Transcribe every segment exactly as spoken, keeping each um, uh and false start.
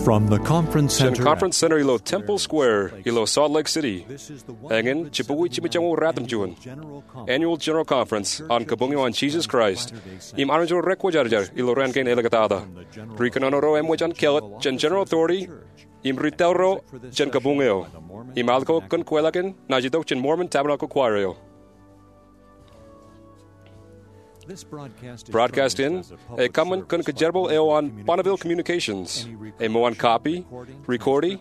From the Conference Center. Conference Center ilo Temple Square ilo Salt Lake City. Eñin jibukwi jimjuonñoul ratimjuon, Annual General Conference an Kabuñ eo an Jesus Christ im Armej ro Rekwōjarjar ilo raan kein āliktata. Ri kōnono ro eṃōj an kelōt jān General Authority im ri taḷ ro jān kabuñ eo. Im al ko kōn kweilọk in naaj itok jān Mormon Tabernacle Choir eo. Broadcast in ekōṃṃan kōn kōjerbal eo an Bonneville Communications. Eṃṃan copy, recording,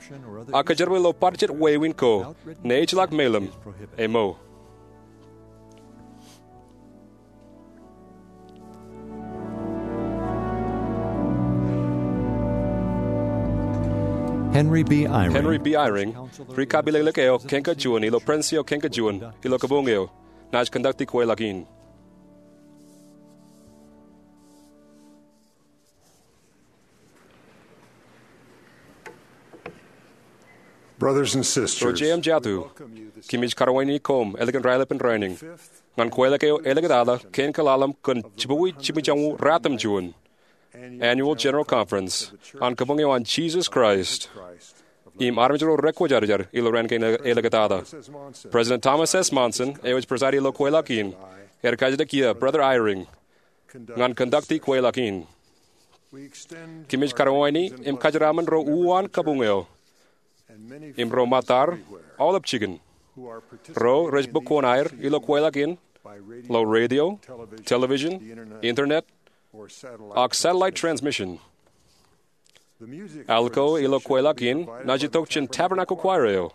ak kōjerbal ilo bar jet wāween ko ne ejjeḷọk meḷeḷe. Eṃṃan. Henry B. Eyring. Henry B. Eyring, ri kapilōklōk eo kōn kōj juon ilo Presidency eo kōn kōj juon ilo kabuñ eo, naaj kōnducti kweilọk in. Brothers and sisters, ro jeiū im jatū, kōmij karuwainiki koṃ ālikin raelep in rainin ñan kweilọk eo āliktata kein kōḷalem kōn jibukwi jimjuonñoul ratimjuon Annual General Conference an Kabuñ eo an Jesus Christ im Armej ro Rekwōjarjar ilo raan kein āliktata. President Thomas S. Monson eo ej preside ilo kweilọk in, ear kajjitōk ie Brother Eyring ñan kōnducti kweilọk in. Kōmij karuwainiki im kōjeraaṃṃan ro uwaan kabuñ eo im ro ṃōttaṃ aolep jikin ro rej bōk kuṇaer ilo kweilọk in ilo radio, television, internet, ak satellite transmission. Al ko ilo kweilọk in naaj itok jān Tabernacle Choir eo.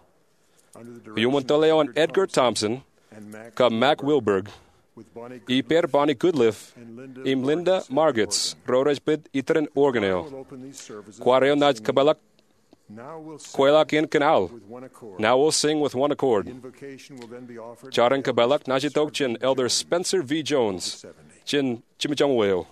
Iuṃwin tōl eo an Edgar Thomson kab Mack Wilberg, ippāer Bonnie Goodliff im Linda Margetts ro rej pād itōn organ eo. Choir eo naaj kōpeḷḷọk kweilọk in kōn al Now We'll Sing with One Accord. Jar in kōpeḷḷọk naaj itok jān Elder Spencer V. Jones jān jimjuonñoul eo.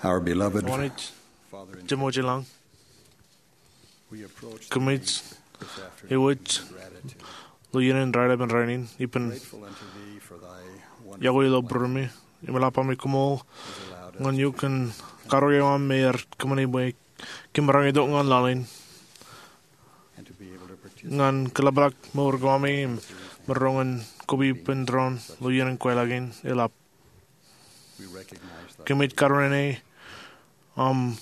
Our beloved Wōnṃaanḷọk Father in Jemem ilañ, we approach the kōmij reading this afternoon ewōj in gratitude. Ilo iien in raelep in rainin, ippān Grateful unto thee for thy wonderful yokwe ilo plan. Būruemi, im eḷap ami koṃṃool has allowed us ñan eok kōn karuo eo aṃ me ear kōṃṃani bwe kōm maroñ itok ñan laḷ in. And to be able to participate Ñan kōḷapḷọk mour ko ami im maroñ in koba ippān doon ilo iien in kweilọk in, eḷap. We recognize thy Kōmij karuo aṃ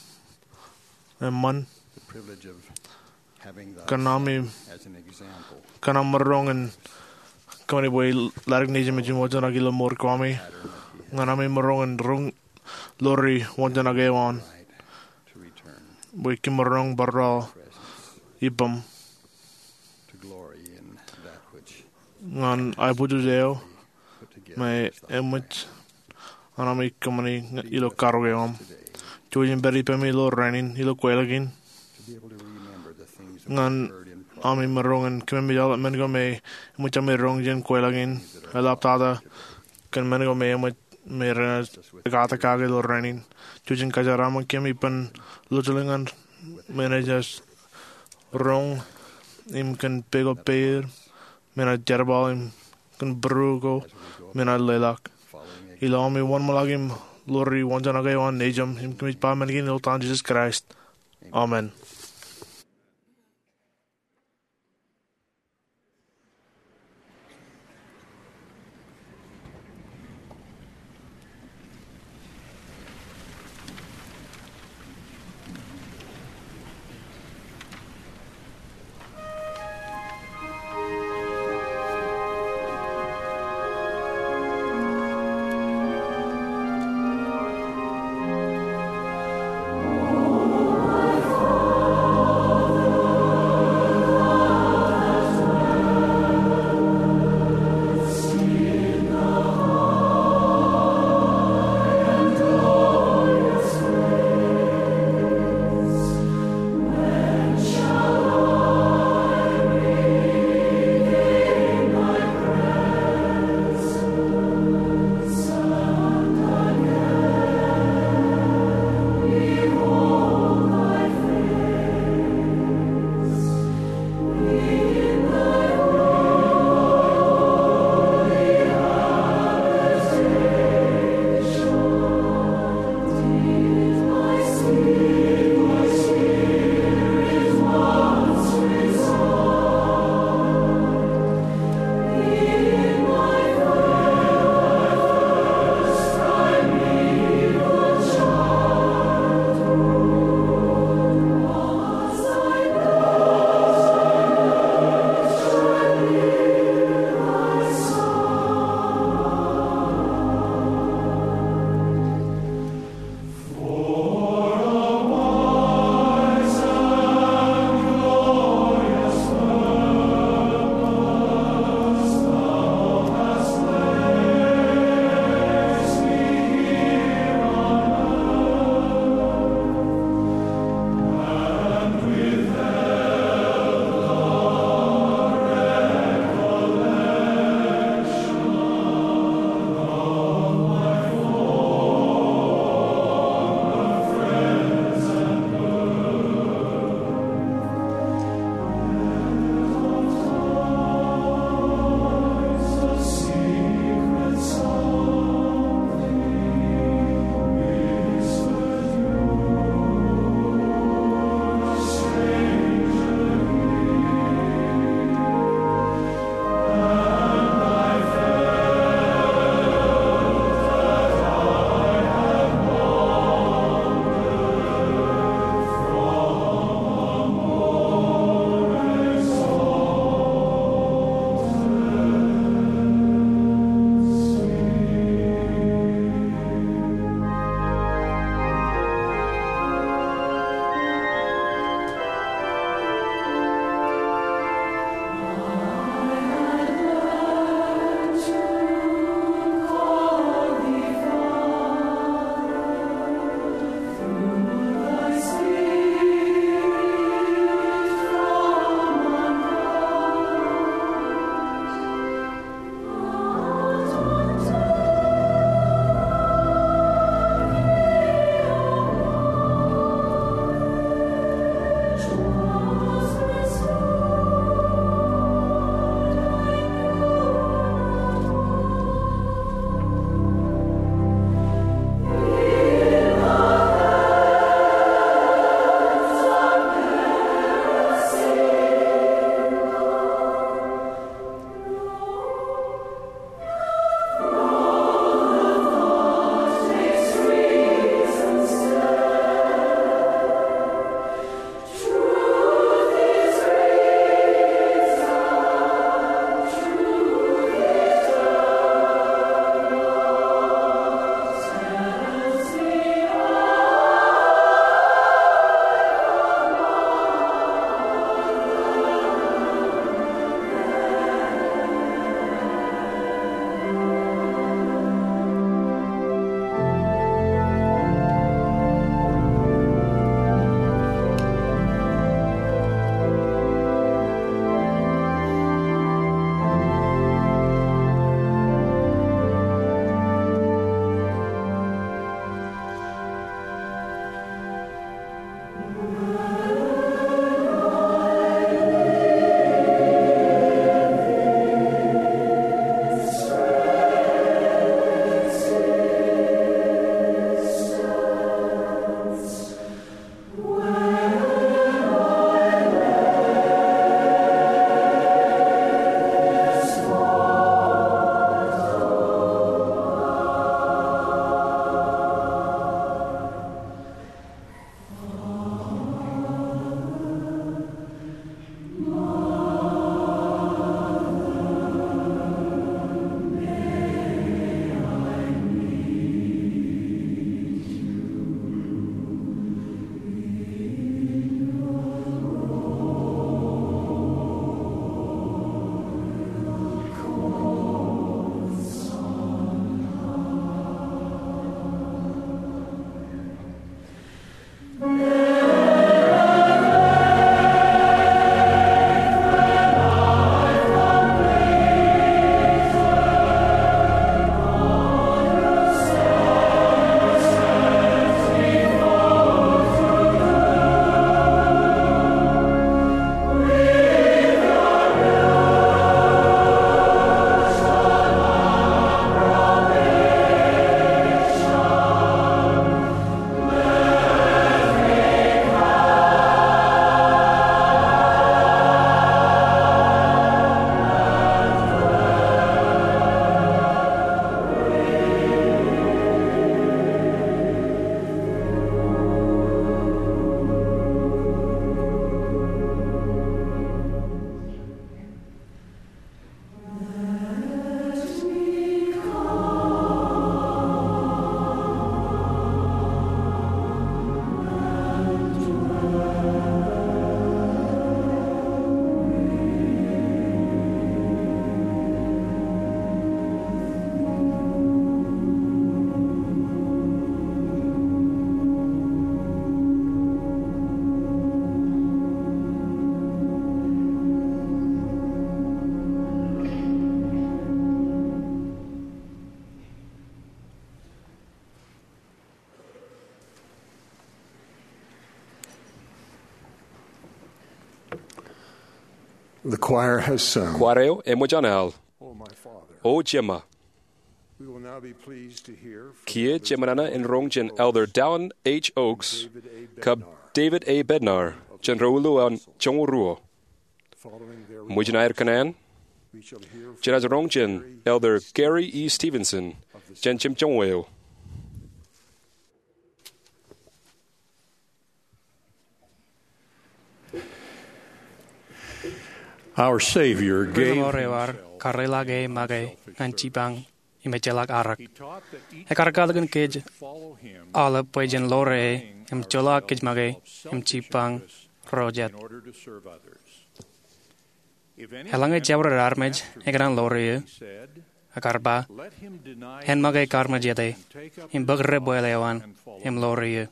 eṃṃan. The privilege of having thy Kōn ami, son as an example. Kōn ami maroñ in kōṃṃani bwe ḷaddik nejin im ejin wōnṃaanḷọk ilo mour ko ami. Ñan ami maroñ in roñ ḷoori wōnṃaanḷọk eo an. Right to return. Bwe kōm maroñ bar ippām. To glory in that which Ñan aebōjoj eo me eṃōj an ami kōṃṃani ilo karuo eo aṃ. Jouj im pād ippemi ilo rainin, ilo kweilọk in. Ñan ami maroñ in kōmemej aolep men ko me eṃōj ami roñ jān kweilọk in, eḷaptata kōn men ko me eṃōj me renaaj ekatakin kake ilo rainin. Jouj im kōjeraaṃṃan kōm ippān lọjilñan me enaaj roñ im kōn peko peier me enaaj jerbal im kōn būruo ko me enaaj leḷọk. Ilo ami wōnṃaanḷọk im ḷoori wōnṃaanḷọk eo an nejūṃ, im kōmij ba men kein ilo etan Jisōs Kraist. Amen. The choir has sung. Kwaar eo eṃōj an al. O Jema. We will now be pleased to hear from Kiiō jemānānā in roñ jān Elder Dallin H. Oaks kab David A. Bednar jān ro ilo an joñoul ruo. Ṃōjin aer kōṇaan, jenaaj roñ jān Elder Gary E. Stevenson jān jemjoñoul eo. Our Savior gave Rilọmọọr eo ear himself karleḷọk e make ñan jipañ im ejjeḷọk arōk. Ekar katakin kōj aolep bwe jen ḷoore e im joḷọk kōj make im jipañ ro jet. Eḷaññe jabdewōt armej ekōṇaan ḷoore eō, ekar ba, en make kaarmejete im bōk debwāāl eo an im ḷoore eō.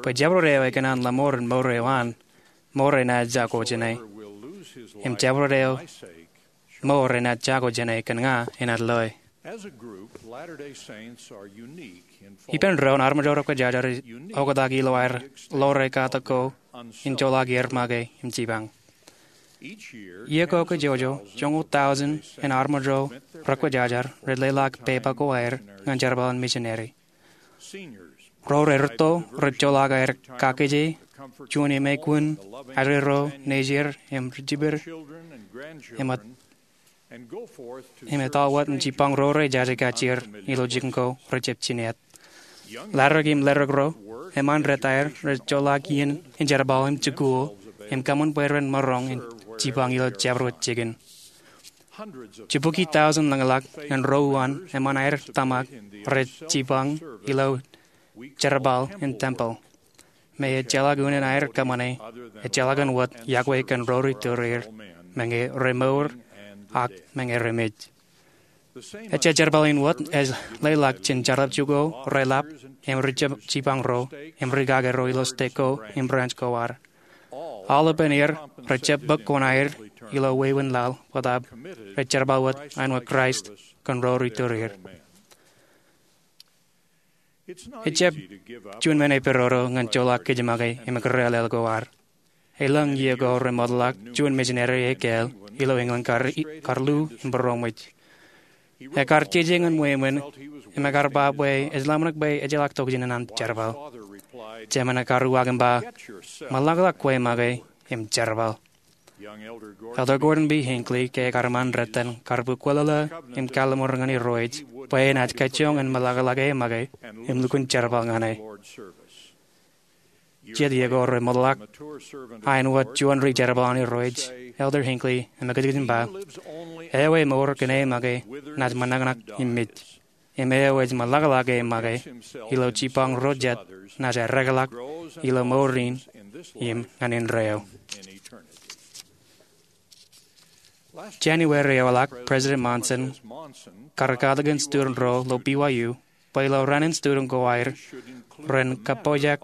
Bwe jabdewōt eo ekōṇaan ḷōṃor in mour eo an, mour enaaj jako jāne. Im jabdewōt eo mour enaaj jako jāne kōn ña enaaj loe. Ippān doon, armej ro rekwōjarjar ej oktak ilo aer ḷoore katak ko in joḷọk er make im jipañ. Iiō ko kajjojo joñoul tọujin in armej ro rekwōjarjar rej leḷọk pepa ko aer ñan jerbal in misineri. Ro re rūtto rej joḷọk aer kakkije juon emekwōn ajri ro nejier im rijibed im etto wōt in jipañ ro rejaje kajjier ilo jikin ko rejjab jined. Ḷaddik im ḷaddik ro eṃṃan rej aer rej joḷọk iien in jerbal im jikuuḷ im kōṃṃan bwe ren maroñ in jipañ ilo jabdewōt jikin. Jibukwi tọujin ḷōñḷọk ñan ro uwaan eṃṃan aer tōmak rej jipañ ilo jerbal in tempel. Me ejjeḷọk unin aer kōṃṃane, ejjeḷọk in wōt yokwe kōn ro rej tōreer, meñe remour ak meñe remej. Ejja jerbal in wōt ej leḷọk jān jar jikuuḷ reḷap im rijab jipañ ro im rikaki ro ilo stek ko im branch ko ad. Aolepān er rejab bōk kuṇaer ilo wāween laḷ bōtaab rej jerbal wōt āinwōt Kraist kōn ro rej tōreer. Ejjab juon men epidodo ñan joḷọk kōj make im kūrālel ko ad. Elōñ iiō ko remootḷọk juon misineri ekāāl ilo England kar, kar lu im būroṃōj. Ekar jeje ñan ṃweo in im ekar ba bwe ej ḷōmṇak bwe ejjeḷọk tokjān in an jerbal. Jemān ekar uwaak im ba, ṃōḷaḷḷọk kwe make im jerbal. Elder Gordon B. Hinckley ke ekar ṃaan rot in kar bōk kwōlōḷā im kalimur ñan Irooj bwe enaaj kajjioñ in ṃōḷaḷḷọk e make im lukkuun jerbal ñan e. Jet iiō ko remootḷọk, āinwōt juon ri-jerbal an Irooj, Elder Hinckley emkajjitōk im ba, eo emour kōn e make naaj ṃōṇōṇō im mej. Im eo ej ṃōḷaḷḷọk e make ilo jipañ ro jet naaj eddekḷọk ilo mour in im ñan indeeo. January eoḷọk, President Monson kar katakin student ro ilo B Y U bwe ilo raan in student ko aer ren kappojak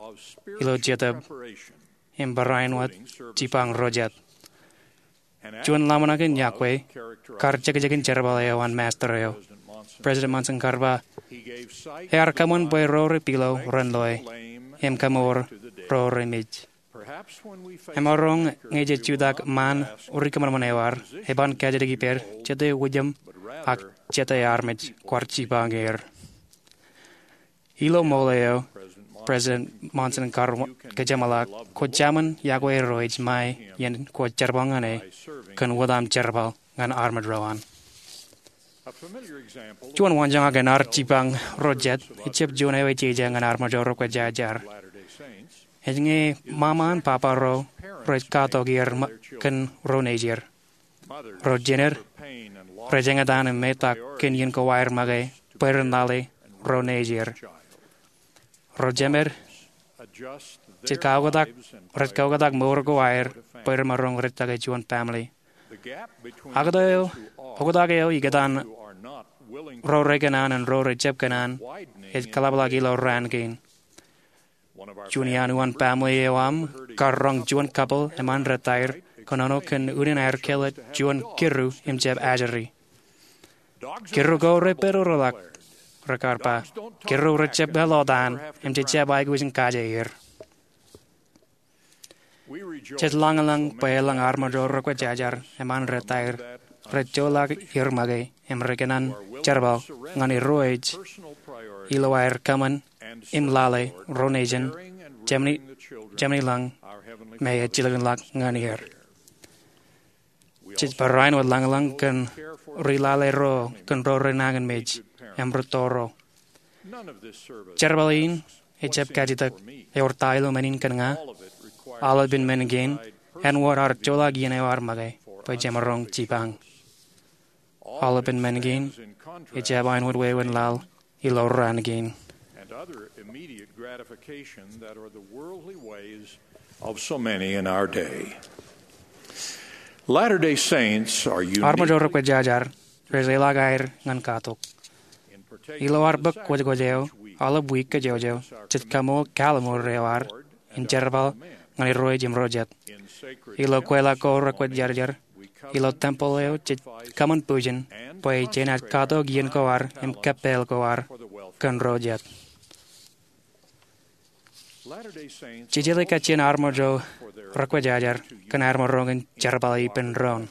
ilo jetōb im barāinwōt jipañ ro jet. Juon ḷōmṇak in yokwe kar jekjekin jerbal eo an Master eo. President Monson kar ba, ear kōṃṃan bwe ro re pilo ren loe im kaṃoor ro re mej. Emaroñ ñe jej jutak ṃaan rikōṃanṃan eo ad, eban kajjitōk ippād jete wūjjam ak jete armej kwaar jipañ er. Ilo ṃool eo, President Monson kar kōjeṃḷọk, kwō jaṃin yokwe Irooj ṃae iien kwōj jerbal ñan e kōn wōt aṃ jerbal ñan armej ro an. Juon waanjoñak in ad jipañ ro jet ejjab juon eo ejeje ñan armej ro rekwōjarjar. Ej ñe ṃaṃa an papa ro rej katok er kōn ro nejid. Ro jined rej eñtaan im metak kōn iien ko aer make bwe ren lale ro nejid. Ro jemed jej kaoktak, rej kaoktak mour ko aer bwe remaroñ rej take juon family. Ak oktak eo ikōtaan ro rekōṇaan im ro rejjab kōṇaan ej kaḷapḷọk ilo raan kein. Juon iaan uwaan family eo aṃ kar roñ juon couple eṃṃan retaer kōnono kōn unin aer kele juon kiddu im jab ajri. Kiddu ko re pedodoḷọk, rekar ba. Kiddu rejjab eḷotaan im jejjab aikuj in kaje er. Jej lañlōñ bwe elōñ armej ro rekwōjarjar eṃṃan retaer rej joḷọk er make im rekōṇaan jerbal ñan Irooj ilo aer kōṃṃan im lale ro nejin, jemān lōñ me ej jilkinḷọk ñan er. Jej barāinwōt lañlōñ kōn ri-lale ro kōn ro renañinmej im rūtto ro. Jerbal in ejjab kajjitōk ewōr ta ilo men in kōn ña. Aolepān men kein āinwōt ad joḷọk iien eo ad make bwe jemaroñ jipañ. Aolepān men kein ejjab āinwōt wāween laḷ ilo raan kein. Armej ro rekwōjarjar rej leḷọk aer ñan katok. Ilo ad bōk kwōjkwōj eo aolep wiik kōjwōjwōj, jej kaṃool kalimur eo ad in jerbal ñan Irooj im ro jet. Ilo kweilọk ko rekwōjarjar ilo tempeḷ eo, jej kōṃṃan bwijin bwe jenaaj katok iien ko ad im kōppāl ko ad kōn ro jet. Jej jeḷā kajjien armej ro rekwōjarjar kōn aer maroñ in jerbal ippān doon.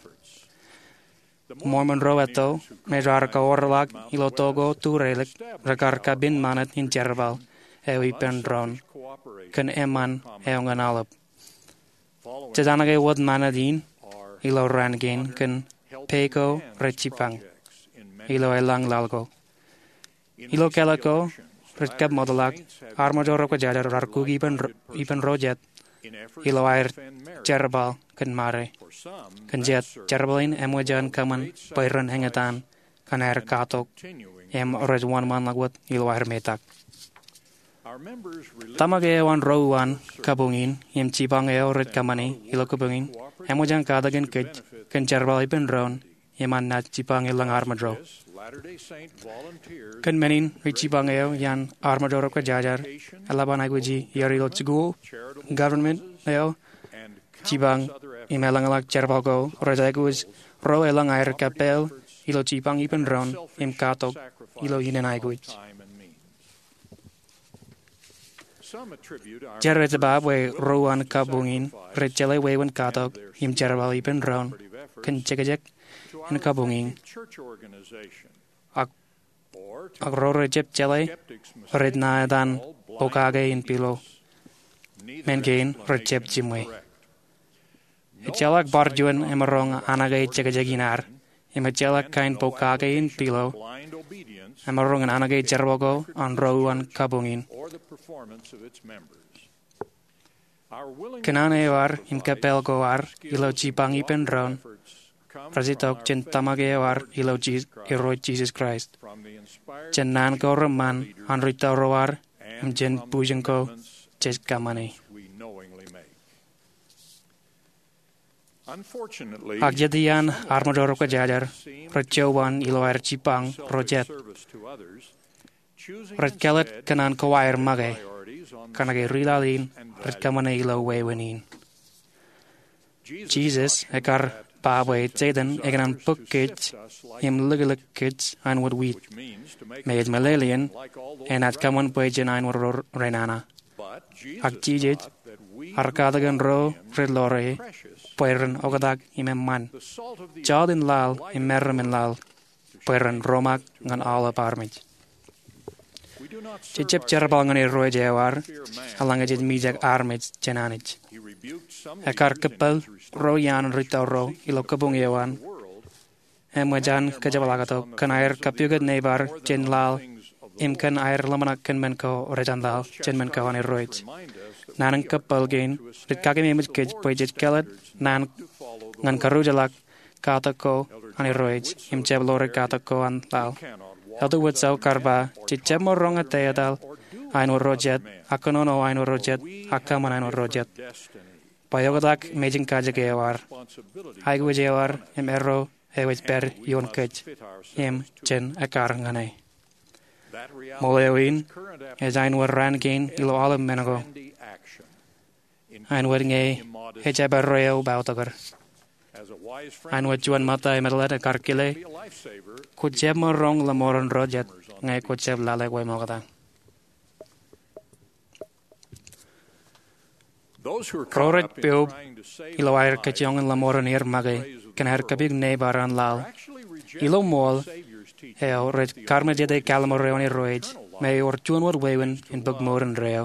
Mormon ro etto me raar kaorḷọk ilo to ko turelōk rekar kapen ṃanit in jerbal eo ippān doon kōn eṃṃan eo ñan aolep. Jej anōke wōt ṃanit in ilo raan kein kōn pā ko rej jipañ ilo elōñ laḷ ko. Ilo kālọk ko rej kōṃṃootḷọk, armej ro rekwōjarjar raar kukkuun ippān ro jet ilo aer jerbal kōn ṃade. Kōn jet, jerbal in eṃōj an kōṃṃan bwe ren eñtaan kōn aer katok im rej wōnṃaanḷọk wōt ilo aer metak. Tōmak eo an ro uwaan kabuñ in im jipañ eo rej kōṃṃani ilo kabuñ in eṃōj an katakin kōj kōn jerbal ippān doon im an naaj jipañ elōñ armej ro. Kōn men in, ri-jipañ eo iaan armej ro rekwōjarjar eḷap an aikuji er ilo jikuuḷ, government eo, jipañ im elōñḷọk jerbal ko rej aikuj ro elōñ aer kōppāl ilo jipañ ippān doon im katok ilo innem aikuj. Jar ej ba bwe ro uwaan kabuñ in rej jeḷā wāween katok im jerbal ippān doon kōn jekjek in kabuñ in. Ak, ak ro rejjab jeḷā rej ṇa etan pokake in pilo. Men kein rejjab jiṃwe. Ejjeḷọk bar juon emaroñ anōke jekjek in ad, im ejjeḷọk kain pokake in pilo emaroñ in anōke jerbal ko an ro uwaan kabuñ in. Kōṇaan eo ad im kōppāl ko ad ilo jipañ ippān doon rej itok jān tōmak eo ad ilo Jis-, Irooj Jisōs Kraist, jān naan ko reṃṃan an ri-tōro ad, im jān bwijin ko jej kōṃṃani. Ak jet iaan armej ro rekwōjarjar rej jowan ilo aer jipañ ro jet, Rej kāālōt kōn an kowaer make, kōnke ri laḷ in rej kōṃṃane ilo wāween in. Jisōs ekar ba bwe Setan ekōṇaan bōk kōj im likūlik kōj āinwōt wiit, me ej meḷeḷein enaaj kōṃṃan bwe jen āinwōt ro renana. Ak Jisōs ear katakin ro rej ḷoore bwe ren oktak im eṃṃan, jọteen laḷ im meram in laḷ, bwe ren romaak ñan aolep armej. Jej jab jerbal ñan Irooj eo ad eḷaññe jej mijak armej jān Anij. Ekar kōppel ro iaan ri tōro ilo kabuñ eo an, eṃōj an kōjepḷaaktok, kōn aer kapukot neibar jān laḷ im kōn aer ḷōmṇak kōn men ko rej an laḷ jān men ko an Irooj. Naan in kōppel kein rej kakeememej kōj bwe jej kāālōt naan ñan karuujḷọk katak ko an Irooj im jab ḷoore katak ko an laḷ. Elder Widtsoe kar ba, jej jab maroñ ettā etal āinwōt ro jet, ak kōnono āinwōt ro jet, ak kōṃṃan āinwōt ro jet. Bwe oktak mejānkajek eo ad, aikuj eo ad im erro eo ej pād ioon kōj im jen ekkar ñan e. Ṃool eo in ej āinwōt raan kein ilo aolep men ko, āinwōt ñe ejjab erro eō bautakar. Āinwōt juon ṃōtta im eteḷḷā ekar kile, kwō jab maroñ ḷōṃoran ro jet ñe kwō jab lale kwe ṃokta. Ro rej poob ilo aer kajjioñ in ḷōṃoran er make kōn aer kapuk neibar an laḷ, ilo ṃool eo rej karmejete kallim̧ur eo an Irooj me ewōr juon wōt wāween in bōk mour indeeo,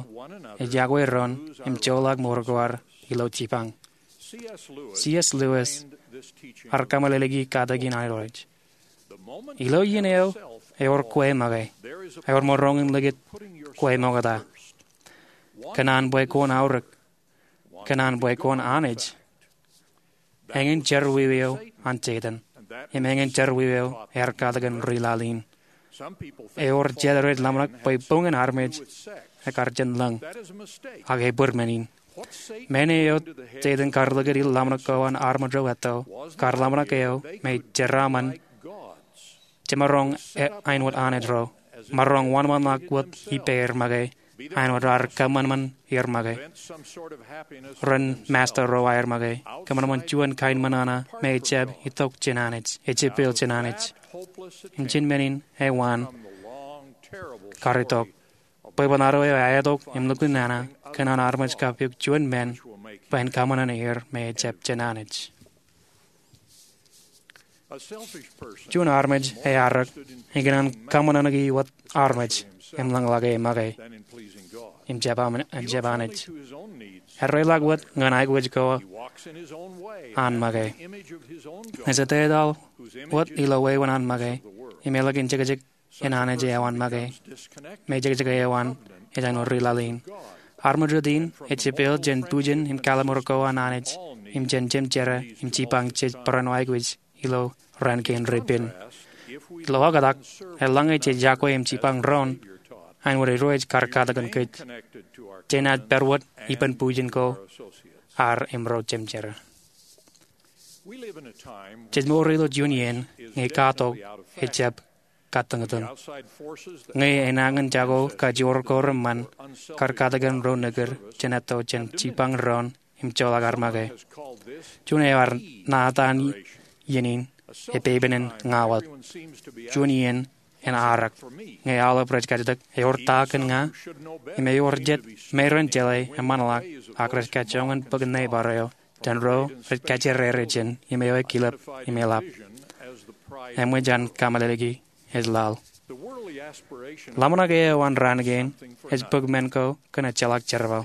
ej yokwe doon im joḷọk mour ko ad ilo jipañ. C. S. Lewis ear kaṃṃoolol katakin an Irooj: Ilo iien eo ewōr kwe make, ewōr maroñ in likūt kwe ṃokta. Kōn an bwe kwōn aorōk, kōn an bwe kwōn Anij, eñin jerọwiwi eo an Setan, im eñin jerọwiwi eo ear katakin ri laḷ in. Ewōr jet rej ḷōmṇak bwe boñōn armej ekar jān lōñ, ak ebōd men in. Men eo Setan kar likūt ilo ḷōmṇak ko an armej ro etto, kar ḷōmṇak eo me jeraaṃṃan jemaroñ āinwōt anij ro, maroñ wōnṃaanḷọk wōt ippāer make, āinwōt raar kōṃanṃan er make, ren masta ro aer make, kōṃanṃan juon kain ṃōṇōṇō me ejjab itok jān Anij, ejepel jān Anij. Im jān men in ewaan, kar itok bwebwenato eo eaetok im lukkuun nana kōn an armej kapuk juon men bwe en kōṃanṃan er me ejjab jān Anij. Juon armej earrak ekōṇaan kōṃanṃaniki wōt armej im lōñḷọke make im jab Anij. Erreḷọk wōt ñan aikuj ko an make. Ej ettā etal wōt ilo wāween an make im eḷak in jekjek in anij eo an make, me jekjek eo an ej āinwōt ri laḷ in. Armej rot in ejepel jān bujen im kallim̧ur ko an Anij im jān jemjerā im jipañ jej barāinwōt aikuj ilo raan kein repen. Ilo oktak, eḷaññe jej yokwe im jipañ doon āinwōt Irooj kar katakin kōj, jenaaj pād wōt ippān bujen ko ad im ro jemjerā. Jej mour ilo juon iien ñe katok ejjab kōtōñtōñ, ñe enañin jako kajoor ko reṃṃan kar katakin ro nekūr jān etto jān jipañ doon im joḷọk ad make. Juon eo ear ṇa etan iien in epepen in ña wōt, juon iien in arak, ñe aolep rej kajjitōk ewōr ta kōn ña, im ewōr jet me ren jeḷā eṃṃanḷọk, ak rej kajjioñ in bōk neibar eo jān ro rej kajjirere jān im eo ekilep im eḷap. Eṃōj an kaṃṃoolol e ej laḷ. Ḷōmṇak eo an raan kein ej bōk men ko kōn ejjeḷọk jerbal.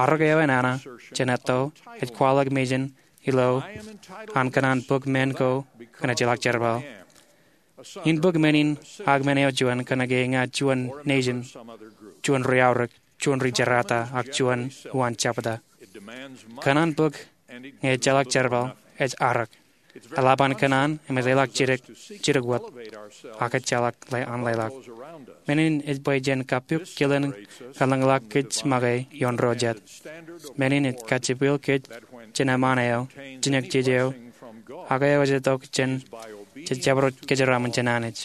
Arak eo enana jān etto ej kwaḷọk mejān ilo an kōṇaan bōk men ko kōn ejjeḷọk jerbal. In bōk men in ak men eo juon kōnke ña juon nejin, juon ri-aorōk, juon ri-jerata, ak juon uwaan jebta. Kōṇaan bōk ñe ejjeḷọk jerbal ej arak. Eḷap an kōṇaan im ej leḷọk jidik, jidik wōt, ak ejjeḷọk an leḷọk. Men in ej bwe jen kapukot kilen kōḷañḷọk kōj make ioon ro jet. Men in ej kajjipwil kōj jān eṃṃaan eo, jineej eo, ak eo ej itok jān jej jabdewōt kōjeraaṃṃan jān Anij.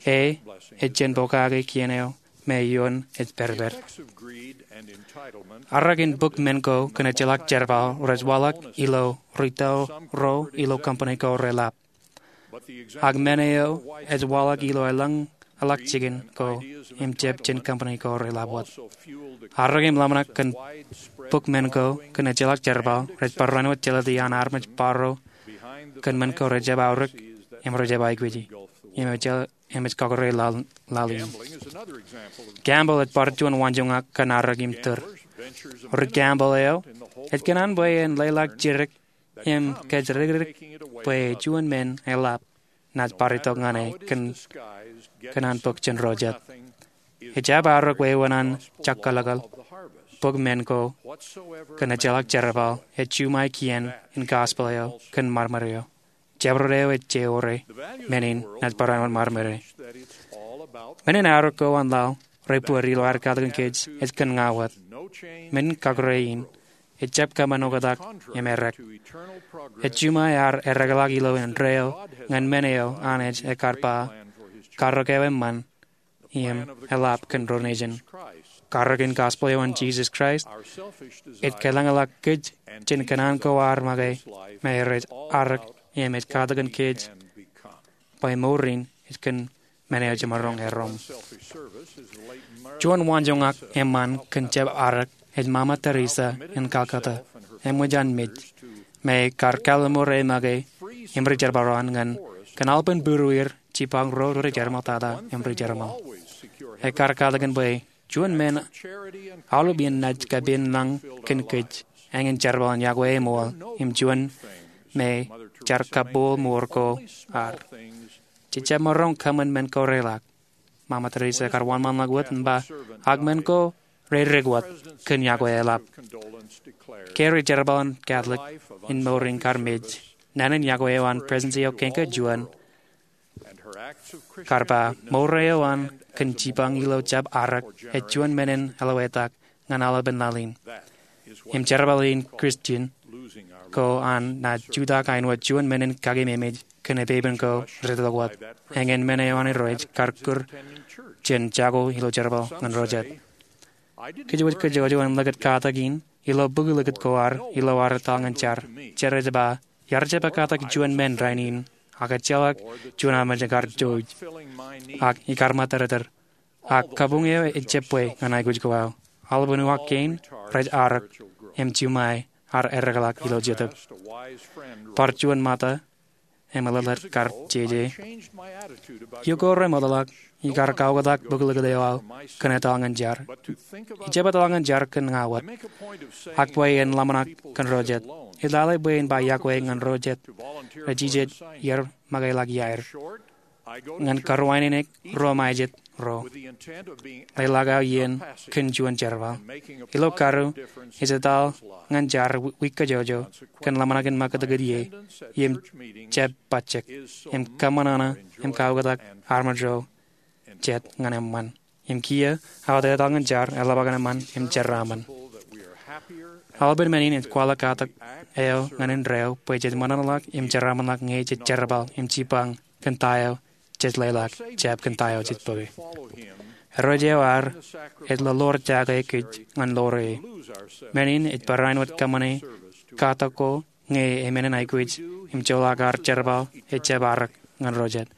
E ej jen pokake kien eo me ioon ej pād. Arōk in bōk men ko kōn ejjeḷọk jerbal rej waḷọk ilo ri tōl ro ilo company ko reḷap. Ak men eo ej waḷọk ilo elōñ ḷọk jikin ko im jab jān company ko reḷap wōt. Arōk im ḷōmṇak kōn bōk men ko kōn ejjeḷọk jerbal rej barāinwōt jelōt iaan armej bōro kōn men ko rejjab aorōk im rejjab aikuji im ejjeḷọk im ej kọkkure laḷ in. Gambling ej bar juon waanjoñak kōn arōk im tūr. Ri-gambling eo ej kōṇaan bwe en leḷọk jidik im kōjatdikdik bwe juon men eḷap naaj bar itok ñan e kōn an bōk jān ro jet. Ejjab arōk wāween an jakkōḷḷe bōk men ko kōn ejjeḷọk jerbal ej juṃae kien in gospel eo kōn ṃadṃōd eo. Jabdewōt eo ej jeiū eo, men in naaj barāinwōt ṃadṃōd e. Men in arōk ko an laḷ rej bōd ilo ad katakin kōj ej kōn ña wōt. Men in kọkkure in ejjab kōṃṃan oktak im errā. Ej juṃae ad errāḷọk ilo indeeo ñan men eo Anij ekar ba karōk eo eṃṃan im eḷap kōn ro nejin. Karōk in gospel eo an Jesus Christ ej kōḷañḷọk kōj jān kōṇaan ko ad make me rej arōk im ej katakin kōj bwe mour in ej kōn men eo jemaroñ erom. Juon waanjoñak eṃṃan kōn jab arōk ej Mama Teresa in Calcutta, eṃōj an mej, me kar kalimur e make im ri-jerbal ro an ñan kōn aolepān būruwier jipañ ro rej jeṃḷọktata im ri-jeṃḷọk. Ekar katakin bwe juon men aolep in naaj kapein lañ kōn kōj eñin jerbal in yokwe eṃool im juon me jar kabuul mour ko ad. Jej jab maroñ kōṃṃan men ko reḷak. Mama Teresa ekar wōnṃaanḷọk wōt im ba, ak men ko reddik wōt kōn yokwe eḷap. Ke ri-jerbal in Catholic in mour in kar mej, naan in yokwe eo an Presidency eo Kañka Juon kar ba, mour eo an kōn jipañ ilo jab arōk ej juon men in elōñ etak ñan aolepān laḷ in. Im jerbal in Christian ko an naaj jutak āinwōt juon men in kakememej kōn epepen ko rej itok wōt. Eñin men eo an Irooj kar kūr jān jako ilo jerbal ñan ro jet. Kōjwōj kōjwōj in likūt katak in ilo bōk likūt ko ad ilo ad etal ñan jar. Jar ej ba, iar jab katak juon men rainin, ak ejjeḷọk juon armej ekar jouj, ak ikar ṃōttōrtōr, ak kabuñ eo ejjab bwe ñan aikuj ko aō. Aolepān uwaak kein rej arōk im juṃae ad errāḷọk ilo jetōb. Bar juon ṃōtta im eḷḷāḷọk kar jeje. Iiō ko remootḷọk, ikar kaoktak bōk likūt eo aō kōn etal ñan jar. Ijab etal ñan jar kōn ña wōt, ak bwe en ḷōmṇak kōn ro jet. Ij lale bwe in ba yokwe ñan ro jet rej jijet iar makeḷọk iaer ñan karuwaineneik ro ṃae jet ro. Leḷọk aō iien kōn juon jerbal. Ilo karuo, ij etal ñan jar wiik kajjojo kōn ḷōmṇak in ṃakūtkūt ie im jab bajjek im kōṃṃan aṃ im kaoktak armej ro jet ñan eṃṃan. Im kiiō, aō etal ñan jar eḷap aō kōn eṃṃan im jeraaṃṃan. Aolepān men in ej kwaḷọk katak eo ñan indeeo bwe jej ṃōṇōṇōḷọk im jeraaṃṃanḷọk ñe jej jerbal im jipañ kōn ta eo jej leḷọk, jab kōn ta eo jej bōke. Irooj eo ad ej lolorjake kōj ñan lorō e. Men in ej barāinwōt kōṃṃane katak ko ñe emenin aikuj im joḷọk ad jerbal ejjab arōk ñan ro jet.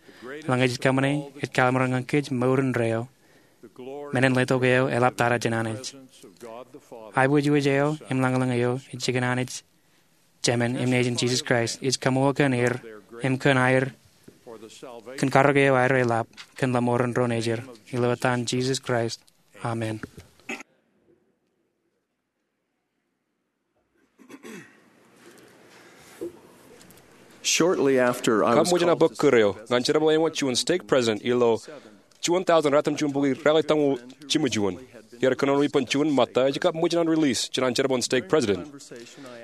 Eḷaññe jej kōṃṃane, ej kalliṃur ñan kōj mour indeeo. Men in letok eo eḷaptata jān Anij. Aiboojoj eo im lañlōñ eo ej jikin Anij Jemān im Nejin Jisōs Kraist. Ij kaṃṃoolol kōn er im kōn aer, kōn karōk eo aer eḷap kōn lọmọọren ro nejid. Ilo etan Jisōs Kraist, amen. Shortly after I was Kab ṃōj in aō bōk kūr eo, ñan jerbal āinwōt juon stake president ilo juon thousand ratimjuonbukwi ralitōñoul jimjuon. Iar kōnono ippān juon ṃōtta ej kab ṃōj in an release jān an jerbal in stake president.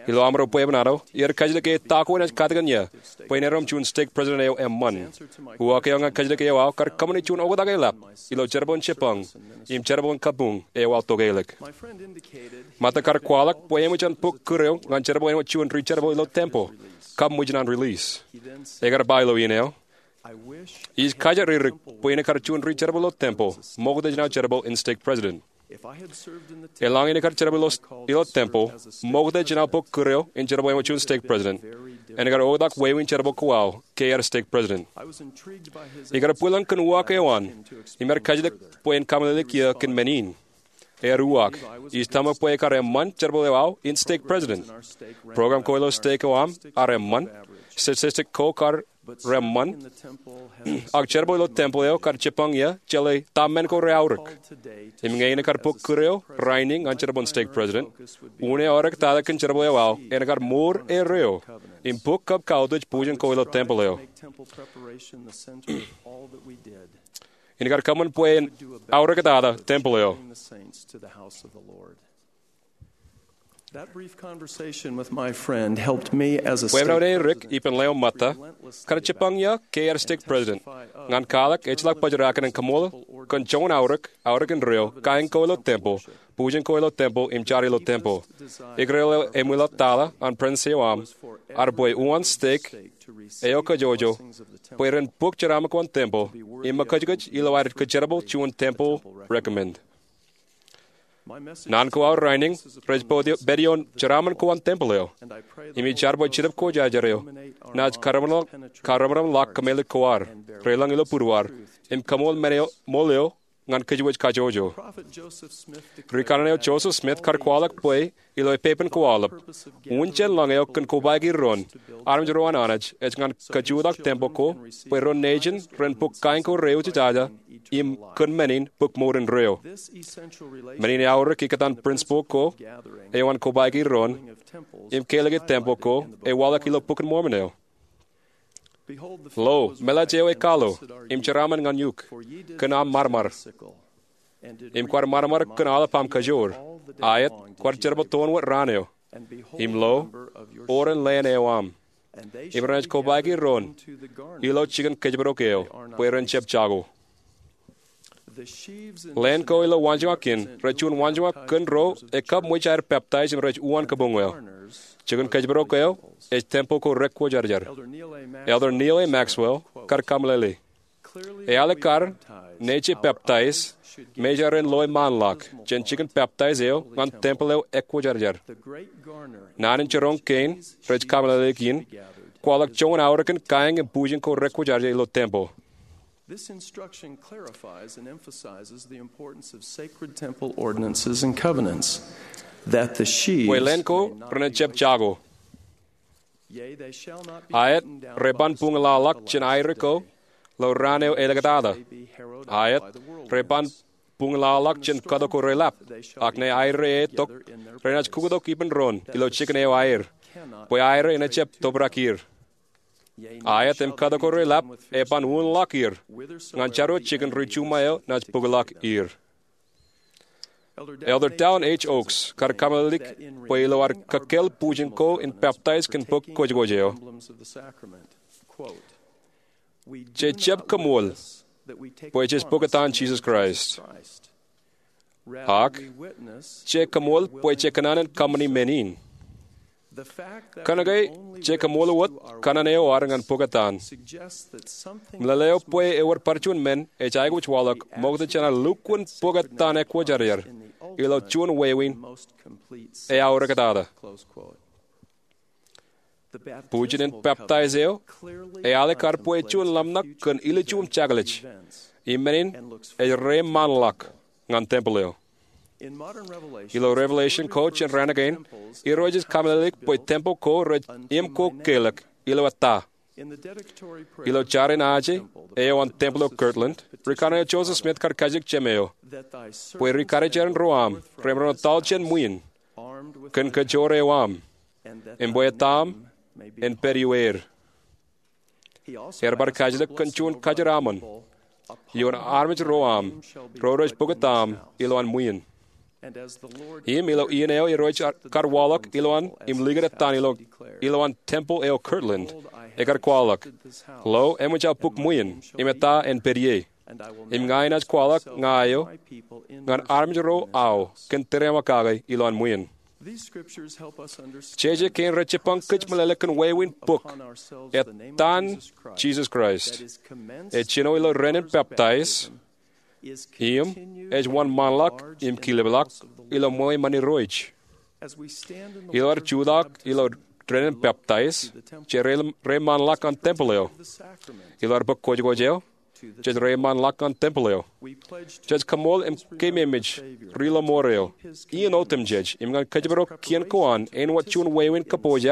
Ilo amro bwebwenato, iar kajjitōk e ta ko enaaj katakin ia bwe en erom juon stake president eo eṃṃan. Uwaak eo ñan kajjitōk eo aō kar kōṃṃane juon oktak eḷap ilo jerbal in jipañ im jerbal in kabuñ eo aō tokālik. Ṃōtta kar kwaḷọk bwe eṃōj an bōk kūr eo ñan jerbal āinwōt juon ri-jerbal ilo tempeḷ, kab ṃōj in an release. Ekar ba ilo iien eo, Ij kajjitōk bwe innem kar juon ri-jerbal ilo temple ṃokta jān aō jerbal in stake president. Eḷaññe innem kar jerbal ilo temple ṃokta jān aō bōk kūr eo in jerbal eṃōj juon stake president, innem kar oktak wāween jerbal ko aō ke aer stake president. Ikar bwilōñ kōn uwaak eo an im ear kajjitōk bwe en kameḷeḷeik eō kōn men in. Ear uwaak. Ij tōmak bwe ekar eṃṃan jerbal eo aō in stake president. Program ko ilo stake eo aṃ ear eṃṃan. Statistic ko kar reṃṃan. Ak jerbal ilo temple eo kar jipañ ie jeḷā ta men ko reaorōk. Im ñe innem kar bōk kūr eo rainin ñan jerbal in stake president, unin aō rej tata kōn jerbal eo aō en kar mour erreo im bōk kab kautiej bujen ko ilo temple eo. Innem kar kōṃṃan bwe en aorōktata temple eo. That brief conversation with my friend helped me as a Bwebwenato eo ri-Rik ippān leo ṃōtta, kar jipañ ie ke aer stake president, ñan kwaḷọk ejjeḷọk bōjrak in kōṃṃool kōn joñan aorōk, aorōk indeeo, kain ko ilo temple, bujen ko ilo temple im jar ilo temple. Ikōrā eo eṃwilaḷ tata an Presidency eo aṃ ear bwe uwaan stake eo kōjwōjwōj bwe ren bōk jeraaṃṃan ko an temple im ṃōkajkōj ilo aer kōjerbal juon temple recommend. Naan ko aō rainin rej pād ioon jeraaṃṃan ko an temple eo. Im ij jar bwe Jetōb Kwōjarjar eo naaj karōṃaṃṃan ḷọk kōmeḷeḷeik ko ad, reḷọñ ilo būruaar, im kōṃṃool men eo ṃool eo ñan kōjwōj kajjojo. Rikaṇe eo Joseph Smith kar kwaḷọk bwe ilo epepen ko aolep, un jān lañ eo kōn kobaiki doon armej ro an Anij ej ñan kōjutak temple ko bwe ro nejin ren bōk kain ko reujejāja im kōn men in bōk mour indeeo. Men in eaorōk ikōtaan principle ko eo an kobaiki doon im kōlōke temple ko ewaḷọk ilo Bok in Mormon eo. Lo, meḷeḷe eo ekalo im jeraaṃṃan ñan eok kōn aṃ ṃadṃōd, im kwaar ṃadṃōd kōn aolep aṃ kajoor. Aet, kwaar jerbal toon wōt raan eo. Im lo, oren leen eo aṃ. Im renaaj kobaiki doon ilo jikin kōjparok eo bwe ren jab jako. Leen ko ilo waanjoñak in rej juon waanjoñak kōn ro ekabmwij aer peptaij im rej uwaan kabuñ eo. Jikin kōjparok eo ej temple ko rekwōjarjar. Elder Neal A. Maxwell kar kameḷeḷe, ealikkar ṇe je peptaij, meja ren loe ṃaanḷọk jān jikin peptaij eo ñan temple eo ekwōjarjar. Naan in jiroñ kein rej kameḷeḷeik in kwaḷọk joñan aorōkin kaeñ im bujen ko rekwōjarjar ilo temple. This instruction clarifies and emphasizes the importance of sacred temple ordinances and covenants, that the sheaves Bwe leen ko may not renaaj be jab jako. Yea, they shall not be Aet, beaten down re by ban the buñlọḷọk sword jān aer ko ilo raan eo āliktata. Aet, re ban buñlọḷọk jān kōto ko reḷap, ak ñe aer eo etok, renaaj kuktok ippān doon ilo jikin eo aer, bwe aer eo enaaj jab tōprak er. Aet, im kōto ko reḷap eban uunḷọk er ñan jaro jikin ri-juṃae eo naaj bōkḷọk er. Elder Dallin H. Oaks kar kameḷeḷeik bwe ilo ad kōkkāāl bujen ko in peptaij kōn bōk kwōjkwōj eo, je jab kōṃṃool bwe jej bōktan Jisōs Kraist, ak je kōṃṃool bwe je kōṇaan in kōṃṃani men in. Kōnke je kōṃṃool wōt kōṇaan eo ad ñan bōktan, meḷeḷe eo bwe ewōr bar juon men ej aikuj waḷọk ṃokta jān ad lukkuun bōktan ekwōjarjar ilo juon wāween eaorōktata. Bujen in peptaij eo ealikkar bwe juon ḷōmṇak kōn ilju im jekḷaj, im men in ej reiṃaanḷọk ñan temple eo. Ilo Revelation ko jān raan kein, irooj ej kameḷeḷeik bwe temple ko rej im ko kelọk ilo ettā. Ilo jar in aje eo an temple eo Kirtland, rikaṇe eo Joseph Smith kar kajjitōk Jemem eo bwe ri-karijeran ro aṃ remaroñ in etal jān ṃwiin kōn kajoor eo aṃ, im bwe ettā aṃ en pād iweer. Ear bar kajjitōk kōn juon kajeraṃṃan ioon armej ro aṃ ro rej bōktaṃ ilowaan ṃwiin. Im ilo iien eo irooj kar waḷọk ilowaan im likūt ettaan ilo, ilowaan temple eo Kirtland, ekar kwaḷọk, lo, eṃōj aō bōk ṃwiin, im ettā en pād ie. Im ña inaaj kwaḷọk ña eo ñan armej ro aō kōn tōreaṃo kake ilowaan ṃwiin. Jeje kein rej jibboñ kōj meḷeḷe kōn wāween bok, Ettaan Jesus Christ, ej jino ilo renin peptaij im ej wōnṃaanḷọk im kilipḷọk ilo ṃweo iṃaan Irooj. Ilo ad jutak ilo renin peptaij, jej reiṃaanḷọk ñan tempel eo. Ilo ad bōk kojkoj eo, jej reiṃaanḷọk ñan tempel eo. Jej kaṃool im keememej Ri-lọmọọr eo, iien otemjej im ñan kōjparok kien ko an āinwōt juon wāween kōpooj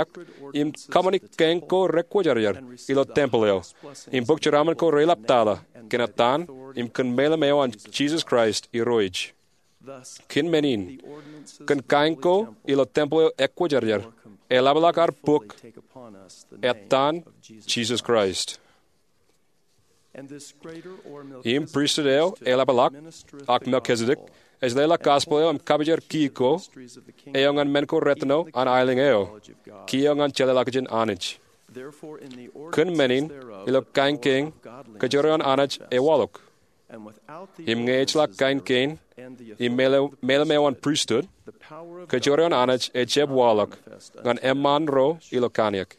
im kōṃṃani kāiñ ko rekwōjarjar ilo tempel eo im bōk jeraaṃṃan ko reḷaptata kōn ettaan im kōn meḷeḷe eo an Jesus Christ Irooj. Kōn men in, kōn kāiñ ko ilo tempel eo ekwōjarjar, eḷapḷọk ad bōk Ettaan Jesus Christ. Im pristut eo eḷapḷọk, ak Melchizedek, ej leḷọk gospel eo im kapijukjer ki ko eo ñan men ko retōno an aelōñ eo, ki eo ñan jeḷāḷọkjeṇ Anij. Kōn men in, ilo kāiñ kein, kōjro eo an Anij ewaḷọk. Im ñe ejjeḷọk kāiñ kein im meḷeḷe eo an pristut, kōjro eo an Anij ejjab waḷọk ñan eṃṃaan ro ilo kaniek.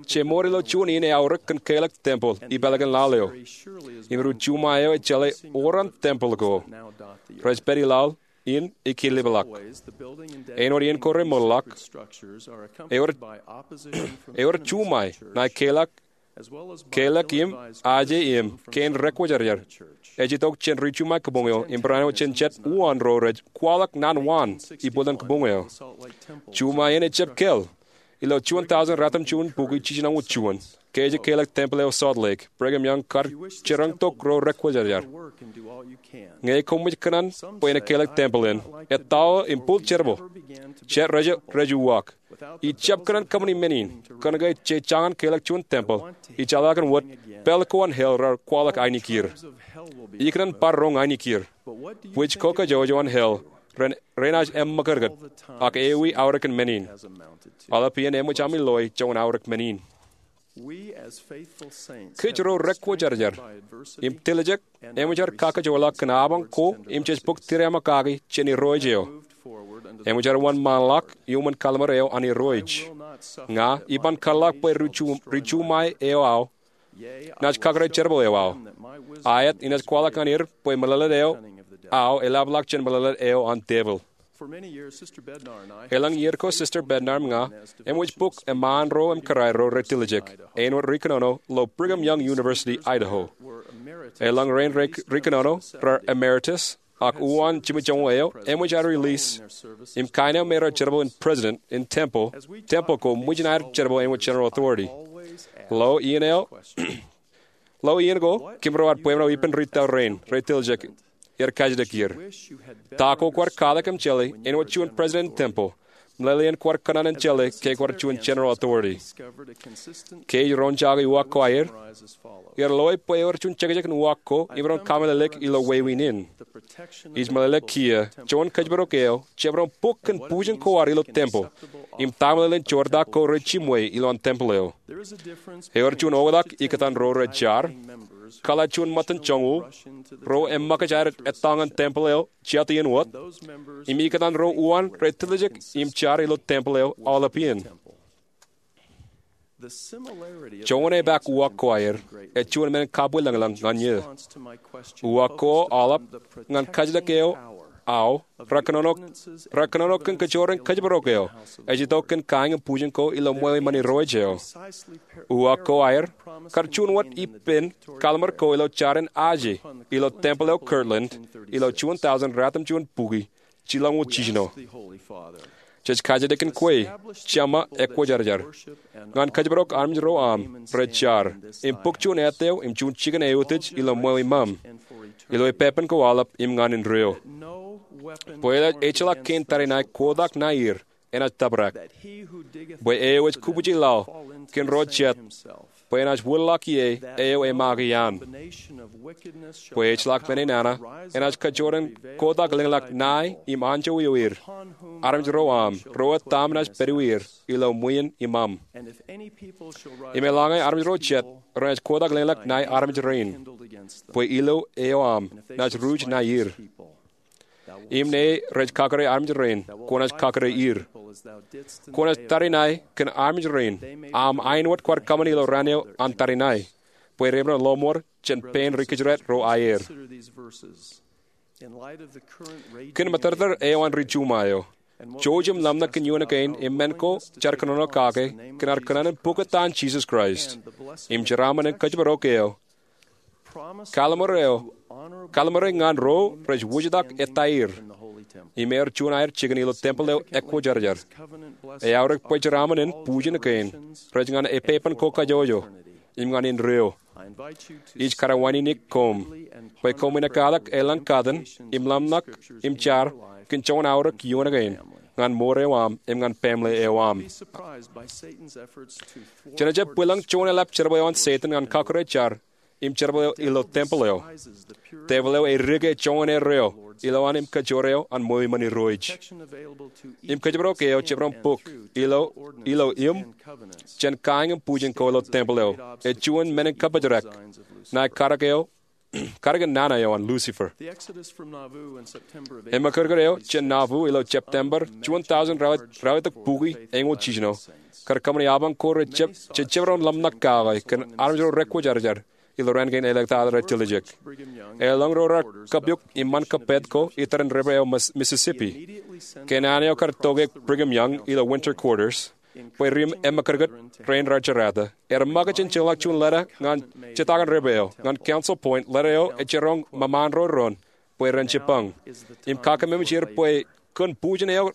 Jemour ilo juon iien eaorōk kōn keḷọk tempel ipālakin laḷ eo. Im ri juṃae eo ejjeḷā oran tempel ko rej pād i laḷ in ikilipḷọk. Āinwōt iien ko remootḷọk, ewōr juṃae ṇae keḷọk, keḷọk im aje im kein rekwōjarjar ej itok jān ri juṃae kabuñ eo im barāinwōt jān jet uwaan ro rej kwaḷọk naan waan ibwiljin kabuñ eo. Juṃae in ejjab kāāl. Ilo juon tọusōn ratimjuon bukwi jiljinoñoul juon, ke ej keḷọk tempel eo Salt Lake, Brigham Young kar jiroñtok ro rekwōjarjar. Ñe koṃij kōṇaan bwe en keḷọk tempel in, ettā im bōk jerbal, jet rej uwaak. Ij jab kōṇaan kōṃṃani men in, kōnke je jañin keḷọk juon tempel, ij jeḷā kōn wōt pālle ko an hell raar kwaḷọk ainikieir. Ikōṇaan bar roñ ainikieir. Bwij ko kajjojo an hell renaaj eṃṃakūtkūt, ak ewi aorōkin men in? Aolep iien eṃōj ami loe joñan aorōk men in. Kōj ro rekwōjarjar im tiljek eṃōj aer kakajoorḷọk kōn apañ ko im jej bōk tiriaṃakaki jān Irooj eo. Eṃōj aer wōnṃaanḷọk iuṃwin kalliṃur eo an Irooj. Ña iban kōtḷọk bwe ri juṃae eo aō naaj kakōrā jerbal eo aō. Aet, inaaj kwaḷọk ñan er bwe meḷeḷe eo aō eḷapḷọk jān meḷeḷe eo an tepil. Elōñ iiō ko Sister Bednar im ña eṃōj bōk eṃṃaan ro im kōrā ro retiljek āinwōt ri kōnono ilo Brigham Young University, Idaho. Elōñ rein ri kōnono raar emeritus, ak uwaan jimjuonñoul eo eṃōj aer release im kain eo me raar jerbal in president in tempel, tempel ko ṃōjin aer jerbal āinwōt general authority. Ilo iien eo, ilo iien ko, kōm ro ad bwebwenato ippān ri tōl rein retiljek er kajjitōk er. Ta ko kwaar kwaḷọk im jeḷā āinwōt juon president in tempel? Meḷeḷein kwaar kōṇaan in jeḷā ke kwaar juon general authority. Ke ij roñjake uwaak ko aer, iar loe bwe ewōr juon jekjek in uwaak ko im ren kameḷeḷeik ilo wāween in. Ij meḷeḷe kiiō juon kōjparok eo jab ren bōk kōn pujin ko ad ilo tempel im ta meḷeḷein joortak ko rej jiṃwe ilowaan tempel eo. Ewōr juon oktak ikōtaan ro rej jar, kōḷḷā juon ṃōttan joñoul, ro eṃṃakūt aer etal ñan tempel eo jet iien wōt, im ikōtaan ro uwaan retiljek im jar ilo tempel eo aolep iien. Joñan epaak uwaak ko aer ej juon men in kabwilōñlōñ ñan eō. Uwaak ko aolep ñan kajjitōk eo aō rekōnono kōn kōjro in kōjparok eo ej itok kōn kāiñ im pujin ko ilo ṃweo iṃaan Irooj eo. Uwaak ko aer kar juon wōt ippān kalliṃur ko ilo jar in aje ilo tempel eo Kirtland ilo juon tọusōn ratimjuon bukwi jilọñoul jiljino. Jej kajjitōk kōn kwe, Jeṃa ekwōjarjar, ñan kōjparok armej ro aṃ rej jar im bōk juon etteo im juon jikin eutiej ilo ṃweo iṃaṃ, ilo ippān ko aolep im ñan indeeo, bwe ejjeḷọk kein tariṇae kotak ṇae er enaaj tōprak, bwe eo ej kupwiji laḷ kōn ro jet bwe enaaj wōtlọk ie eo eṃaake an, bwe ejjeḷọk men in enaaj kajjoor in kotak lōñḷọk ṇae im anjọ eo er, armej ro aṃ ro etan naaj pād ie er ilo ṃwiin iṃaṃ. Im eḷaññe armej ro jet renaaj kotak lōñḷọk ṇae armej rein, bwe ilo eo aṃ naaj ruj ṇae er. Im ñe rej kakōrā armej rein, kwōnaaj kakōrā er. Kwōnaaj tariṇae kōn armej rein, aṃ āinwōt kwaar kōṃṃani ilo raan eo an tariṇae, bwe reṃōṇō lọmọọr jān pein ri kōjdat ro aer. Kōn mōtōrtōr eo an ri juṃae eo, jouj im ḷōmṇak kōn iioon kein im men ko jaar kōnono kake kōn ad kōṇaan in pukot an Jisōs Kraist im jeraaṃṃan in kōjparok eo, kallim̧ur eo, kallim̧ure ñan ro rej wūjtak ettā er im ewōr juon aer jikin ilo tempel eo ekwōjarjar. Eaorōk bwe jeraaṃṃan in bujen kein rej ñan epepen ko kajjojo im ñan indeeo. Ij kar wānōk koṃ bwe koṃwin ekkatak eḷaññe katakin im ḷōmṇak im jar kōn joñan aorōk iioon kein ñan mour eo aṃ im ñan pamle eo aṃ. Jen jab bwilōñ joñan eḷap jerbal eo an Setan ñan kakōrā jar im jerbal eo ilo tempel eo. Devil eo edik joñan erreo ilowaan im kōjro eo an ṃweo iṃōn Irooj. Im kōjparok eo jabdewōt bok ilo, ilo im jān kain im bujen ko ilo tempel eo. Ej juon men in kabōjrak ṇae kadik eo, kadik in nana eo an Lucifer. Ṃōkūtkūt eo jān Nauvoo ilo September juon thousand ralitōk buki eñoul jiljino kar kōṃṃani apañ ko rej jab, jejjab ḷōmṇak kake kōn armej ro rekwōjarjar ilo raan kein elōñ tata rej tiljek. Eḷaññe ro raar kōpooj iṃaan kōppād ko itarrin river eo Mississippi, kōn an eo kar tokāik Brigham Young ilo winter quarters bwe ri ṃōkūtkūt rein raar jerata, er ṃōk jān jeorḷọk juon leta ñan jetakin river eo ñan Council Point. Leta eo ej jiroñ ṃōṃaanḷọk ro doon bwe ren jipañ im kakkememej er bwe kōn bujen eo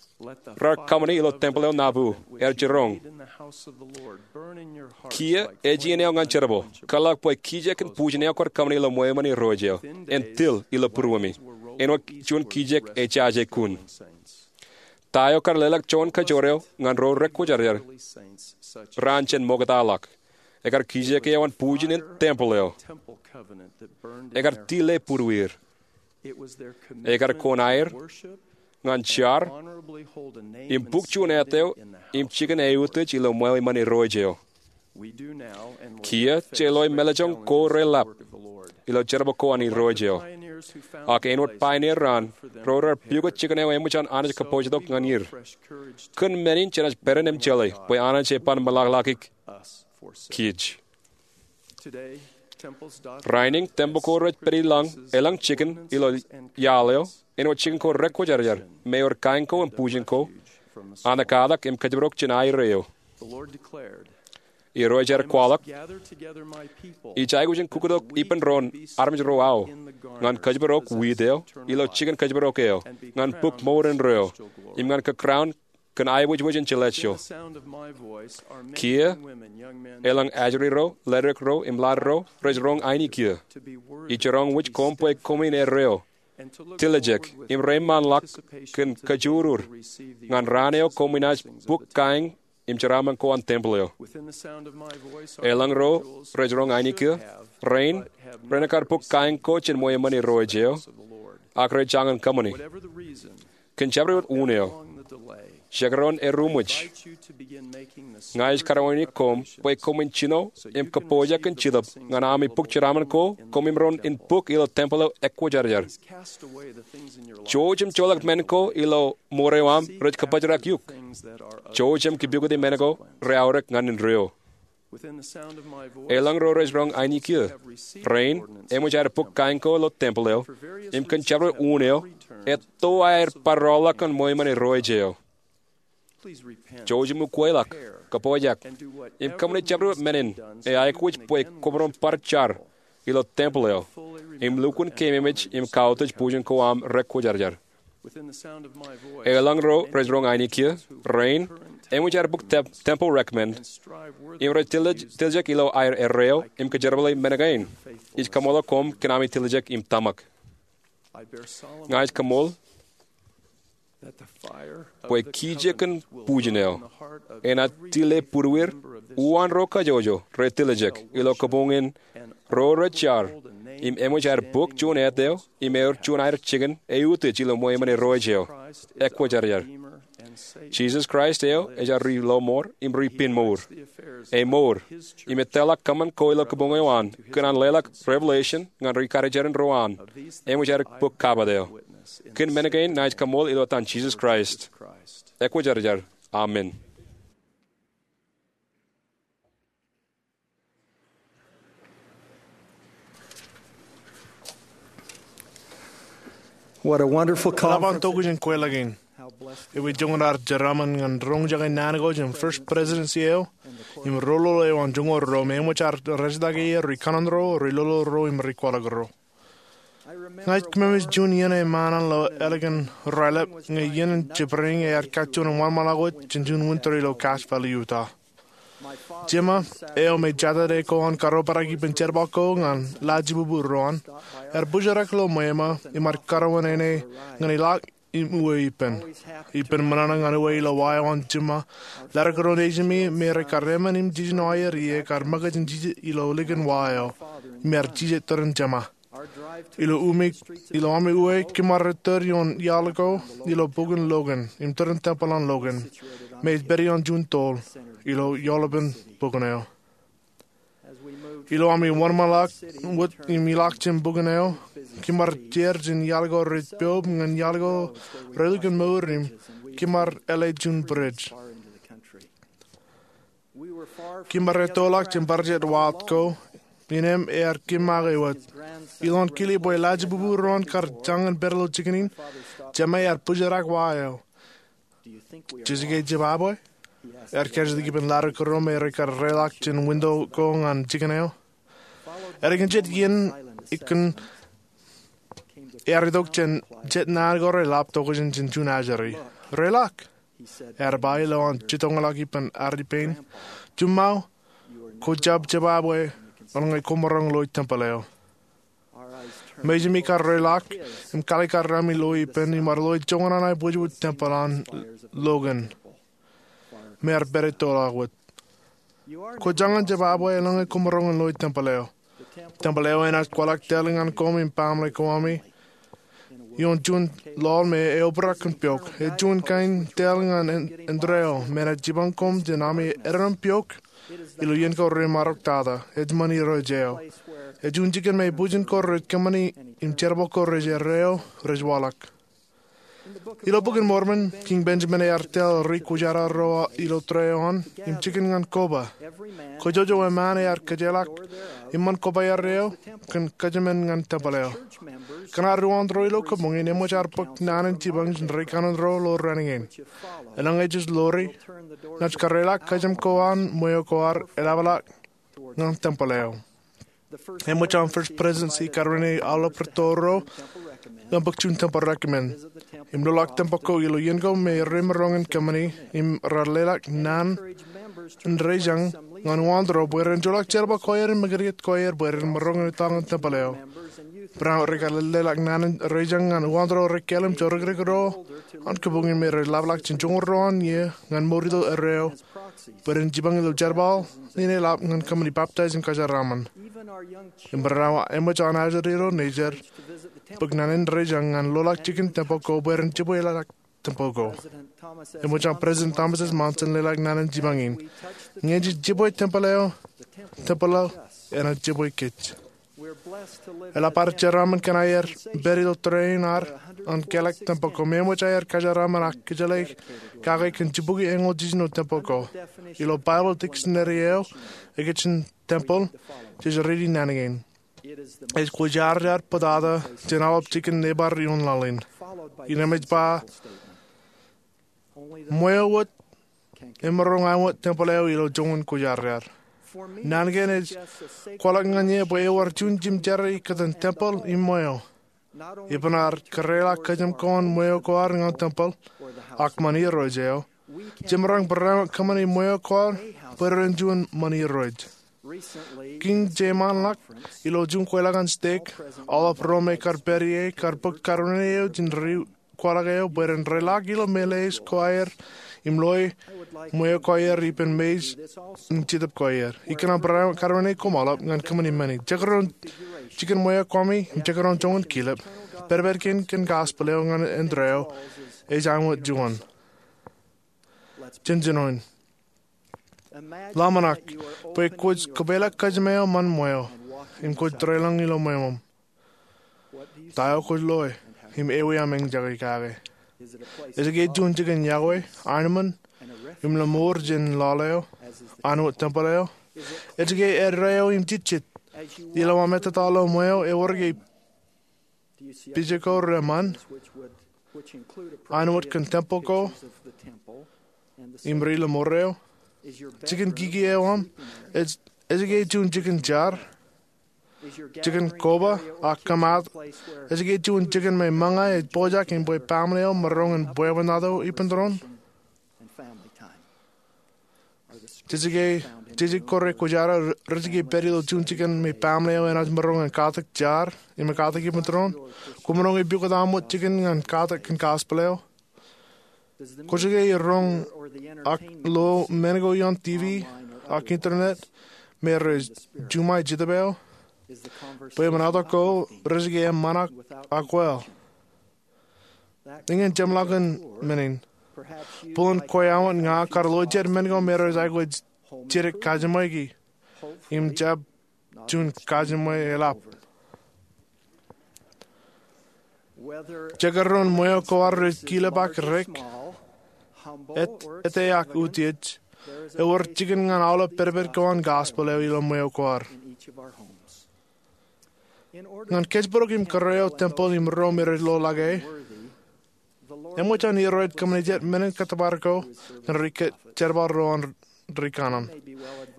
raar kōṃṃani ilo tempel eo Nauvoo, er jiroñ, kiiō ej iien eo ñan jerbal. Kōtḷọk bwe kijek in bujen eo kwaar kōṃṃani ilo ṃweo iṃōn Irooj eo en til ilo būruemi. Āinwōt juon kijek ejaje kun. Ta eo kar leḷọk joñan kōjro eo ñan ro rekwōjarjar raan jān ṃoktaḷọk? Ekar kijek eo an bujen in tempel eo. Ekar tile būrueir. Ekar kōn aer ñan jar im buk juon ettā eo im jikin eutiej ilo ṃweo iṃōn Irooj eo. Kiiō je loi mālejjoñ ko reḷap ilo jerbal ko an Irooj eo. Ak āinwōt pioneer raan, ro raar pukot jikin eo eṃōj an Anij kōpooj tok ñan er. Kōn men in jenaaj pād in im jeḷā bwe Anij eban meḷọkḷọk kij. Rainin tempel ko rej pād ilañ eḷaññe jikin ilo iaḷ eo, āinwōt jikin ko rekwōjarjar, im ewōr kain ko im bujen ko an ekkatak im kōjparok jān aer eo. Irooj ear kwaḷọk, ij aikuj in kukkutak ippān doon armej ro aō ñan kōjparok wiit eo ilo jikin kōjparok eo, ñan buk mour indeeo, im ñan kōkkrown kōn aiboojoj in jeḷāj eo. Kiiō eḷaññe ajri ro, ledik ro im laad ro rej roñ ainikio, ij jiroñ wōj koṃ bwe koṃwin erreo, tiljek im reiṃaanḷọk kōn kōjurur ñan raan eo koṃwin naaj buk kain im jeraaṃṃan ko an tempel eo. Eḷaññe ro rej roñ ainikio, rein, ren kar buk kain ko jān ṃweo iṃōn Irooj eo, ak rej jañin kōṃṃani. Kōn jabdewōt unin eo, jekdọọn eruṃwij, ña ij kar wānōk koṃ bwe koṃwin jino im kōpooj kōn Jetōb ñan ami buk jeraaṃṃan ko koṃwin roñ in buk ilo tempel eo ekwōjarjar. Jouj im joḷọk men ko ilo mour eo aṃ rej kabōjrak eok. Jouj im kipukoti men ko reaorōk ñan indeeo. Eḷaññe ro rej roñ ainikio, rein, eṃōj aer buk kain ko ilo tempel eo, im kōn jabdewōt unin eo, etto aer bar rọọlḷọk kōn ṃweo iṃōn Irooj eo. Jouj im ukweḷọk, kōpooj, im kōṃṃane jabdewōt men in eaikuj bwe koṃ roñ bar jar ilo tempel eo im lukkuun keememej im kautiej bujen ko aṃ rekwōjarjar. Eḷaññe ro rej roñ ainikio, rein, eṃōj aer buk tempel recommend im rej tiljek ilo aer erreo im kōjerbale men kein. Ij kaṃṃooltok koṃ kōn ami tiljek im tōmak. Ña ij kaṃṃool bwe kijek in bujen eo enaaj tile būrueir uwaan ro kajjojo rej tiljek ilo kabuñ in ro rej jar im eṃōj aer buk juon ettā eo im ewōr juon aer jikin eutiej ilo ṃweo iṃōn Irooj eo ekwōjarjar. Jisōs Kraist eo ej aō ri lọmọọr im ri pinemour. Emour im ettoḷọk kōṃṃan ko ilo kabuñ eo an kōn an leḷọk revelation ñan ri karijeran ro an eṃōj aer buk kabat eo. Kōn men kein naaj kaṃool ilo etan Jisōs Kraist, ekwōjarjar. Amen. What a wonderful conference. Eḷap an tokjān kweilọk in. Ewi joñan ad jeraaṃṃan ñan roñjake naan ko jān First Presidency eo im roll eo an joñoul ruo me eṃōj ad rejtake er ri kanaan ro, ri lolo ro im ri kwaḷọk ro. Ña ij kōmemej juon iien eo eṃṃan an ḷo ālikin Rālep ñe iien in jibdewōt ear kajjojo im wōnṃaanḷọk wōt jān juon winter ilo Cache Valley, Utah. Jema eo me jatede ko an karuoperak ippān jerbal ko ñan laajibubū ro an, ear bōjrak ilo ṃweo ṃōk im ear karuwaineneik ñan ilọk im uwe ippān. Ippān ṃōṇōṇō ñan uwe ilo wa eo an Jema, ḷaddik ro nejimi me rej kar emān im jiljino aer ie kar ṃōkaj in jijet ilo likin wa eo im ear jijet tōre in Jema. Ilo ami uwe, kōm ar tōre ioon iaḷ ko ilo bukwōn Logan im tōre in tempel an Logan me ej pād ioon juon toḷ ilo eoḷapen bukwōn eo. Ilo ami wōnṃaanḷọk wōt im ilọk jān bukwōn eo, kōm ar jeid jān iaḷ ko rej poub ñan iaḷ ko rej lukkuun mour im kōm ar ālōj juon bwidej. Kōm ar ettoḷọk jān bar jet waḷọk ko, innām ear kōm make wōt. Ilowaan kile bwe laajibubū ro an kar jañin pād ilo jikin in, Jema ear bōjrak wa eo. Jej ke jibabwe? Ear kajjitōk ippān ḷaddik ro me rej kar reḷọk jān winto ko ñan jikin eo. Ālikin jet iien, ear itok jān jet naan ko rej lap tokjān jān juon ajri. Reḷọk, ear ba ilowaan jitōñḷọk ippān ad ippān. Juṃṃae, kwō jab jibabwe eḷaññe koṃ maroñ loe tempel eo. Mejāmi kar reḷọk im kalikkar ami loe ippān im ar loe joñan an aebwejbwe tempel an Logan me ear pād ettoḷọk wōt. Kwō jañin jibabwe eḷaññe koṃ maroñ in loe tempel eo. Tempel eo enaaj kwaḷọk tōl ñan koṃ im baaṃle ko ami ioon juon ḷọk me eobrak kōn piok. Ej juon kain tōl ñan indeeo me enaaj jipañ koṃ jān ami eddoin piok ilo iien ko remaroñ tata. Ej ṃan Irooj eo. Ej juon jikin me bwijin ko rej kōṃṃani im jerbal ko rej erreo rej waḷọk. Ilo Bok in Mormon, Kiiñ Benjamin ear tōl ri kwōjarjar ro ilo tōre eo an im jikin ñan koba. Kōjwōjwōj eṃṃan ear kōjeḷā eṃṃan koba erreo kōn kōjmān ñan tempel eo. Kōn ad uwaak ro ilo kabuñ in, eṃōj ad bōk naan in jipañ jān ri kanaan ro ilo raan in. Eḷaññe jej ḷoori, naaj kōreḷọk kōjām ko an ṃweo ko ad eḷapḷọk ñan tempel eo. Eṃōj an First Presidency karuwaineik aolep rūtto ro ñan bōk juon tempel recommend im loḷọk tempel ko ilo iien ko me remaroñ in kōṃṃani im raar leḷọk naan in dejeañ ñan uwaak ro bwe ren joḷọk jerbal ko aer im ṃōkajjien ko aer bwe ren maroñ in etal ñan tempel eo. Barāinwōt rej kar leḷọk naan in dejeañ ñan uwaak ro rej kāālōt im jorikrek ro an kabuñ in me rej ḷapḷọk jān joñoul ruo an iiō ñan mour ilo erreo bwe ren jipañ ilo jerbal in eḷap ñan kōṃṃani baptize im kajeraaṃṃan. Im barāinwōt eṃōj an ajri ro nejid bōk naan in dejeañ ñan loḷọk jikin tempel ko bwe ren jibwe leḷọk tempel ko. Eṃōj an President Thomas S. Monson leḷọk naan in jipañ in. Ñe jej jibwe tempel eo, tempel eo enaaj jibwe kōj. Eḷap ad jeraaṃṃan kōn aer pād ilo tōre in ad an kālọk tempel ko me eṃōj aer kajeraaṃṃan ak kōjjeḷā kake kōn jibukwi eñoul jiljino tempel ko. Ilo Bible dictionary eo, ekōjin tempel, jej riiti naan kein. Ej kwōjarjar bōtata jān aolep jikin neighbor ioon laḷ in. Innām ej ba, ṃweo wōt emaroñ āinwōt tempel eo ilo joñan kwōjarjar. Naan kein ej kwaḷọk ñan eō bwe ewōr juon jimjerā ikōtaan tempel im ṃweo. Epen ad kōreḷọk kōjām ko an ṃweo ko ad ñan tempel ak ṃan Irooj eo, jemaroñ barāinwōt kōṃṃani ṃweo ko ad bwe ren juon ṃan Irooj. Kiiñ jeṃaanḷọk, ilo juon kweilọk an stek, aolep ro me kar pād ie kar bōk karuwaineik eo jān ri kwaḷọk eo bwe ren reḷọk ilo meḷeḷeis ko aer im loe ṃweo ko aer ippān mej im jetōb ko aer. Ikōṇaan barāinwōt karuwaineik koṃ aolep ñan kōṃṃani men in. Jekdọọn jikin ṃweo ko ami im jekdọọn joñan kilep. Pād pād kein kōn gospel eo ñan indeeo ej āinwōt juon. Jen jinoin. Ḷōmṇak bwe kwōj kōpeḷḷọk kōjām eo ṃan ṃweo im kwōj tōreḷọñ ilo ṃweo ṃōṃ. Ta eo kwōj loe? im ewi aṃ eñjake kake? Ej ke juon jikin yokwe, armej, im lọmọọr jān lọle eo, an wōt tempel eo? Ej ke edda eo im jejjet, ilo aṃ ettā ilo ṃweo, ewōr ke pija ko reṃṃan, an wōt kōn tempel ko im ri lọmọọr eo? Jikin kiki eo aṃ, ej, ej ke juon jikin jar, jikin koba ak kōmaat? Ej ke juon jikin me ṃōñā ej pojak im bwe baaṃle eo maroñ in bwebwenato ippān doon? Jeje ke, jeje ko re kwōjarjar rej ke pād ilo juon jikin me baaṃle eo enaaj maroñ in katak jar im katak ippān doon? Kwōmaroñ epukot aṃ wōt jikin ñan katak kōn gospel eo? Kwōj ke roñ ak lo men ko ioon TV ak internet me rej juṃae Jetōb eo? Bwebwenato ko rej ke eṃṃan ak wōl? Eñin jeṃḷọkin men in. Bōlen kwe awa ña kar lo jet men ko me rej aikuj jidik kajiṃwe ki im jab juon kajiṃwe eḷap. Jekdọọn ṃweo ko ad rej kilep ak rek, et, ete ak utiej, ewōr jikin ñan aolep pedped ko an gospel eo ilo ṃweo ko ad. Ñan kōjparok im kōrā eo tempel im ro me rej lo ḷọk e, eṃōj an Irooj kōṃṃane jet men in kōttōpar ko ñan ri ke-, jerbal ro an ri kanaan.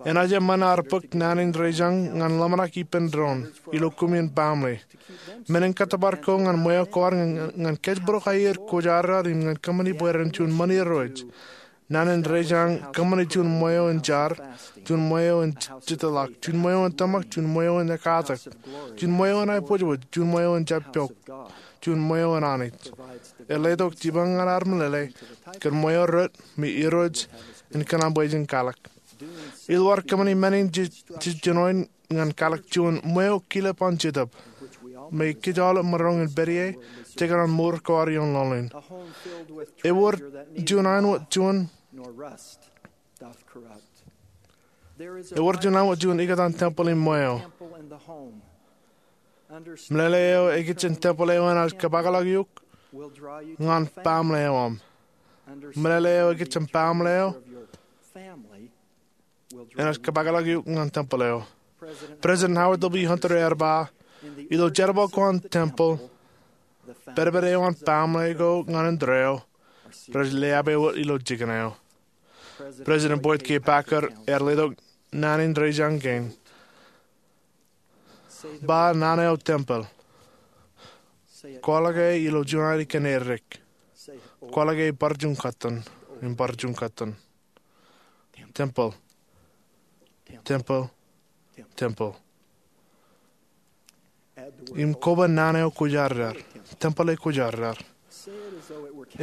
Enaaj eṃṃan ad bōk naan in dejañ ñan ḷōmṇak ippān doon ilo kumi in baaṃle. Men in kōttōpar ko ñan ṃweo ko ad ñan, ñan kōjparok aer kwōjarjar im ñan kōṃṃani bwe ren juon ṃan Irooj. Naan in dejañ kōṃṃane juon ṃweo in jar, juon ṃweo in jitōḷọk, juon ṃweo in tōmak, juon ṃweo in ekatak, juon ṃweo in aiboojoj, juon ṃweo in jab pok, juon ṃweo in Anij. Eḷḷā tok jipañ ñan ad meḷeḷe kōn ṃweo rot me Irooj en kōṇaan bwe jen kalōk. Ilo ad kōṃṃani men in jej, jej jinoin ñan kalōk juon ṃweo kilep an Jetōb me kōj aolep maroñ in pād ie jekdọọn mour ko ad ioon lọleen. Ewōr juon āinwōt juon, ewōr juon āinwōt juon ikōtaan tempel im ṃweo. Meḷeḷe eo ekijjien tempel eo enaaj kōpakḷọk eok ñan baaṃle eo aṃ. Meḷeḷe eo ekijjien baaṃle eo enaaj kōpakḷọk eok ñan tempel eo. President Howard W. Hunter ear ba, ilo jerbal ko an tempel, pedped eo an baaṃle ko ñan indeeo rej leape wōt ilo jikin eo. President Boyd K. Packer ear letok naan in dejañ kein. Ba naan eo tempel. Kwaḷọk e ilo juon ainikinnān eddek. Kwaḷọk e bar juon kōttan, im bar juon kōttan. Tempel. Tempel. Tempel. Im koba naan eo kwōjarjar. Tempel eo kwōjarjar.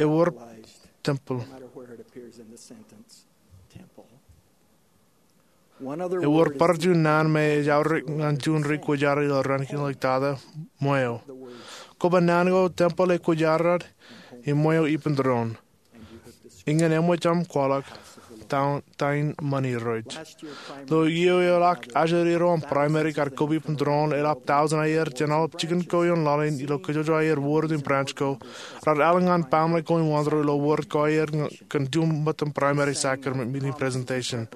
Ewōr tempel. Ewōr bar juon naan me ej aorōk ñan juon ri kwōjarjar ilo raan kein ḷọk tata, ṃweo. Koba naan ko tempel eo kwōjarjar, im ṃweo ippān doon. Eñin eṃōj aṃ kwaḷọk ta in ṃan Irooj. Ilo iiō eo ḷọk ajri ro aṃ primary kar koba ippān doon, eḷap tọujin aier jān aolep jikin ko ioon lọleen ilo kōjwōj aier ward im branch ko, raar al ñan baaṃle ko in Wantōr ilo ward ko aier kōn juon ṃōttan primary sacrament meeting presentation.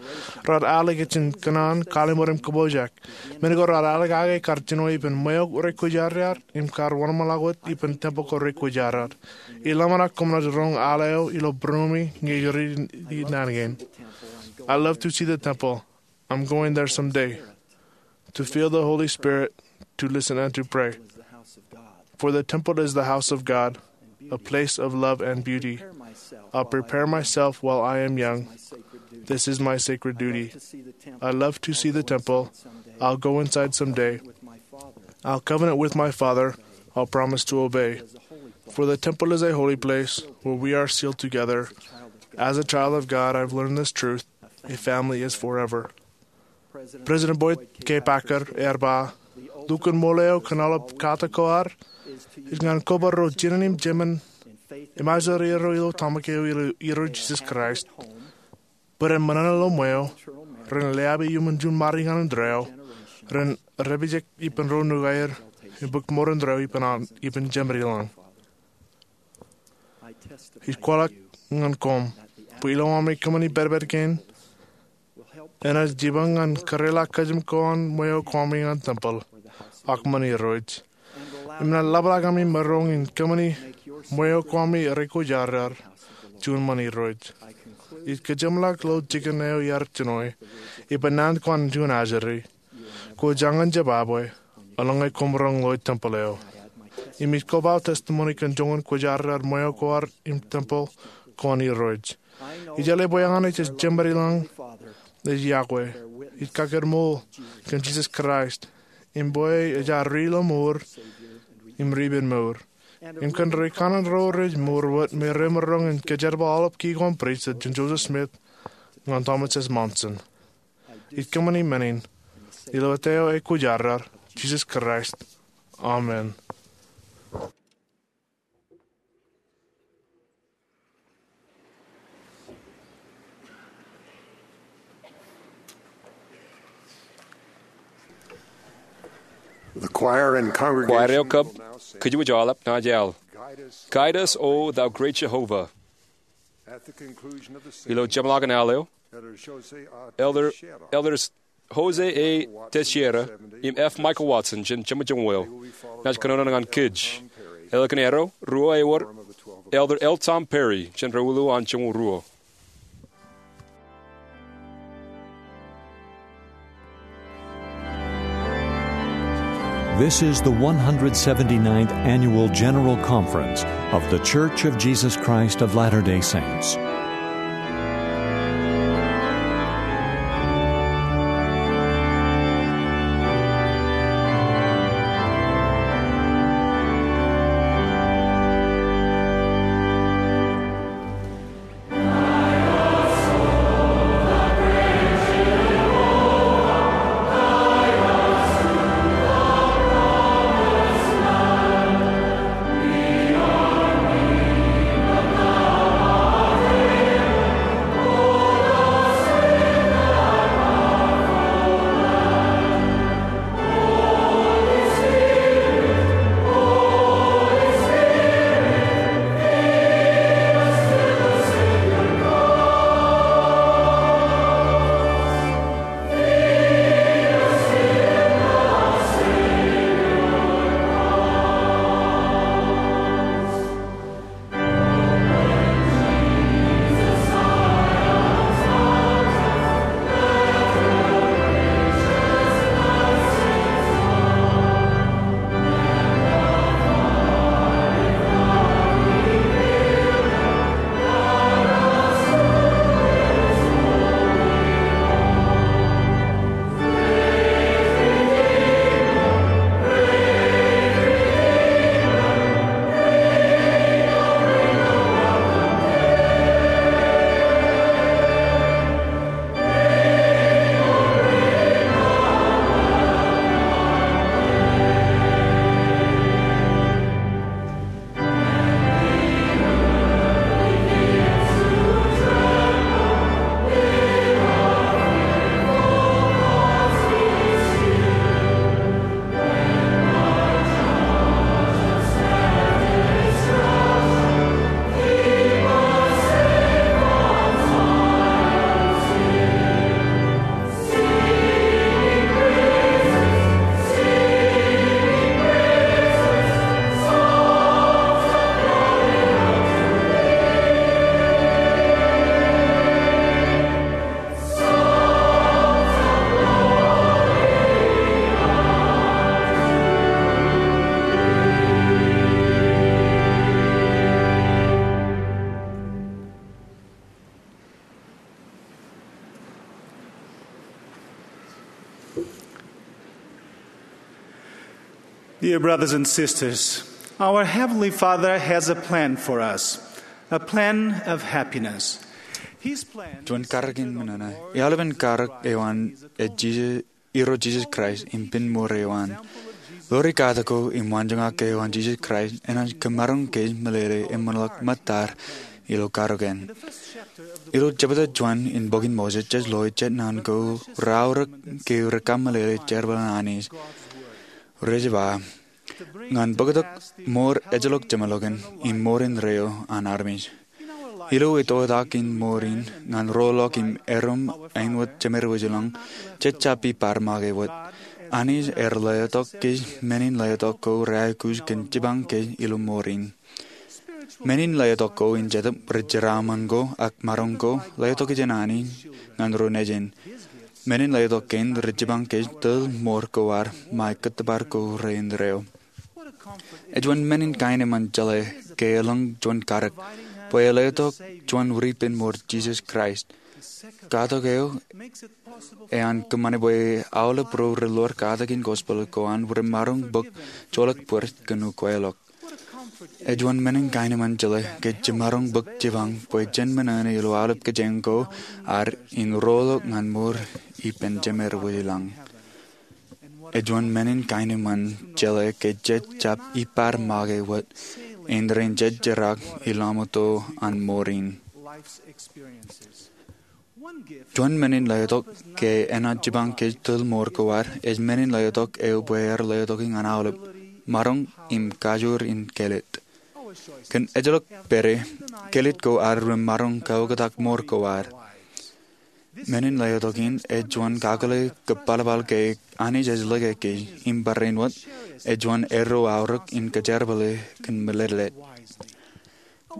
Raar al ikijjien kōṇaan, kallimur im kōpooj. Men ko raar al kake kar jino ippān ṃweo rej kwōjarjar im kar wōnṃaanḷọk wōt ippān tempel ko rej kwōjarjar. Iḷōmṇak koṃ naaj roñ al eo ilo būroṃi ñe ri naan kein. I love to see the temple. I'm going there someday. To feel the Holy Spirit, to listen and to pray. For the temple is the house of God, a place of love and beauty. I'll prepare myself while I am young. This is my sacred duty. I love to see the temple. I'll go inside someday. I'll covenant with my Father. I'll promise to obey. For the temple is a holy place where we are sealed together. As a child of God, I've learned this truth. A family is forever. President Boyd K. Packer ear ba, lukkuun ṃool eo kōn aolep katak ko ad ej ñan koba ro jinen im jemān im ajri ro ilo tōmak eo ilo Irooj Jisōs Kraist, bwe ren ṃōṇōṇō ilo ṃweo, ren leape iuṃwin juon ṃadi ñan indeeo, ren dāpijek ippān ro nukaer, im bōk ṃoor indeeo ippān, ippān Jemedilōñ. Ij kwaḷọk ñan koṃ bwe ilowami kōṃṃani pedped kein enaaj jipañ ñan kōrā kōjām ko an ṃweo Kwami ñan tempel ak ṃan Irooj. Im naaj ḷapḷọk ami maroñ in kōṃṃani ṃweo Kwami rej kwōjarjar juon ṃan Irooj. Ij kōjeṃḷọk ilo jikin eo iar jino, ippān naan ko an juon ajri. Kwō jañin jab abwe eḷaññe koṃ roñ ilo tempel eo. Im ij koba testimony kōn joñan kwōjarjar ṃweo ko ad im tempel ko an Irooj. Ij jeḷā bwe eñin ej jemād ilañ ej yokwe. Ij kakōtmool kōn Jisōs Kraist im bwe ej ad ri ilo mour im ri ippān mour, im kōn ri kanaan ro rej mour wōt me remaroñ in kōjerbal aolep ki ko an pristut jān Joseph Smith ñan Thomas S. Monson. Ij kōṃṃani men in ilo etan eo ekwōjarjar, Jisōs Kraist. Amen. Kwaer eo kab kōjwōj aolep naaj al Guide Us, O Thou Great Jehovah. Ilo jeṃḷọkin al eo, Elder, Elders Jose A. Teixeira im F. Michael Watson jān jeṃajoñoul eo naaj kōnono ñan kōj. Ālikin erro, ruo ewōr, Elder L. Tom Perry jān ro ilo an joñoul ruo. This is the one hundred seventy-ninth Annual General Conference of The Church of Jesus Christ of Latter-day Saints. Dear brothers and sisters, our Heavenly Father has a plan for us, a plan of happiness. His plan Juon karōk in men ṇe, iaḷ in karōk eo an ej Jisōs, Irooj Jisōs Kraist im pen mour eo an. Ḷoori katak ko im waanjoñak eo an Jisōs Kraist enaaj kōmaroñ kōj meḷeḷe im ṃōṇōḷọk ṃōttad ilo karōk in. Ilo jebta juon in bok in Moses, jej loe jet naan ko raorōk ke rekameḷeḷe jerbal an Anij. Rej ba, ñan bōktok mour ejjeḷọk jeṃḷọkin im mour indeeo an armej. Ilo etoetak in mour in ñan roḷọk im erom āinwōt jemed wōjlañ, jej jab ippād make wōt. Anij ear letok kōj men in letok ko reaikuj kōn jipañ kōj ilo mour in. Men in letok ko in Jetōb rej jeraaṃṃan ko ak maroñ ko letok jān Anij ñan ro nejin. Men in letok kein rej jipañ kōj tōl mour ko ad ṃae kōttōpar ko reindeeo. Ej juon men in kaenōṃṃan jeḷā ke elōñ juon karōk bwe ej letok juon ripen mour Jisōs Kraist. Katak eo ean kōṃṃane bwe aolep ro relor katakin gospel ko an remaroñ bōk joḷọk bōd kōn ukweḷọk. Ej juon men in kaenōṃṃan jeḷā ke jemaroñ bōk jipañ bwe jen men eṇ ilo aolep kōjeañ ko ad in roḷọk ñan mour ippān jemed wōjlañ. Ej juon men in kaenōṃṃan jeḷā ke jej jab ippād make wōt indein jej jerak ilo aṃ uto an mour in. Juon men in letok ke enaaj jipañ kōj tōl mour ko ad ej men in letok eo bwe ear letoki ñan aolep, maroñ im kajoor in kelōt. Kōn ejjeḷọk pād, kelōt ko ad remaroñ kaoktak mour ko ad. Men in letok in ej juon kakōḷḷe kōpalpal ke Anij ej lōke kōj im barāinwōt ej juon eddo aorōk in kōjerbale kōn meletlet.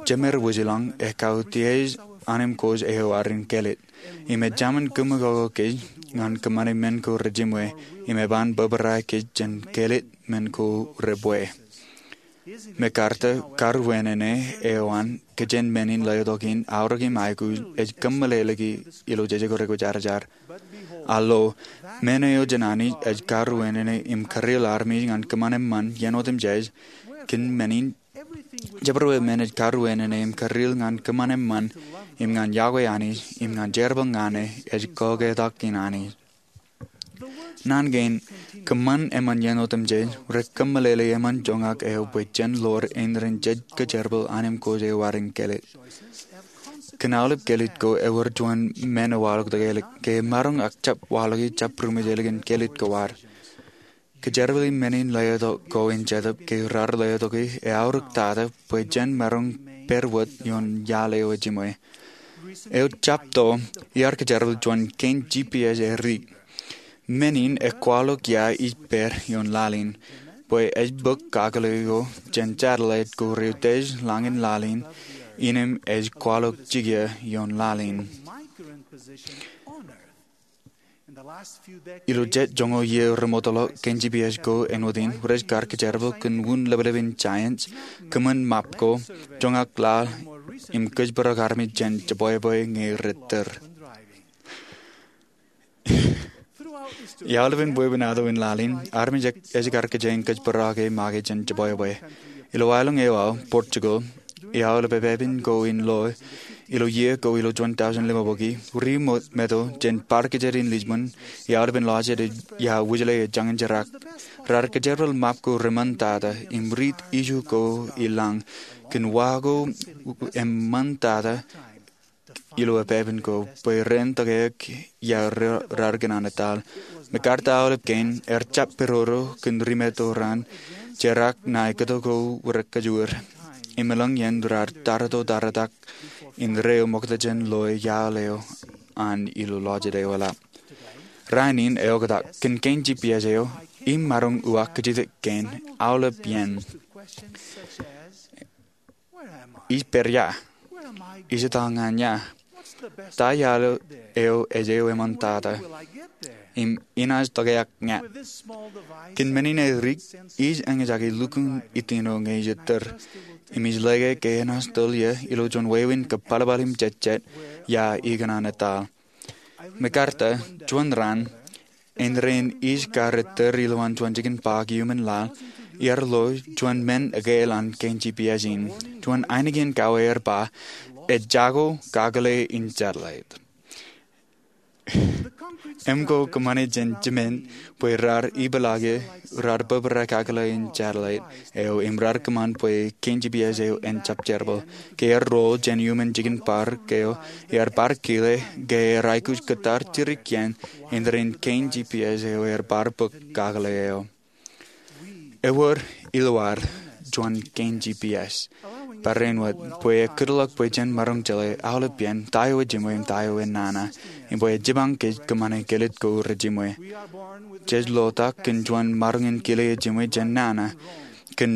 Jemed wōjlañ ej kautiej anemkwōj eo ad in kelōt. Im ejāmin kōmwōkoko kōj ñan kōṃṃane men ko rejiṃwe im eban bōbrae kōj jān kelōt men ko rej bwe. MacArthur karuwinene eo an kōjān men in letok in aorōk im aikuj ej kōmeḷeḷeiki ilo jeje ko rekwōjarjar. A lo, men eo jān Anij ej karuwinene im kūreel armej ñan kōṃṃan eṃṃan iien otemjej. Kōn men in, jebwebwe men ej karuwinene im kūreel ñan kōṃṃan eṃṃan im ñan yokwe Anij im ñan jerbal ñan e ej kaoktak in Anij. Naan kein, kōṃṃan eṃṃan iien otemjej rej kōmeḷeḷe eṃṃan joñak eo bwe jen ḷoor indein jej kōjerbal anemkwōj eo ad in kelōt. Kōn aolep kelōt ko ewōr juon men ewaḷọk tōkelik ke maroñ ak jab waḷọki jabdewōt ālikin kelōt ko ad. Kōjerbale men in letok ko in Jetōb ke raar letoki eaorōk tata bwe jen maroñ pād wōt ioon iaḷ eo ejiṃwe. Eo jab to, iar kōjerbal juon kein G P S erik. Men in ekwaḷọk ia ij pād ioon laḷ in, bwe ej bōk kakōḷḷe ko jān satellite ko reutiej lañ in laḷ in, innem ej kwaḷọk jikier ioon laḷ in. Ilo jet joñoul iiō remootḷọk, kein G P S ko āinwōt in rej kar kōjerbal kōn wūn leplepen giants, kōṃṃan map ko, joñak laḷ, im kōjparok armej jān jebwebwe ñe rej tōr. Iaolepen wāween ato in laḷ in, armej ej kar kōjeañ kōjparok e make jān jebwebwe. Ilo aelōñ eo aō, Portugal, iaolepen pepe ko in loe, ilo iiō ko ilo juon tọujin limabukwi, ri meto jān bar kōjāt in Lisbon, iaolepen lọjet ia wūjle ej jañin jerak, raar kōjerbal map ko reṃṃantata, im riit iju ko i lañ, kōn wa ko eṃṃantata, ilo pepe ko, bwe ren tōkeik ia raar kōṇaan etal. MacArthur aolep kein, ear jab pedodo kōn ri meto raan, jerak ṇae kōto ko rekajoor. Im elōñ iien raar tarōto taritak, indeeo ṃokta jān loe iaḷ eo an ilo lọjet eo eḷap. Rainin eoktak, kōn kein G P S eo, im maroñ uwaak kajjitōk kein, aolep iien. Ij pād ia? Ij etal ñan ia? Ta iaḷ eo ej eo eṃṃantata? Im inaaj tōkeak ña? Kōn men in erik, ij eñjake lukkuun itino ñe ij ettōr. Im ij lōke ke enaaj tōl ie ilo juon wāween kōpalpal im jejjet ia ikōṇaan etal. MacArthur, juon raan, indein ij kar ettōr ilowaan juon jikin ba iuṃwin laḷ, iar lo juon men ekāāl an kein G P S in. Juon ainikien kawe ear ba, ejako kakōḷḷe in satellite. Im ko kōṃṃane jān jimen bwe raar ipeḷaake, raar bōbrae kakōḷḷe in satellite eo im raar kōṃṃan bwe kein G P S eo en jab jerbal. Ke ear roll jān iuṃwin jikin bar eo, ear bar kile ke ear aikuj kōttar jidik iien indein kein G P S eo ear bar bōk kakōḷḷe eo. Ewōr ilowar juon kein G P S. Barāinwōt bwe ekkūtḷọk bwe jen maroñ jeḷā aolep iien ta eo ejiṃwe im ta eo enana, im bwe ejjab kōṃṃane kelid ko rejiṃwe. Jej ḷotak kōn juon maroñ in kile ejiṃwe jān nana, kōn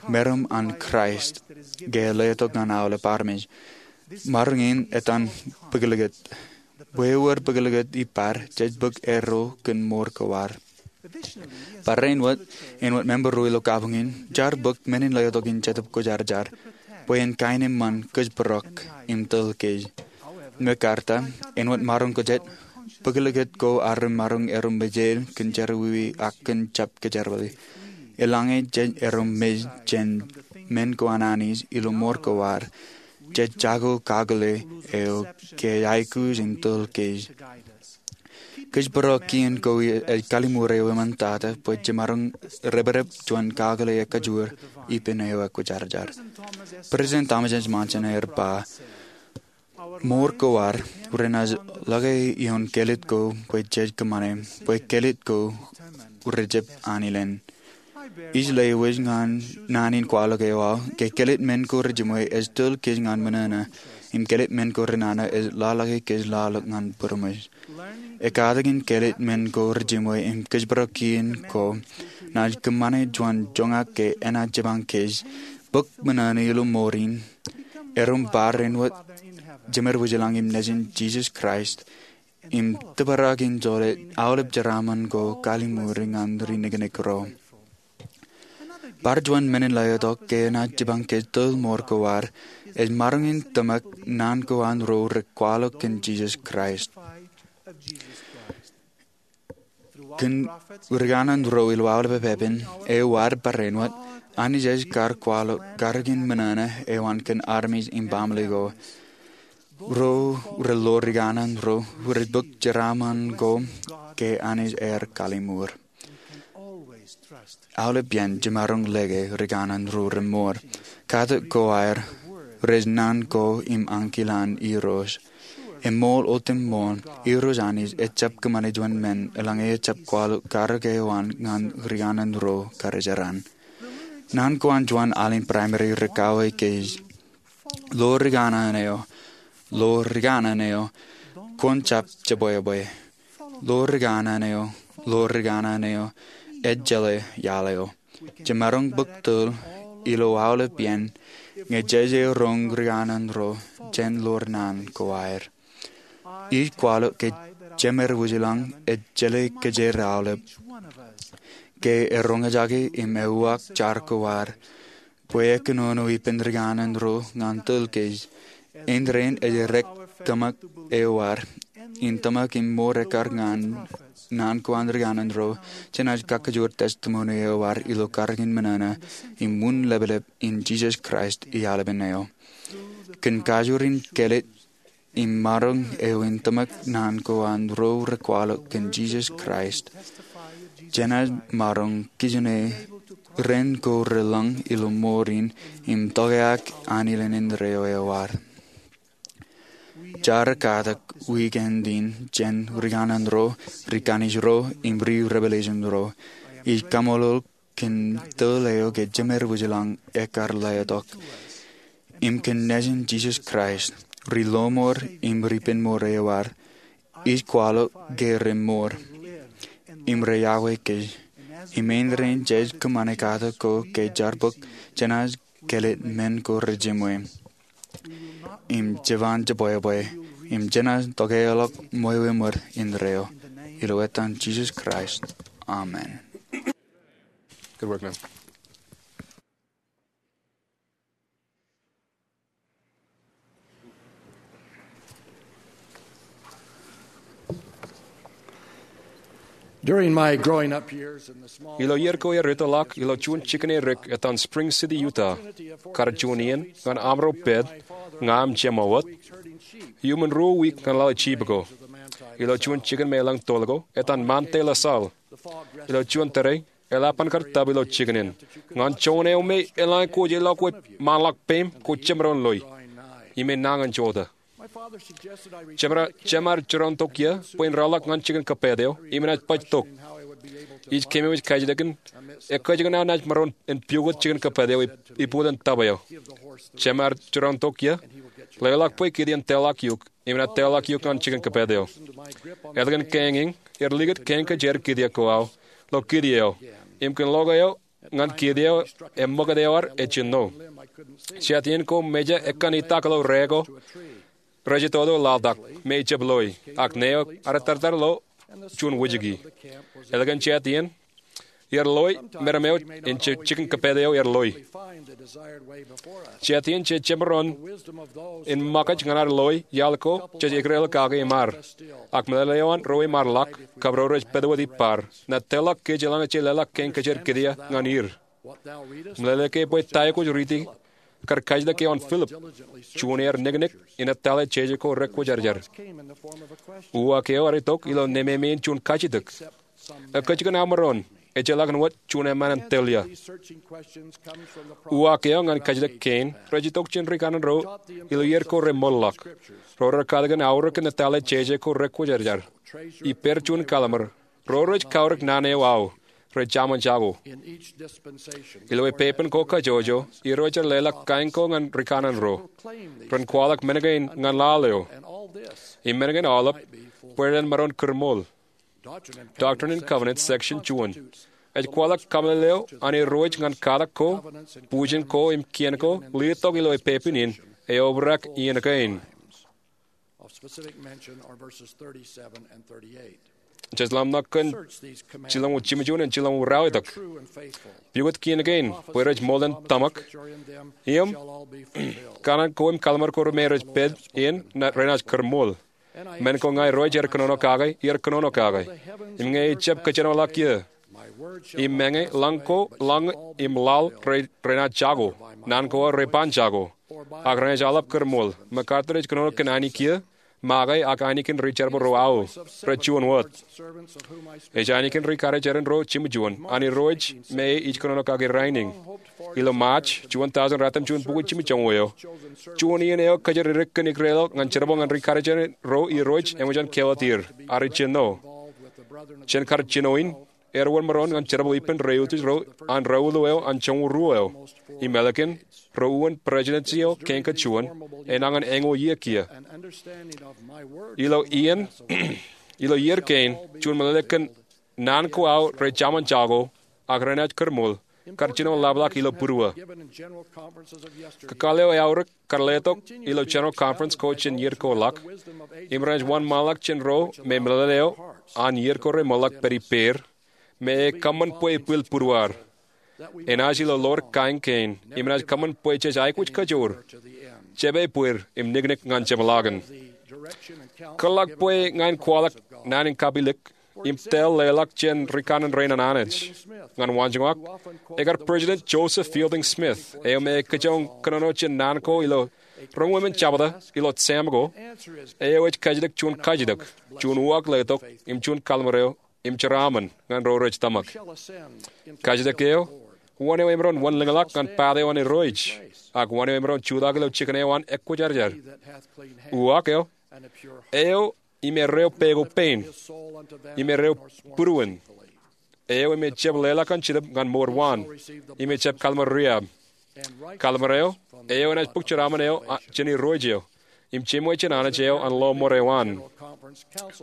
meram an Kraist, ke letok ñan aolep armej. Maroñ in etan bōklōkōt. Bwe ewōr bōklōkōt ippād, jej bōk erro kōn mour ko ad. Barāinwōt, āinwōt member ro ilo kabuñ in, jaar bōk men in letok in Jetōb Kwōjarjar, bwe en kaenōṃṃan kōjparok im tōl kōj. Mekarta, āinwōt maroñ ko jet, bōklōkōt ko arro maroñ erom mejād kōn jerọwiwi ak kōn jab kōjerbali. Eḷaññe jej erom mej jān men ko an Anij ilo mour ko ad, jej jako kakōḷḷe eo ke aikuj in tōl kōj. Kōjparok kien ko ej kalliṃur eo eṃṃantata bwe jemaroñ reprep juon kakōḷḷe ekajoor ippān eo ekwōjarjar. President Thomas S. Monson ear ba, mour ko ad renaaj ḷọke ioon kelid ko bwe jej kōṃṃane, bwe kelid ko rejab anilen. Ij lewōj ñan naan in kwaḷọk eo aō, ke kelid men ko rejiṃwe ej tōl kōj ñan mōṇōṇō, im kelid men ko renana ej ḷaḷọke kōj ḷaḷọk ñan būroṃōj. Ekatakin kelid men ko rejiṃwe im kōjparok kien ko, naaj kōṃṃane juon joñak ke enaaj jipañ kōj, bōk mōṇōṇō ilo mour in, erom bar āinwōt Jemed Wūjlañ im Nejin Jisōs Kraist, im tōprak in jolōt aolep jeraaṃṃan ko kalliṃur ñan ri nōknōk ro. Bar juon men in letok ke enaaj jipañ kōj tōl mour ko ad, ej maroñ in tōmak naan ko an ro rekwaḷọk kōn Jisōs Kraist. Kōn rikanaan ro ilo aolep epepen, eo ad barāinwōt, Anij ej kar kwaḷọk karōk in mōṇōṇō eo an kōn armej im baaṃle ko. Ro relo rikanaan ro rej bōk jeraaṃṃan ko ke Anij ear kalliṃur. Aolep iien jemaroñ lōke rikanaan ro remour. Katak ko aer, rej naan ko im ankilaañ Irooj. Eṃool otemṃool, Irooj Anij ejjab kōṃṃane juon men eḷaññe ejjab kwaḷọk karōk eo an ñan rikanaan ro karijeran. Naan ko an juon alen primary rej kawōj kōj, lo rikanaan eo, lo rikanaan eo, kwōn jab jebwebwe. Lo rikanaan eo, lo rikanaan eo, ejjeḷā iaḷ eo. Jemaroñ bōk tōl ilo aolep iien, ñe jeje roñ rikanaan ro jān lo naan ko aer. Ij kwaḷọk ke Jemed Wūjlañ ej jeḷā kōjro aolep, ke eroñjake im euak jar ko ad, bwe ekōnono ippān rikanaan ro ñan tōl kōj. Āindein ej errā tōmak eo ad in tōmak im mour ekkar ñan naan ko an rikanaan ro, jenaaj kakajoor testimony eo ad ilo karōk in mōṇōṇō im wūn leplep in Jisōs Kraist ialpen eo. Kōn kajoor in kelid im maroñ eo in tōmak naan ko an ro rekwaḷọk kōn Jisōs Kraist, jenaaj maroñ kijenō ren ko relōñ ilo mour in im tokāik anilen indeeo eo ad. Jaar katak weekend in jān rikanaan ro, ri Kanis ro, im ri Revelation ro. Ij kaṃṃoolol kōn tōl eo ke Jemed Wūjlañ ekar letok, im kōn Nejin Jisōs Kraist, ri lọmọọr im ri penmour eo ad, ij kwaḷọk ke remour, im reyokwe kōj, im āindein jej kōṃṃane katak ko ke jar bōk, jenaaj kelid men ko rejiṃwe, im jeban jebwebwe, im jenaaj tokāeḷọk ṃweo eṃōd indeeo. Ilo etan Jisōs Kraist. Amen. Good work, man. During my growing up years in the small Ilo iiō ko aer etōḷọk ilo juon jikin erik etan Spring City, Utah, kar juon iien ñan amro pād, ña im jema wōt, iuṃwin ruo wiik ñan lale jeep ko. Ilo juon jikin me elōñ toḷ ko, etan Monte La Salle. Ilo juon tōre, eḷap an kar tōb ilo jikin in. Ñan joñan eo me eḷaññe kwōj ilọk wōt ṃaanḷọk peiṃ, kwōj jemdoon loi. Im enañin jota. Jema, jema ear jiroñ tok iiō bwe in reḷọk ñan jikin kōpeid eo, im enaaj baj tok. Ij keememej kajjitōk in ekkejel aō naaj maroñ in pukot jikin kōpād eo ipuotan tōp eo. Jeṃaar jeraṇ tok ie, leḷọk bwe kid iien tōḷọk iuṃwin ad tōḷọk iuṃwin jikin kōpād eo. Ālikin kein in, er likūt kein kōjeañ kid ie ko aō, lo kid eo, im kōn lo eo ñan kid eo, eṃṃakūt eo ad ej jinno. Jet iien ko meja ekkan itak lo rā ko, rej itoto laḷtak me ejjab loi, ak ṇe eo ad tartar lo juon wōjke. Ālikin jet iien, er loi meram eo in jikin kōpād eo er loi. Jet iien je jemaroñ in ṃōkaj ñan ad loi iaḷ ko jej ekdikdik kake im ad. Ak meḷeḷe eo an ro emaroḷọk, kab ro rej pād wōt ippaar, ṇa tōḷọk kōj eḷaññe jej leḷọk kein kōjeañ kid ie ñan er. Meḷeḷe ke bwe ta eo kwōj riiti kar kajjitōk eo an Philip, juon ear niknik in etale jeje ko rekwōjarjar. Uwaak eo ear itok ilo nemāmein juon kajjitōk. Ekkejel aō maroñ, ejjeḷọkin wōt juon eṃṃan in tōl ie. Uwaak eo ñan kajjitōk kein rej itok jān rikanaan ro ilo iiō ko reṃoolḷọk. Ro rekar katakin aorōk in etale jeje ko rekwōjarjar. Ippāer juon kallim̧ur, ro rej kaorōk naan eo aō, rej jaṃōn jako. Ilo epepen ko kajjojo, Irooj ear leḷọk kain ko ñan rikanaan ro. Ren kwaḷọk men kein ñan laḷ eo, im men kein aolep, bwe ren maroñ kūrṃool. Doctrine and Covenants, section juon, ej kwaḷọk kaṃṃoolol eo an Irooj ñan katak ko, bujen ko im kien ko letok ilo epepen in, eobrak iien kein. Jej ḷōmṇak kōn jilñuul jimjuon im jilñuul ralitōk. Pukot kien kein bwe rej ṃool in tōmak, im kanaan ko im kallim̧ur ko me rej pād in renaaj kūrṃool. Men ko ña Irooj ear kōnono kake, iar kōnono kake. Im ñe ejjab kōjenolọk ie, im meñe lañ ko, lañ im laḷ renaaj jako, naan ko aō reban jako, ak renaaj aḷap kūrṃool. MacArthur ej kōnono kōn ainikien ie, make ak ainikien ri jerbal ro aō, rej juon wōt. Ej ainikien ri karijeran ro jimjuon an Irooj me ij kōnono kake rainin. Ilo March juon tọujin ratimjuon bukwi jimjuon eo, juon iien eo kōjatdikdik kōn ikdeḷọk ñan jerbal ñan ri karijeran ro Irooj eṃōj an keotier, ak ri jino. Jān kar jino in, er wōnṃaanḷọk ñan jerbal ippān rej utiej ro an rōuḷuḷ eo an joñoul ruo eo, im ālikin, ro uwin prestudensi eo kein kōjuon, enañin eñoul iiō kiiō. Ilo iien, ilo iiō kein, juon meḷeḷe kōn naan ko aō rej jaṃōn jako, ak renaaj kūrṃool, kar jino ḷapḷọk ilo būruō. Kakāl eo eaorōk kar letok ilo general conference ko jān iiō ko ḷọk, im renaaj wōnṃaanḷọk jān ro me meḷeḷe eo an iiō ko reṃoolḷọk pād ippāer, me ekōṃṃan bwe ibwil būruaar. Enaaj ilo ḷoor kain kein, im enaaj kōṃṃan bwe jej aikuj kajoor, jepād ippāer im niknik ñan jemḷọkin. Kōḷḷọk bwe ña in kwaḷọk naan in kapilōk im tōl leḷọk jān rikanaan rein an Anij. Ñan waanjoñak, ekar President Joseph Fielding Smith, eo me ekōjọñ kōnono jān naan ko ilo roñoul emān jebta ilo Sam ko, eo ej kajjitōk juon kajjitōk, juon uwaak letok, im juon kalliṃur eo, im jeraaṃṃan ñan ro rej tōmak. Kajjitōk eo, wōn eo emaroñ wōnlōñḷọk ñan path eo an Irooj, ak wōn eo emaroñ jutak ilo jikin eo an ekwōjarjar. Uwaak eo, eo im erreo peko pein, im erreo būruon, eo im ejjab leḷọk an Jetōb ñan mour waan, im ejjab kalliṃur riab. Kalliṃur eo, eo enaaj bōk jeraaṃṃan eo jān Irooj eo, im jeṃwe jān Anij eo an lọmọọr eo an.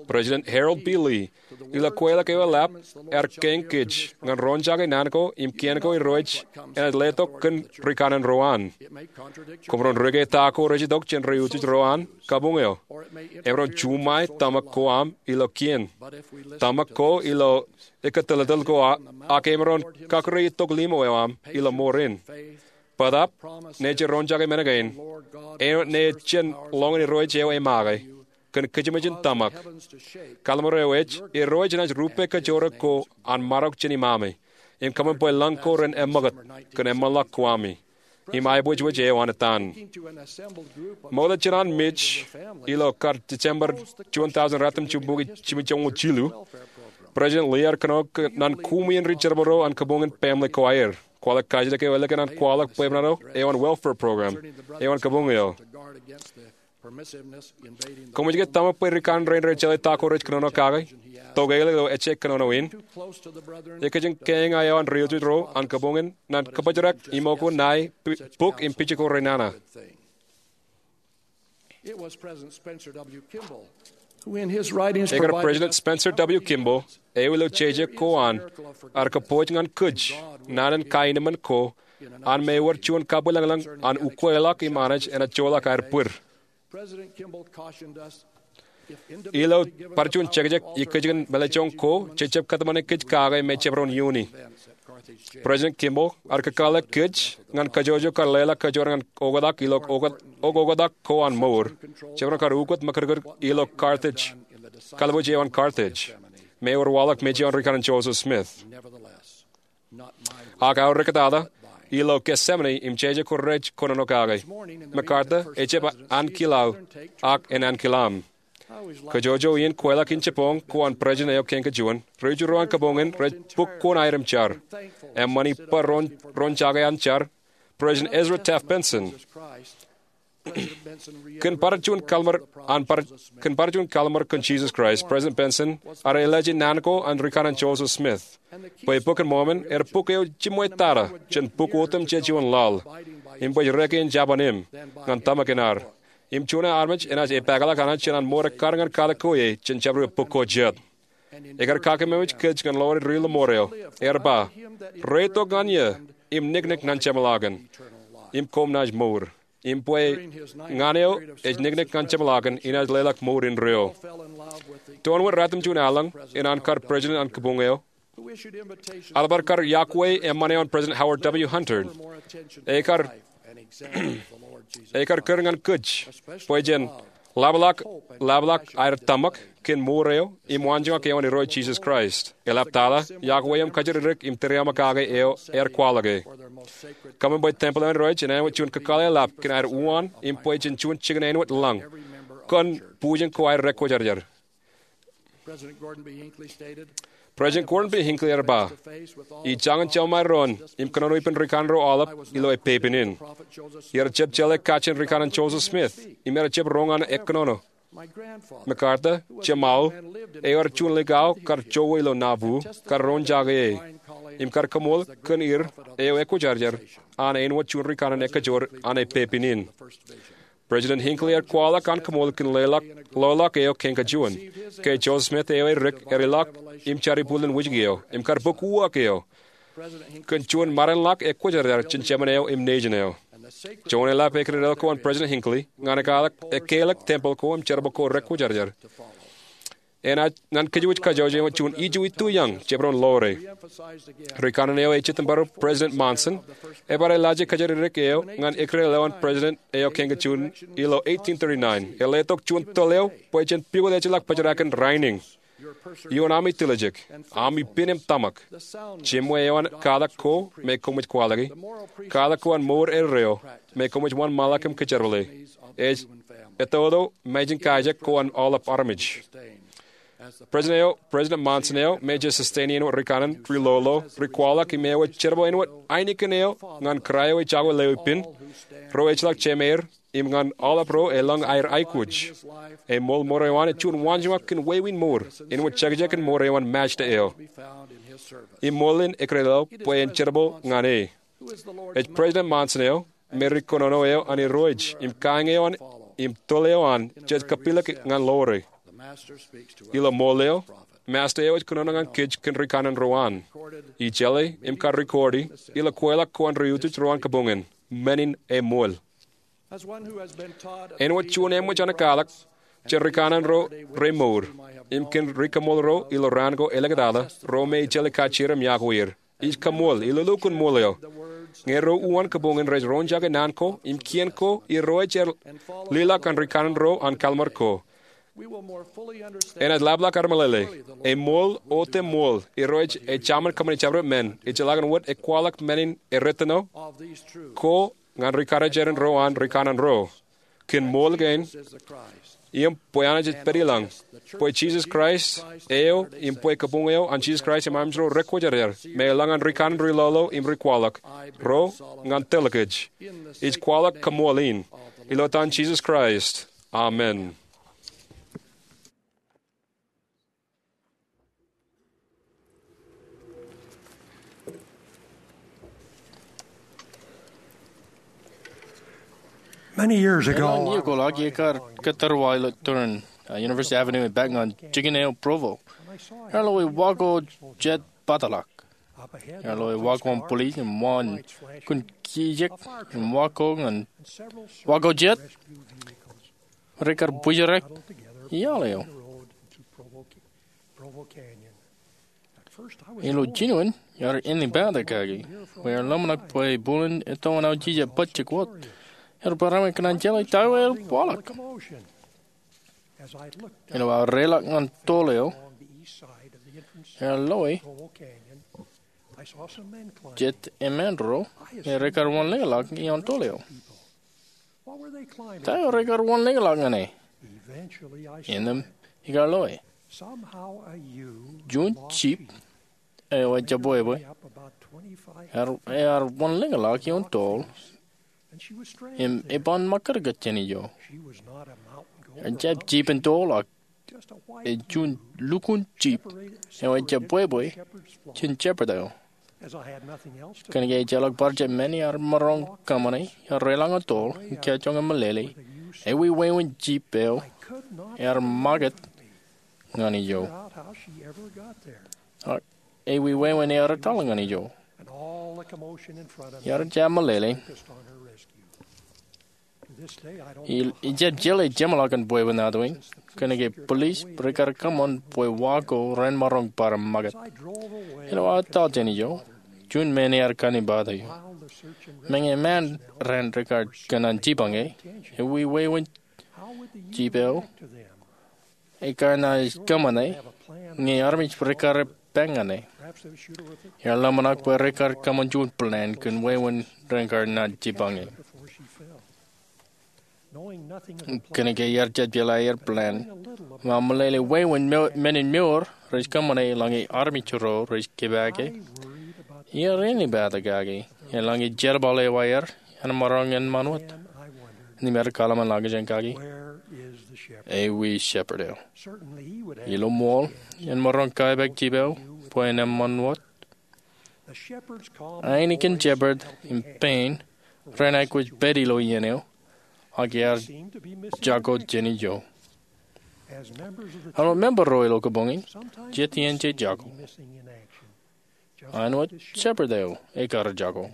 President Harold B. Lee, ilo kweilọk eo eḷap, ear kein kōj ñan roñjake naan ko im kien ko Irooj enaaj letok kōn rikanaan ro an. Koṃ ren rūkaki ta ko rej itok jān ri utiej ro an kabuñ eo. Emaroñ juṃae tōmak ko aṃ ilo kien, tōmak ko ilo ekkā tōltōl ko, ak emaroñ kakūrei itok limo eo aṃ ilo mour in. Bōtaab, ṇe jej roñjake men kein, eo ṇe jen ḷọk in Irooj eo emake, kōn kōjmōj in tōmak. Kalliṃur eo ej, Irooj enaaj rupe kajoorōk ko an marok jān imaami, im kōṃṃan bwe lañ ko ren eṃṃakūt kōn eṃṃanḷọk ko ami, im aebwejbwej eo an etan. Ṃokta jān an mej ilo kar December juon tọujin ratimjuon bukwi jimjuon jilu, President Lee ear kōnono kōn an kuṃwin ri jerbal ro an kabuñ in Family Choir. Kwaḷọk kajjitōk eo ālikin an kwaḷọk bwebwenato eo an welfare program eo an kabuñ eo. Koṃij ke tōmak bwe rikanaan rein rej jeḷā ta ko rej kōnono kake? Tokālik ilo ejjeḷọk kōnono in, ekōjkan kein eo an ri-utjet ro an kabuñ in ñan kōbōjrak iṃōko ṇae, buk im pijeko renana. Ekar President Spencer W. Kimball, eo ilo jeje ko an, ear kōpooj ñan kōj naan in kaenōṃṃan ko an me ewōr juon kabwilōñlōñ an ukweḷọk im Anij enaaj joḷọk aer bwid. Ilo bar juon jekjek ikōjkan mālejjoñ ko jej jab kōtmāne kōj kake me jabdewōt iioni, President Kimball ear kakōḷḷe kōj ñan kajjojo kar leḷọk kōjwōr ñan oktak ilo oktak ko an mour, jabdewōt kar ukōt ṃakūtkūt ilo Carthage, kalbuuj eo an Carthage, me ewōr waḷọk mej eo an rikaṇan Joseph Smith. Ak aorōk tata, ilo Gethsemane im jeje ko rej kōnono kake, MacArthur ejjab ankilaō, ak en ankilaaṃ. Kajjojo iien kweilọk in jibboñ ko an President eo Kein Kein, ri-utjet ro an kabuñ in rej bōk kuṇaer im jar, eṃṃan ippa roñjake an jar, President Ezra Taft Benson. Kōn bar juon kallim̧ur kōn Jesus Christ, President Benson ear elaje naan ko an rikaṇan Joseph Smith, bwe Bok in Mormon ear buk eo jiṃwe tata jān buk otemjej ioon laḷ, im bwe rej rōke in jabōn im ñan tōmak in ad, im juon armej enaaj epakḷọk Anij jān an mour ekkar ñan katak ko ie jān jabdewōt buk ko jet. Ekar kakememej kōj ñan ḷoore ri-lọmọọr eo, ear ba, reitok ñan eō im niknik ñan jeṃḷọkin, im koṃ naaj mour. Im bwe ñan eo ej niknik ñan jeṃḷọkin enaaj leḷọk mour indeeo. Toon wōt ratimjuon aelōñ in an kar president an kabuñ eo, eḷap aer kar iọkwe eṃṃan eo an President Howard W. Hunter, ekar kūr ñan kōj bwe jen ḷapḷọk, ḷapḷọk aer tōmak kōn mour eo im waanjoñak eo an Irooj Jesus Christ. Eḷap tata iọkwe im kajjitōk im tūriaṃo kake eo ear kwaḷọke. Kōṃṃan bwe tempel eo an Irooj en āinwōt juon kakōḷḷe ḷap kōn aer uwaan im bwe jen juon jikin āinwōt lañ kōn bujen ko aer rekwōjarjar. President Gordon B. Hinckley ear ba, ij jañin jeṃae doon im kōnono ippān rikaṇan ro aolep ilo epepen in. Iar jab jeḷā kajjien rikaṇan Joseph Smith im ear jab roñ an ekkōnono. MacArthur, jeṃaō, eo ear juon likao kar jowe ilo Nauvoo, kar roñjake e im kar kaṃool kōn er eo ekwōjarjar an āinwōt juon rikaṇan ekajoor an epepen in. President Hinckley ear kwaḷọk an kaṃool kōn leḷọk ḷọk eo Kein Kein, ke Joseph Smith eo edik ear ilọk im jar ipuḷ in wōjke eo im kar bōk uwaak eo kōn juon mādanḷọk ekwōjarjar jān jemān eo im nejin eo. Joñan eḷap ekdedel ko an President Hinckley ñan ekālik tempel ko im jerbal ko rekwōjarjar, enaaj ñan kōjwōj kajjojo eo juon ijo ituyōñ jabdewōt ḷoore. Rikaṇan eo ej itok bar President Monson, ebar elaje kōjatdikdik eo ñan ekdedel eo an President eo Kein Kein ilo eighteen thirty-nine. Eḷap tok juon tōl eo bwe jen pukot ejjeḷọk bōjrak in rainin ioon ami tiljek, ami pen im tōmak, jeṃwe eo an katak ko me koṃij kwaḷọke, katak ko an mour eddo me koṃij wōnṃaanḷọk im kōjerbale, ej etoto mājin kaijek ko an aolep armej. President eo, President Monson eo me jej sustain e āinwōt rikaṇan ri-lolo, ri-kwaḷọk im eo ej jerbal āinwōt ainikien eo ñan kōrā eo ej jako lewōj pen, ro ejjeḷọk jemāer, im ñan aolep ro elōñ aer aikuj. Eṃool mour eo an ej juon waanjoñak kōn wāween mour āinwōt jekjek in mour eo an Masta eo. Im ṃool in ekdedel bwe en jerbal ñan e. Ej President Monson eo me ri-kōnono eo an Irooj im kaiiñ eo an im tōl eo an jej kapilōk ñan ḷoore. Ilo ṃool eo, Masta eo ej kōnono ñan kōj kōn rikaṇan ro an. Ij jeḷā im kar record e ilo kweilọk ko an ri-utjet ro an kabuñ in, men in eṃool. Āinwōt juon eṃōj an ekālik jān rikaṇan ro remour im kōn ri-kaṃool ro ilo raan ko āliktata, ro me ij jeḷā kajjieer im iọkwe er, ij kaṃool ilo lukkuun ṃool eo. Ñe ro uwaan kabuñ in rej roñjake naan ko im kien ko Irooj ear lilọk an rikaṇan ro an kalliṃur ko, enaaj ḷapḷọk aer meḷeḷe. Eṃool, otemṃool, Irooj ej Jemān kōṃṃane jabdewōt men, ejjeḷọkin wōt ekwaḷọk men in erreo ko ñan rikarijeran ro an rikaṇan ro. Kōn ṃool kein, im bwe Anij ej pād ilañ, bwe Jisōs Kraist eo im bwe kabuñ eo an Jisōs Kraist im armej ro rekwōjarjar me elōñ an rikaṇan ri-lolo im ri-kwaḷọk ro ñan tōl kōj, ij kwaḷọk kaṃool in ilo etan Jisōs Kraist, Amen. Many years ago, Elōñ iiō ko ḷọk iar kōttar wa ilo tōre in, uh, University Avenue epaak ñan jikin eo Provo. Ear lo e wa ko jet bōtḷọk. Ear lo e wa ko an police im wa in kun kijek im wa ko ñan wa ko jet rekar bwijrek iaḷ eo. Ilo jinoin, iar ennipata kaki bwe ear ḷōmṇak bwe bōlen ettoon aujije bajjek wōt. Ear bar eṃṃan kōn an jeḷā ta eo ear waḷọk. Ilo aō reiḷọk ñan tool eo, ear lo e jet emān ro me rekar wōnḷōñḷọk ioon tool eo. Ta eo rekar wōnḷōñḷọk ñan e? Innām ikar lo e. Juon jeep eo ejabwebwe ear, ear wōnḷōñḷọk ioon tool im eban ṃakūtkūt jān ijo. Ejjab jeep in tool ak ej juon lukkuun jeep eo ejabwebwe jān shepherd eo. Kōnke ejjeḷọk bar jab men iar maroñ kōṃṃane, iar reiḷọk ñan tool im kajjioñ im meḷeḷe, ewiwewen jeep eo ear ṃakūt ñan ijo. Ak ewiwewen ear etal ñan ijo. Iar jab meḷeḷe. Ij, ijjab jeḷā jeṃḷọkin bwebwenato in, kōnke police rekar kōṃṃan bwe wa ko ren maroñ bar ṃakūt. Ilo aō etal jān ijo, juon men ear kannipato eō. Meñe emān ren rekar kōṇaan jipañ e, ewiwewen jeep eo ekar naaj kōṃṃane ñe armej rekar epād ñan e. Ear ḷōmṇak bwe rekar kōṃṃan juon plan kōn wāween rekar naaj jipañ e. Kōnke iar jab jeḷā aer plan, im aō meḷeḷe wāween men in mour rej kōṃṃane eḷaññe armej ro rej kōpaake, iar ennipata kaki eḷaññe jerbal eo aer en maroñ en ṃan wōt. Im ear kōḷmānḷọkjeṇ kaki, ewi shepherd eo? Ilo ṃool, en maroñ kaipeak jeep eo bwe en eṃṃan wōt. Ainikien shepherd im pein ren aikuj pād ilo iien eo, ak ear jako jān ijo. Āinwōt member ro ilo kabuñ in, jet iien jej jako. Āinwōt shepherd eo ekar jako.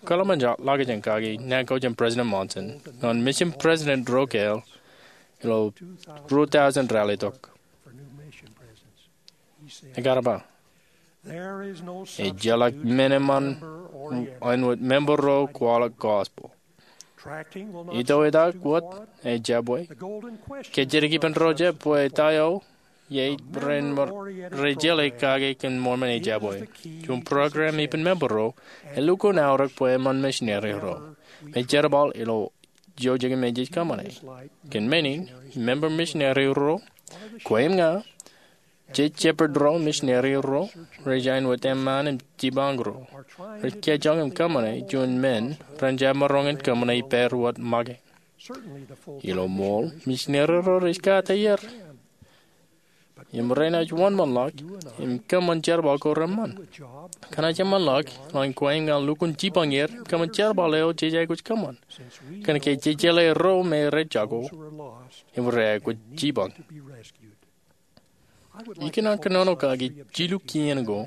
Kōḷmānḷọkjeṇ kaki naan ko jān President Monson ñan mission president ro kāāl ilo ruo tọujin ralitōk. Ekar ba, ejjeḷọk men eṃṃan āinwōt member ro kwaḷọk gospel. Ito etaak wōt ejabwe. Kōjjitōk ippān ro jab bwe ta eo ie ren rej jeḷā kake kōn Mormon ejabwe. Juon program ippān member ro elukkuun aorōk bwe eṃṃan misineri ro. Im jerbal ilo ijo jikin men jej kōṃṃane. Kōn men in, member misineri ro, kwe im ña, jej shepherd ro, misineri ro, rej āinwōt eṃṃaan im jipañ ro rej kajjioñ im kōṃṃane juon men ren jab maroñ in kōṃṃane ippād wōt make. Ilo ṃool, misineri ro rej kate er im renaaj wōnṃaanḷọk im kōṃṃan jerbal ko reṃṃan. Kōnaaj eṃṃanḷọk eḷaññe kwe im ña lukkuun jipañ er im kōṃṃan jerbal eo jej aikuj kōṃṃan. Kōnke jej jeḷā ro me rej jako im rej aikuj jipañ. Ikōṇaan kōnono kaki jilu kien ko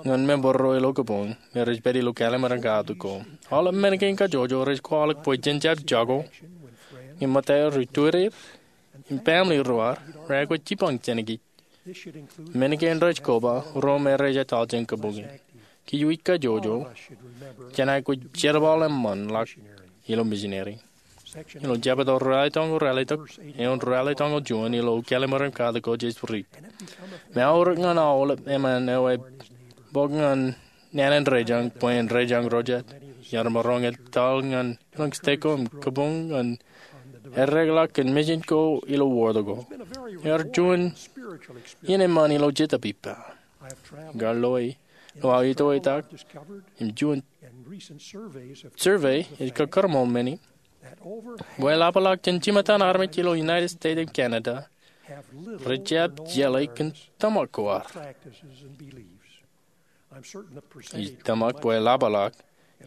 ñan member ro ilo kabuñ me rej pād ilo Kālmar in Katak ko. Aolep men kein kajjojo rej kwaḷọk bwe jen jab jako ñe ṃōttaer, itureir, im family ro ad rej aikuj jipañ jān kōj. Men kein rej koba ro me rej etal jān kabuñ in. Kiiō ij kajjojo, jen aikuj jerbal eṃṃanḷọk ilo misineri. Ilo jebta ralitōñoul ralitōk, eoon ralitōñoul juon ilo Kālmar in Katak ko jej riit. Im eaorōk ñan aolep emān eo ebōk ñan naan in rejañ bwe en rejañ ro jet. Iar maroñ etal ñan eoon stek ko im kabuñ ñan eddekḷọk kōn mission ko ilo wōt ko. Ear juon iien eṃṃan ilo Jetōb ippa. Ikar lo e, ilo aō ito etaak im juon survey ej kōkōrṃool men in. Bwe eḷapḷọk jān jimettan armej ilo United States im Canada rej jab jeḷā kōn tōmak ko ad. Ij tōmak bwe eḷapḷọk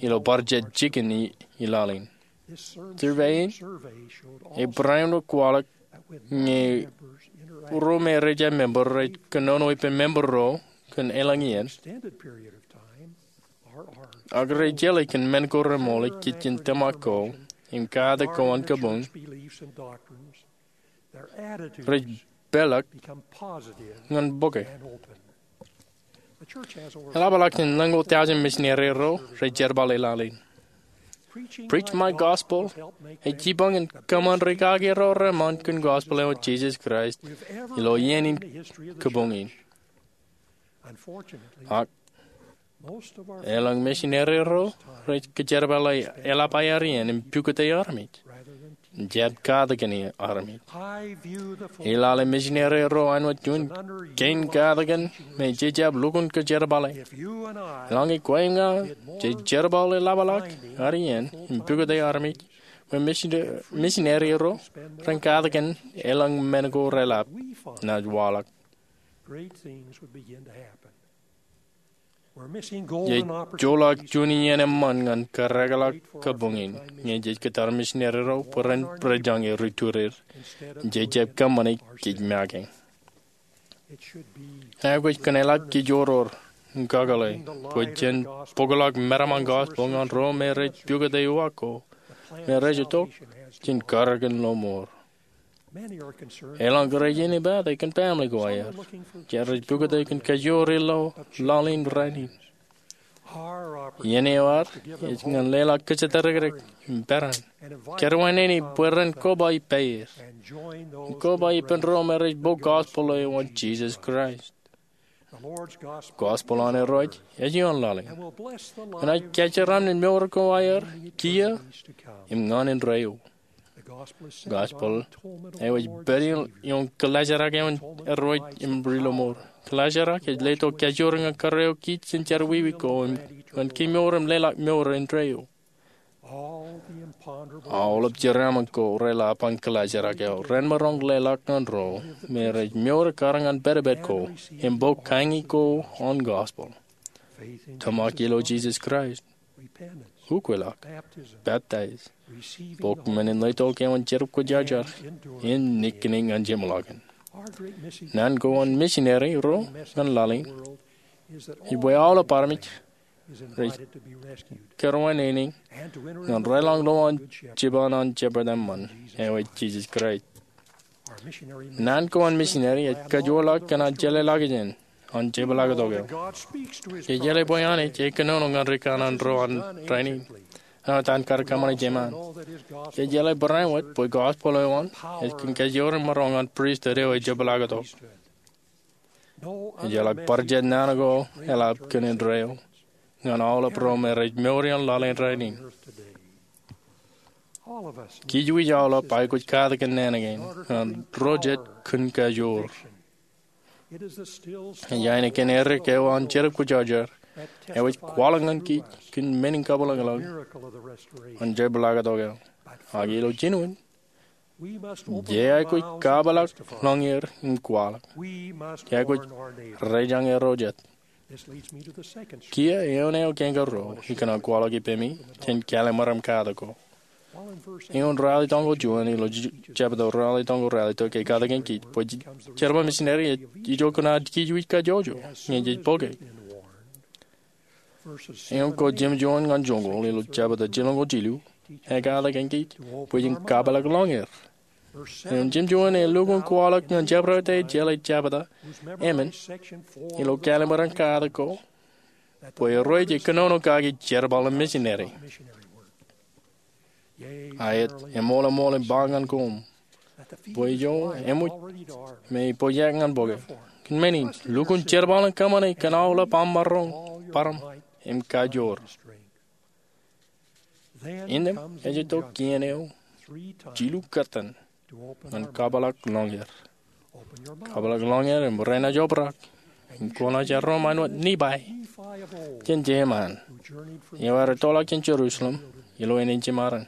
ilo bar jejjekōn i laḷ in. Survey in ebarāinwōt kwaḷọk ñe ro me rej jab member rej kōnono ippān member ro kōn elōñ iien, ak rej jeḷā kōn men ko remool ej kajjien tōmak ko im katak ko an kabuñ, rej peḷḷọk ñan bōke. Eḷapḷọk jān ḷōñoul taujin misineri ro rej jerbal i laḷ in. Preach My Gospel ej jipañ in kōṃṃan rikaki ro reṃṃan kōn gospel eo an Jisōs Kraist ilo iien in kabuñ in. Ak elōñ misineri ro rej kōjerbale eḷap aer iien im pukot armej, jab katakin armej. Ij lale misineri ro āinwōt juon kein katakin me jej jab lukkuun kōjerbale. Eḷaññe kwe im ña jej jerbal eḷapḷọk ad iien im pukot armej, bwe misineri ro ren katakin elōñ men ko reḷap naaj waḷọk. Jej joḷọk juon iien eṃṃan ñan kōrreḷọk kabuñ in ñe jej kōttar misineri ro bwe ren bōjrak ri-turier. Jej jab kōṃṃane kōj make. Aikuj kōn eḷap kōj oror im kakōḷḷe bwe jen bōkḷọk meram an gospel ñan ro me rej pukot uwaak ko me rej itok jān karōk in lọmọọr. Elōñ rej inepata kōn family ko aer, jet rej pukot kōn kajoor ilo laḷ in rainin. Iien eo ad ej ñan leḷọk kōjatdikdik im peran, kōrā wōt nene bwe ren koba ippāer im koba ippān ro me rej bōk gospel eo an Jisōs Kraist. Gospel an Irooj ej ioon laḷ in, enaaj kōjeraṃṃan mour ko aer kiiō im ñan indeeo. Gospel eo ej pād ioon kōḷaajrak eo an Irooj im ri-lọmọọr. Kōḷaajrak ej letok kajoor ñan kōrā eo kij jān jerọwiwi ko im ñan kemour im leḷọk mour indeeo. Aolep jeraaṃṃan ko reḷap an kōḷaajrak eo ren maroñ leḷọk ñan ro me rej mour kar ñan pedped ko im bōk kañi ko an gospel. Tōmak ilo Jisōs Kraist, ukweḷọk, peptaij, bōk men in letok eo an Jetōb Kwōjarjar, im niknik ñan jeṃḷọkin. Naan ko an misineri ro ñan laḷ in ej bwe aolep armej rej kōrā wōt nene ñan rōḷọk lowaan jipañ an Shepherd eṃṃan, eo ej Jisōs Kraist. Naan ko an misineri ej kajoorḷọk kōn an jeḷāḷọkjeṇ an jepḷaaktok eo. Jej jeḷā bwe Anij ej kōnono ñan ri kanaan ro an rainin āinwōt an kar kōṃṃane jeṃaan. Jej jeḷā barāinwōt bwe gospel eo an ej kōn kajoor im maroñ an pristut eo ej jepḷaaktok. Ejjeḷọk bar jet naan ko eḷap kōn indeeo ñan aolep ro me rej mour ioon laḷ in rainin. Kij wōj aolep aikuj katakin naan kein ñan ro jet kōn kajoor. Ej ainikien edik eo an Jetōb Kwōjarjar eo ej kwaḷọk ñan kij kōn men in kabwilōñlōñ an jepḷaaktok eo. Ak ilo jinen, jej aikuj kapeḷḷọk lōñer im kwaḷọk. Jej aikuj rejañe ro jet. Kiiō eoon eo kein karuo ikōṇaan kwaḷọk ippemi jān kāālōt meram katak ko. Eoon ralitōñoul juon ilo jebta ralitōñoul ralitōk ej katakin kij bwe jerbal misineri ej itok kōn ad kij wōj kajjojo ñe jej bōke. Eoon ko jimjuon ñan joñoul ilo jebta jilñoul jilu ej katakin kij bwe jen kapeḷḷọk lōñer. Eoon jimjuon ej lukkuun kwaḷọk ñan jabdewōt eo jeḷā jebta emān ilo kāālōt meram katak ko bwe Irooj ej kōnono kaki jerbal in misineri. Aet, eṃool eṃool im ba ñan koṃ bwe ijo eṃōj me ej pojak ñan bōke. Kōn men in, lukkuun jerbal in kōṃṃane kōn aolep aṃ maroñ, bōran, im kajoor. Innām ej itok kien eo jilu kōttan ñan kapeḷḷọk lōñer. Kapeḷḷọk lōñer im renaaj obrak im kwōnaaj erom āinwōt Nifai jān jeṃaan eo ear ettoḷọk jān Jerusalem ilo eṇ in jiṃarin.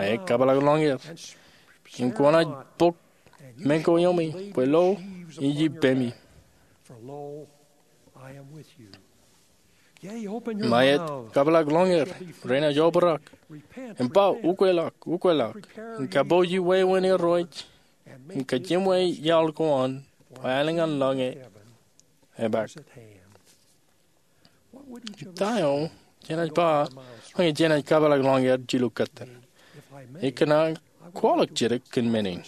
Aet, kabḷọk lọñier im kwōnaaj bōk meñe ko iome, bwe lo, ij ippemi. Im aet, kabḷọk lọñier, renaaj obrak im ba, ukweḷọk, ukweḷọk, im kapooji wāween Irooj im kajeṃwe iaḷ ko an, bwe aelōñ an lọñe epaak. Ta eo jenaaj ba ñe jenaaj kabḷọk lọñier jilu kōttan? Ikōṇaan kwaḷọk jidik kōn men in.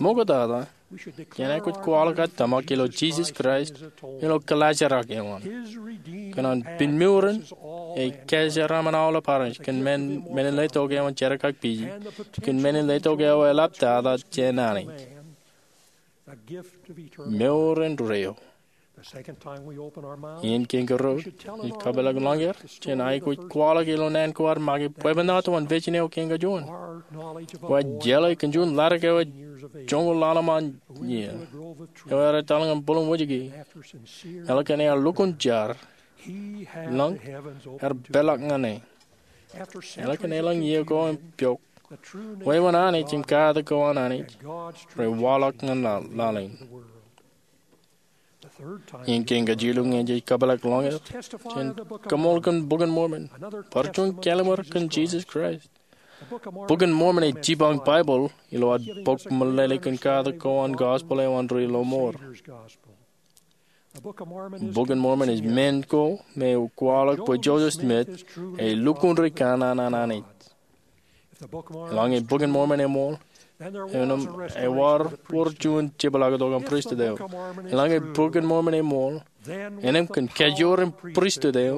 Ṃoktata, jenaaj aikuj kwaḷọk aō tōmak ilo Jisōs Kraist ilo kōlaajrak eo an, kōn an pinmurin ej kōjeraaṃṃan aolep armej kōn men in letok eo an jerkakpeje, kōn men in letok eo eḷaptata jān Anij, mour indeeo. Iien kein kōrā, ij kabḷọk lọñier, jenaaj aikuj kwaḷọk ilo naan ko ad make bwebwenato an vision eo kein kajuon. Wōj jeḷā kōn juon ḷadik eo ej joñoul ḷalem an iiō, eo ear etal ñan bwilōñ wōjke, eḷak ear lukkuun jar, lōñ ear peḷḷọk ñan e. Eḷak eḷaññe iiō ko im piọk, wāween Anij im katak ko an Anij rej waḷọk ñan laḷ in. Iien kein kajilu ñe jej kabḷọk lọñier, jen kaṃool kōn Bok in Mormon, bar juon kālmar kōn Jisōs Kraist. Bok in Mormon ej jipañ Baibōḷ ilo ad bōk meḷeḷe kōn katak ko an gospel eo an ri lọmọọr. Bok in Mormon ej men ko me kwaḷọk bwe Joseph Smith ej lukkuun ri kanaan an Anij. Eḷaññe Bok in Mormon eṃool, enōṃ ewōr juon jepḷaaktok an pristut eo. Eḷaññe Bok in Mormon eṃool, enōṃ kōn kajoor in pristut eo,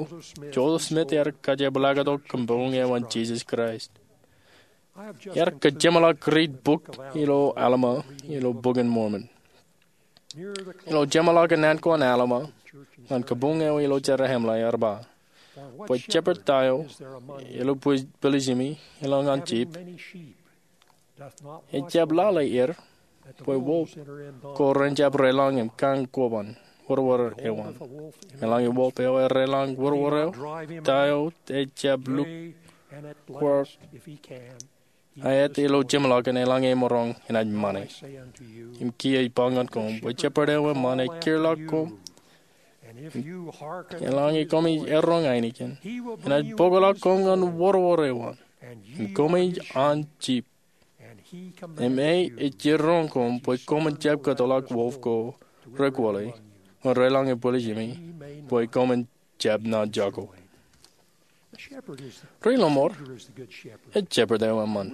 Joseph Smith ear kajepḷaaktok kōn boñ eo an Jisōs Kraist. Iar kajeṃḷọk riit bok ilo Alma ilo Bok in Mormon. Ilo jeṃḷọkin naan ko an Alma ñan kabuñ eo ilo Jerusalem ear ba, bwe shepherd ta eo ilo bwe-, bwiljiṃi eḷaññe an jip, ejjab lale er bwe wolf ko ren jab reḷọñ im kaañ koban wōrwōr eo an. Eḷaññe wolf eo ear reḷọñ wōrwōr eo, ta eo ejjab lukkuun aet ilo jeṃḷọkin eḷaññe emaroñ enaaj ṃane. Im kiiō ij ba ñan koṃ bwe shepherd eo eṃṃan ej kūrḷọk koṃ. Eḷaññe koṃij erroñ ainikien, enaaj bōkḷọk koṃ ñan wōrwōr eo an, im koṃij an jip. Im e ej erroñ koṃ bwe koṃwin jab kōtḷọk wolf ko rekwōle ñan reḷọñe bwiljiṃi, bwe koṃwin jab naan jako. Ri lọmọọr ej shepherd eo eṃṃan.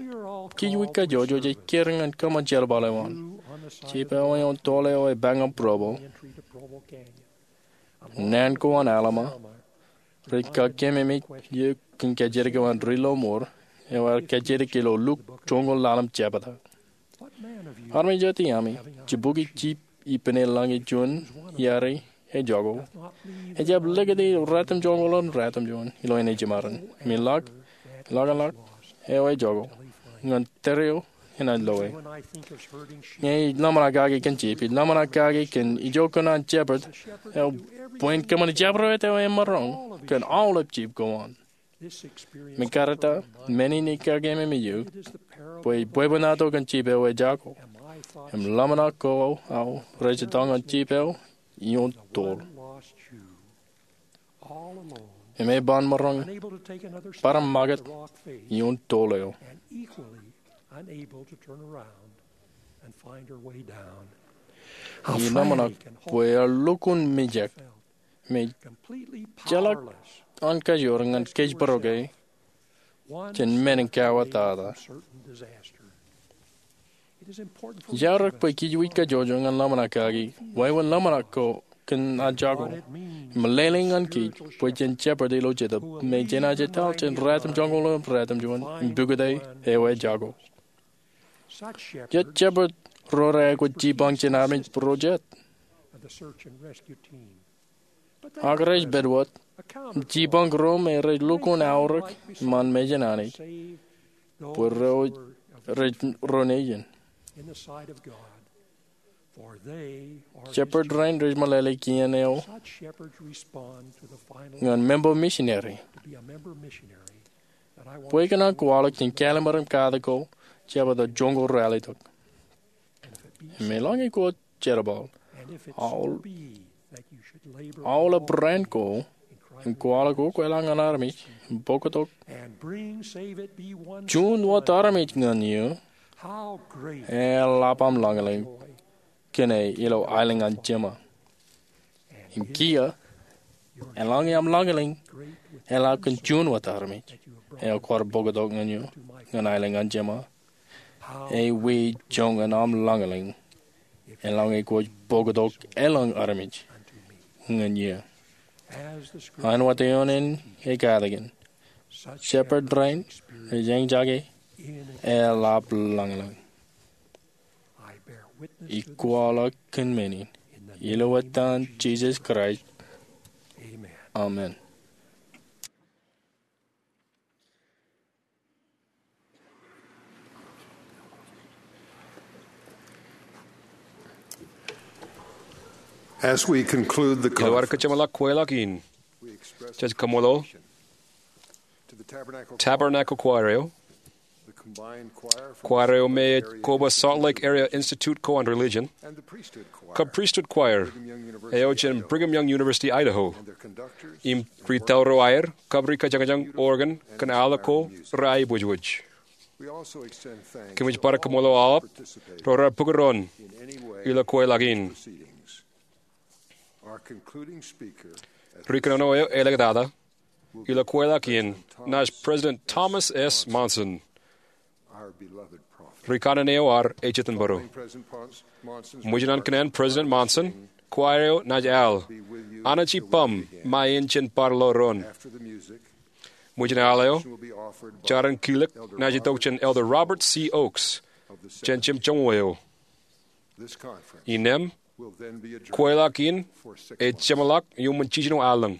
Kij wiik kajjojo jej kūr ñan kōṃṃan jerbal eo an. Jip eo eoon tool eo epaak ñan Provo. Naan ko an Alma rej kakememej eō kōn kajjitōk eo an ri lọmọọr eo ear kajjitōk ilo lukkuun joñoul ḷalem jebta. Armej eo tiaṃi, jibukwi jip ippān eḷaññe juon iiaari ejako, ejjab likūti ratimjuonñoul im ratimjuon ilo eṇ in jiṃarin. Im eḷak, eḷak, eḷak eo ejako ñan tōre eo enaaj loe. Ñe ij ḷōmṇak kake kōn jip, ij ḷōmṇak kake kōn ijo kōn an shepherd eo bwe en kōṃṃan jabdewōt eo emaroñ kōn aolep jip ko an. Im karijja, men in ej kakememej eō bwe ij bwebwenato kōn jip eo ejako. Im ḷōmṇak ko aō rej itok ñan jip eo ioon tool. Im e ban maroñ bōd im ṃakūt ioon tool eo. Ij ḷōmṇak bwe ear lukkuun mijak im ejjeḷọk an kajoor ñan kōjparok e jān men in kauwōtata. Ij aorōk bwe kij wiik kajjojo ñan ḷōmṇak kaki wāween ḷōmṇak ko kōn an jako. Im meḷeḷe ñan kōj bwe jen shepherd ilo Jetōb me jenaaj etal jān ratimjuonñoul im ratimjuon im pukot e eo ejako. Jet shepherd ro reaikuj jipañ jān armej ro jet. Ak rej pād wōt im jipañ ro me rej lukkuun aorōk iṃaan mejān Anij bwe ro rej ro nejin. Shepherd rein rej meḷeḷe kien eo ñan member missionary. Bwe ikōṇaan kwaḷọk jān kālmar im katak ko jab etal joñoul ralitōk. Im eḷaññe kwōj jerbal aolep ran ko im kwaḷọk wōt eḷap ñan armej im bōktok juon wōt armej ñan eō, eḷap aṃ lañlōñ kōn e ilo aelōñ an Jema. Im kiiō, eḷaññe aṃ lañlōñ eḷap kōn juon wōt armej eo kwaar bōktok ñan eō ñan aelōñ an Jema, ewi joñan aṃ lañlōñ eḷaññe kwōj bōktok eḷap armej ñan eō? Āinwōt eoon in ej katakin, shepherd rein rej eñjake eḷap lañlōñ. Ij kwaḷọk kōn men in ilo etan Jisōs Kraist, amen. As we conclude the conference, ilo ad kōjeṃḷọk kweilọk in, jej kaṃṃoolol Tabernacle Choir eo, kwaer eo me ej koba Salt Lake Area Institute ko an Religion, kab Priesthood Choir eo jān Brigham Young University, Idaho, im ri-taurro aer kab ri-kōjañjañ organ kōn aolep ko reaiboojoj. Kōmij bar kaṃṃoolol aolep ro raar pukot doon ilo kweilọk in. Ri-kōnono eo elōñ tata ilo kweilọk in, naaj President Thomas S. Monson. Ri-kanaan eo ad ej itok im bōro. Ṃōjin an kōnnaan President Monson, kwaer eo naaj al Anij Ippaṃ Ṃae In jān bar ḷọk doon. Ṃōjin al eo, jar in kilōk naaj itok jān Elder Robert C. Oaks jān jemjoñoul eo. Innām, kweilọk in ej jeṃḷọk iuṃwin jiljino allōñ.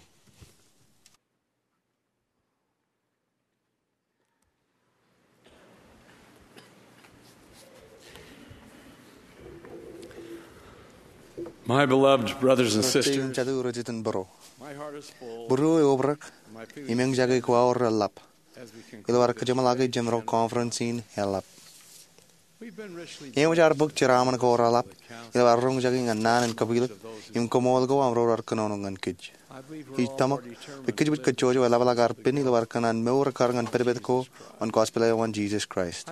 My beloved brothers and sisters, jatū rej itok im bōro, būruō eobrak im eñjake ko aō reḷap ilo ad kōjeṃḷọke jeṃro conference in eḷap. Eṃōj ad bōk jeraaṃṃan ko reḷap ilo ad roñjake ñan naan in kapilōk im kaṃool ko aṃ ro raar kōnono ñan kōj. Ij tōmak bwe kōjwōj kajjojo eḷapḷọk ad pen ilo ad kōṇaan mour ekkar ñan pedped ko an gospel eo an Jisōs Kraist.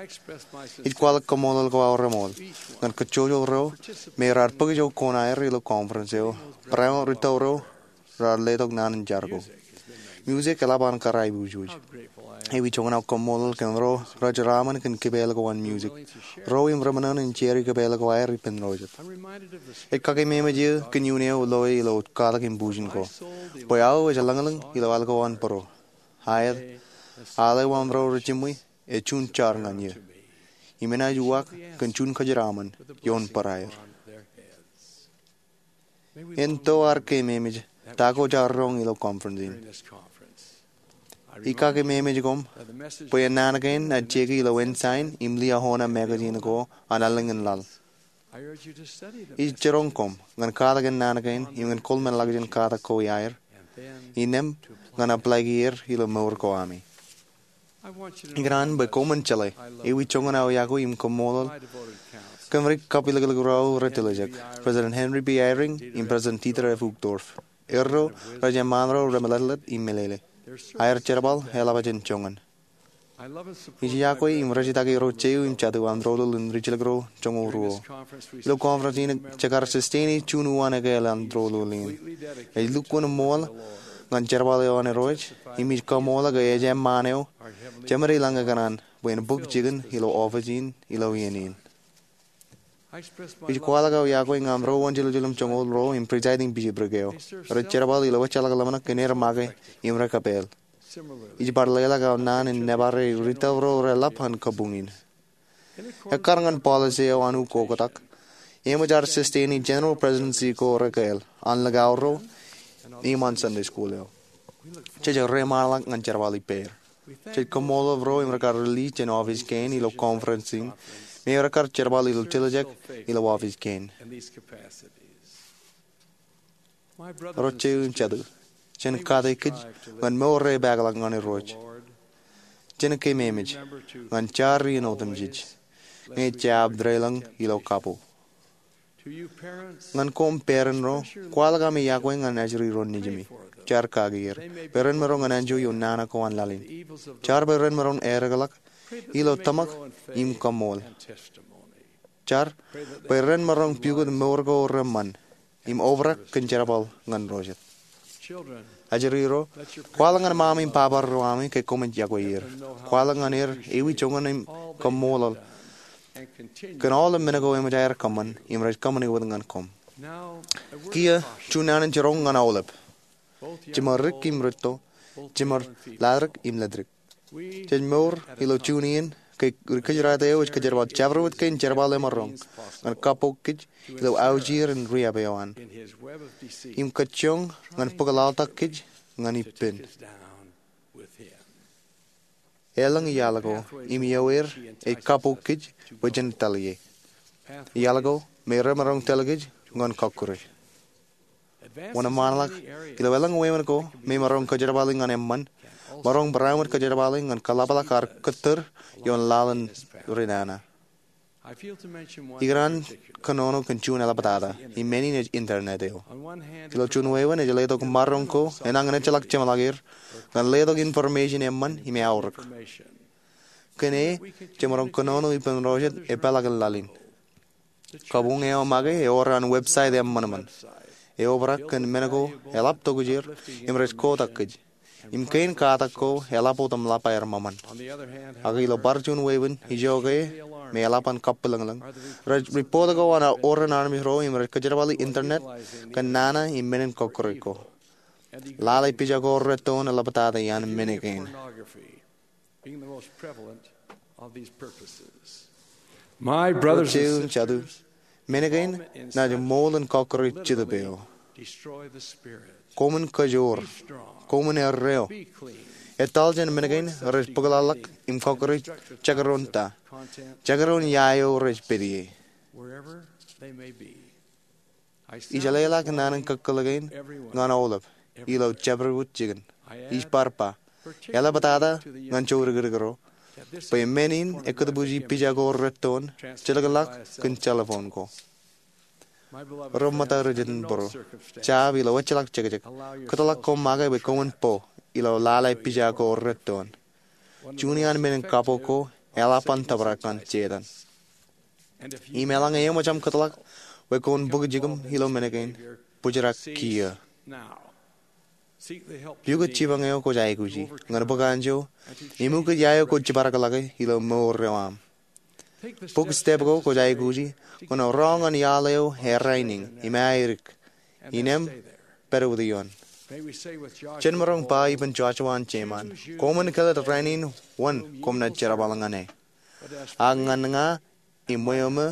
Ij kwaḷọk kaṃṃoolol ko aō reṃool ñan kajjojo ro me raar bōk ijo kōn aer ilo conference eo, barāinwōt ri-taurro raar letok naan in jar ko. Music eḷap an karaibujuj. Ewi joñan aō kaṃṃoolol kōn ro rej jeraaṃṃan kōn kipāāl ko an music, ro im reṃōṇōṇō in share kipāāl ko aer ippān ro jet. Ij kakeememej eō kōn iuun eo loe ilo katak im bujen ko, bwe aō ej lañlōñ ilo al ko an bōro. Aet, al eo aṃ ro rej jiṃwe ej juon jar ñan eō, im enaaj uwaak kōn juon kōjeraaṃṃan ioon bōraer. En to ad keememej ta ko jaar roñ ilo conference in. Ij kakeememej koṃ bwe en naan kein naaj jeke ilo Ensign im Liahona magazine ko an allōñ in laḷ. Ij jiroñ koṃ ñan katak en naan kein im ñan kōḷmānḷọkjeṇ katak ko iaer, innām ñan apply er ilo mour ko ami. Ikōṇaan bwe koṃwin jeḷā ewi joñan aō iakwe im kaṃṃoolol kōn ri kapilōklōk ro aō rej tiljek, President Henry B. Eyring im President Dieter F. Uchtdorf. Erro rej eṃṃaan ro remeḷeḷeḷe im meḷeḷe. Aer jerbal eḷap jān joñan. Ij iakwe im rejitōk ro jeiū im jatū an doulul in rijilōk ro joñoul ruo. Ilo conference in jekar sustain e juon uwaan ekāāl an doulul in. Ej lukkuun ṃool ñan jerbal eo an Irooj, im ij kaṃṃoolol ke ej eṃṃaan eo Jemān ilañ ekōṇaan bwe en bōk jikin ilo office in ilo iien in. Ij kwaḷọk aō iakwe ñan aṃro wōnjiljilimjuonñoul ruo im presiding bishopric eo. Rej jerbal ilo ejjeḷọk ḷōmṇak kōn aer make im rej kōpeḷ. Ij bar leḷọk aō naan in nōbar ri-taurro reḷap an kabuñ in. Ekkar ñan policy eo an ukoktak, eṃōj ad sustain e general presidency ko rekāāl an likao ro im an Sunday school eo. Jej reiṃaanḷọk ñan jerbal ippāer. Jej kaṃṃoolol ro im rekar release jān office kein ilo conference in Im eor ekkar jerbal ilo tiljek ilo oafiij kein. Ro jeiū im jatū, jen kate kōj ñan mour epaakḷọk ñan Irooj. Jen keememej ñan jar iien otemjej ñe jab deḷọñ ilo kabbok. Ñan koṃ parent ro, kwaḷọk ami iọkwe ñan ajri ro nejimi. Jar kaki er bwe ren maroñ en anjọ ioon nana ko an laḷ in. Jar bwe ren maroñ eddekḷọk ilo tōmak im kaṃṃool. Jar bwe ren maroñ pukot mour ko reṃṃan im obrak kōn jerbal ñan ro jet. Ajri ro, kwaḷọk ñan ṃaṃ im baba ro ami ke koṃij iọkwe er. Kwaḷọk ñan er ewi joñan im kaṃṃoolol kōn aolep men ko eṃōj aer kōṃṃan im rej kōṃṃani wōt ñan koṃ. Kiiō juon naan in jiroñ ñan aolep, jiṃor dik im rūtto, jiṃor ladik im ledik. Jej mour ilo juon iien ke ri-kōjdat eo ej kōjerbal jabdewōt kein jerbal emaroñ ñan kabbok kōj ilo aujir in riab eo an im kajjioñ ñan bōk laḷtak kōj ñan ippān. Eḷaññe iaḷ ko im ioer ej kabbok kōj bwe jen tōl ie, iaḷ ko me remaroñ tōl kōj ñan kọkkure. Wōnṃaanḷọk ilo eḷaññe wāween ko me maroñ kōjerbali ñan eṃṃan, maroñ barāinwōt kōjerbali ñan kōḷapḷọk ad kōttar ioon laḷ in ri nana. Ikōṇaan kōnono kōn juon eḷaptata im men in ej internet eo. Ilo juon wāween ej letok maroñ ko enañin ejjeḷọk jeṃḷọk er ñan letok information eṃṃan im aorōk. Kōn e jemaroñ kōnono ippān ro jet epeḷaakin laḷ in. Kabuñ eo make ewōr an website eṃṃanṃan. Eobrak kōn men ko eḷap tokjāer im rej kotak kōj im kein katak ko eḷap otemḷap aer ṃōṃan. Ak ilo bar juon wāween ijo ke me eḷap an kappilōñlōñ, rej report ko an oren armej ro im rej kōjerbali internet kōn nana im men in kọkkure ko. Lale pija ko rettoon eḷaptata iaan men kein. Ro jeiū im jatū, men kein naaj ṃool in kọkkure Jetōb eo. Koṃwin kajoor. Koṃwin erreo. Etal jān men kein rej bōkḷọk im kọkkure jekdọọn ta, jekdọọn ia eo rej pād ie. Ij jeḷāḷọk naan in kōkōḷḷe kein ñan aolep ilo jabdewōt jikin. Ij bar ba, eḷaptata ñan jodikdik ro, bwe men in ekkōtbuuji pija ko rettoon jilkinḷọk kōn telephone ko. Ro ṃōtta ri jitōnbōro, jab ilo ejjeḷọk jekjek, kōtḷọk koṃ make bwe koṃwin bo ilo lale pija ko rettoon. Juon iaan men in kabbok ko eḷap an tōprak ñan Setan. Im eḷaññe eṃōj aṃ kōtḷọk bwe koṃwin bōk jikūṃ ilo men kein, bōjrak kiiō. Pukot jipañ eo kwōj aikuji ñan bōk anjọ im ukōt ia eo kwōj jibadekḷọke ilo mour eo aṃ. Bōk step ko kwōj aikuji ñan roñ ñan iaḷ eo eddāinōñ im aedik, innem pād wōt ioon. Jen maroñ ba ippān Joshua an Jeman, koṃwin kellet rainin wōn koṃ naaj jerbal ñan e. Ak ñan ña im ṃweo ṃō,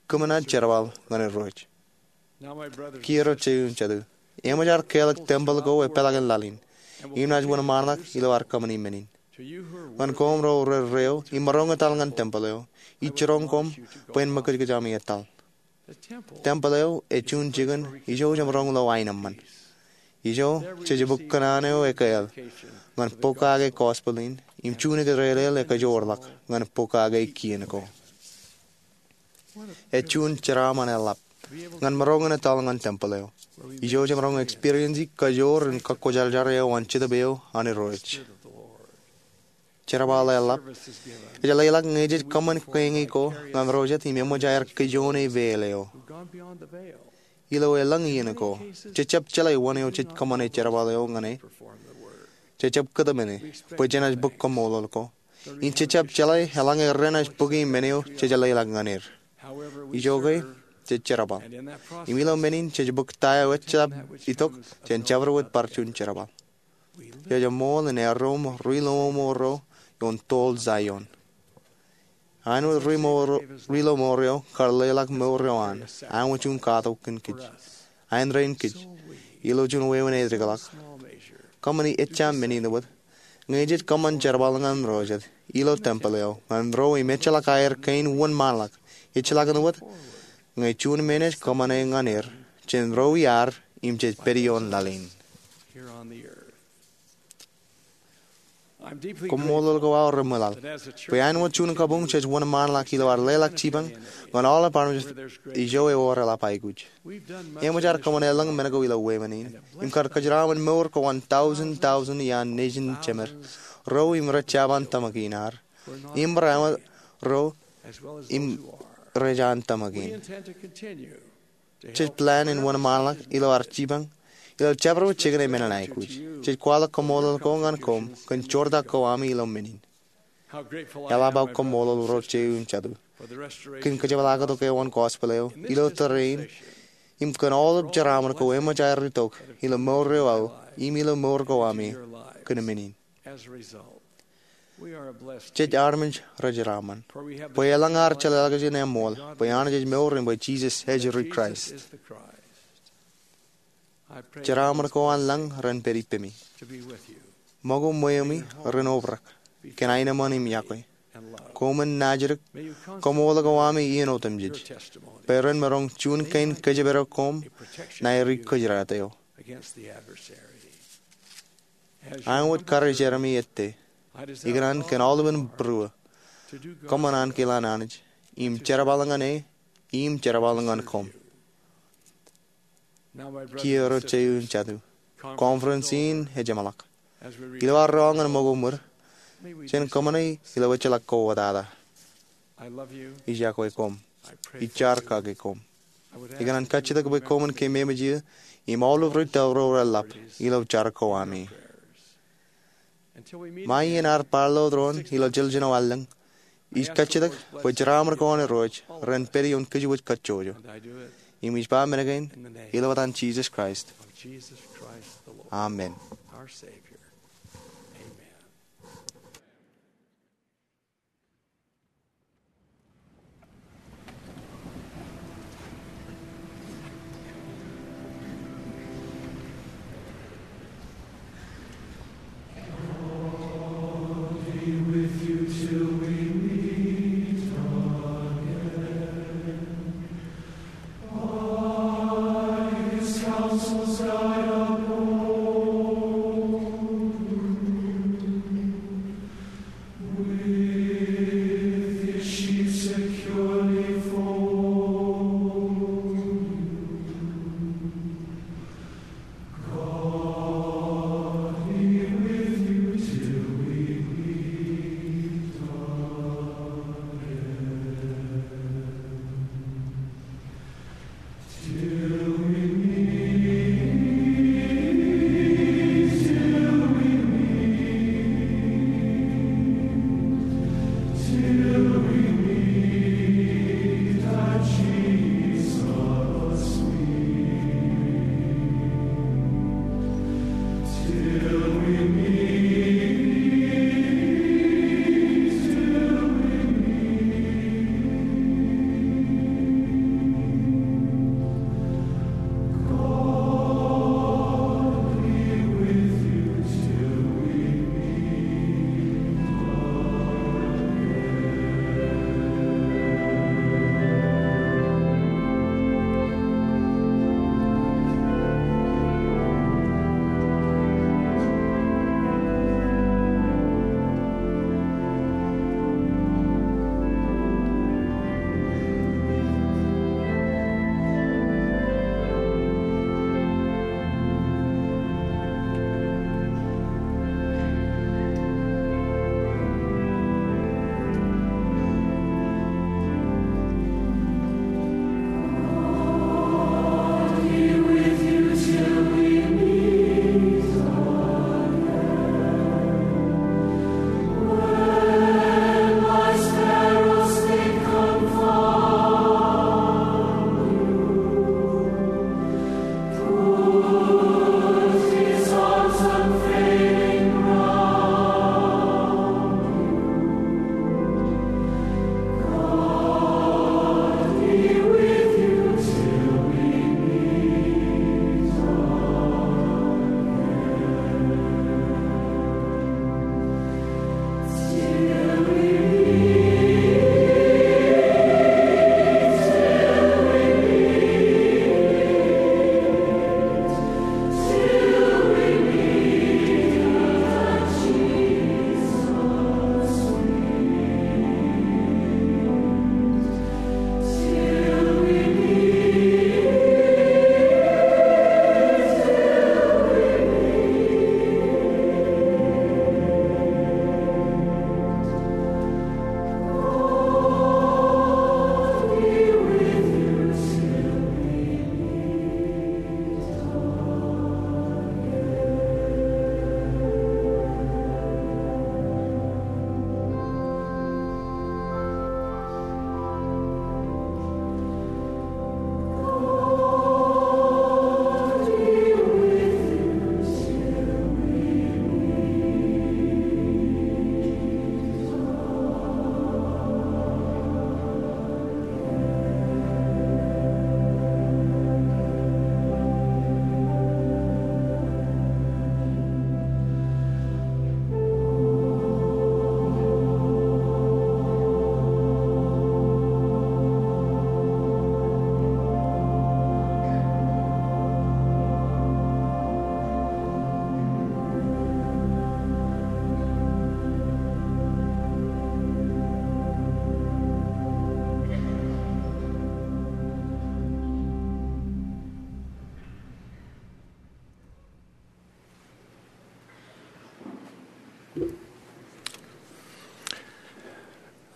kōm naaj jerbal ñan Irooj. Kiiō ro jeiū im jatū, eṃōj ad kāālōt tempel ko epeḷaakin laḷ in, im naaj wōnṃaanḷọk ilo ad kōṃṃani men in. Ñan koṃ ro rej reo im maroñ etal ñan tempel eo, ij jiroñ koṃ bwe en ṃōkajkōj ami etal. Tempel eo ej juon jikin ijo jemaroñ lo aenōṃṃan. Ijo jej bōk kōṇaan eo ekāāl ñan pokake gospel in im juon ikōtdeḷeḷ ekajoorḷọk ñan pokake kien ko. Ej juon jeraaṃṃan eḷap ñan maroñ in etal ñan tempel eo ijo jemaroñ experience kajoor in kakkōjarjar eo an Jetōb eo an Irooj. Jerbal eḷap ej leḷọk ñe jej kōṃṃan kweñe ko ñan ro jet im eṃōj aer kijoone veil eo. Ilo elōñ iien ko, jejjab jeḷā wōn eo jej kōṃṃane jerbal eo ñan e. Jejjab kōtmāne bwe jenaaj bōk kaṃṃoolol ko. Im jejjab jeḷā eḷaññe renaaj bōki men eo jej leḷọk ñan er. Ijoke, jej jerbal. Im ilo men in jej bōk ta eo ejjab itok jān jabdewōt bar juon jerbal. Jej ṃool in erro ri lomour ro ioon toḷ Zion. Āinwōt ri lomour ro, ri lomour ro kar leḷọk mour ro an, āinwōt juon katok kōn kōj. Āindein kōj, ilo juon wāween ej dikḷọk. Kōṃṃani ejja men in wōt, Ñe jej kōṃṃan jerbal ñan ro jet ilo tempel eo ñan ro im ejjeḷọk aer kein wōnṃaanḷọk, ejjeḷọkin wōt, ñe juon men ej kōṃṃane ñan er, jen ro iaar im jej pād ioon laḷ in. Koṃṃoolol ko aō reṃwilaḷ bwe āinwōt juon kabuñ jej wōnṃaanḷọk ilo ad leḷọk jipañ ñan aolep armej ijo ewōr eḷap aikuj. Eṃōj ad kōṃṃane lōñ men ko ilo wāween in im kar kōjeraṃōn mour ko an tọujin tọujin iaan nejin jemed ro im rej jab an tōmak in ad im rej an tōmak in. Jej plan in wōnṃaanḷọk ilo ad jipañ ilo jabdewōt jikin emān in aikuj. Jej kwaḷọk koṃṃoolol ko ñan koṃ kōn joortak ko ami ilo men in. Eḷap aō koṃṃoolol ro jeiū im jatū kōn kōjepḷaaktok eo an gospel eo ilo tōre in im kōn aolep jeraaṃṃan ko eṃōj aer itok ilo mour eo aō im ilo mour ko ami kōn men in. Jej armej rejeraaṃṃan bwe elōñ ad jeḷāḷọkjeṇ eṃṃool bwe Anij ej mour im bwe Jisōs ej ri Kraist. Jeraaṃṃan ko an lañ ren pād ippemi. Ṃōko ṃweo ṃwi ren obrak kōn aenōṃṃan im iọkwe. Koṃwin naajdik, koṃṃool ko ami iien otemjej bwe ren maroñ juon kein kōjepdọk koṃ ṇae ri kōjdat eo. Āinwōt karijeranṃ ettā, ikōṇaan kōn aolepān būruō kōṃṃan an kilaan Anij im jerbal ñan e im jerbal ñan koṃ. Kiiō ro jeiū im jatū, conference in ej jeṃḷọk. Ilo ad ro ñan ṃōko ṃwir, jen kōṃṃane ilo ejjeḷọk kōwōtata. Ij iọkwe koṃ. Ij jar kake koṃ. Ikōṇaan kajjitōk bwe koṃwin keememej eō im aolep ri tōl ro reḷap ilo jar ko ami. Ṃae iien ad bar lo doon ilo jiljino allōñ, ij kajjitōk bwe jeraaṃṃan ko an Irooj ren pād ioon kōjwōj kajjojo. Im ij ba men kein ilo etan Jisōs Kraist, amen.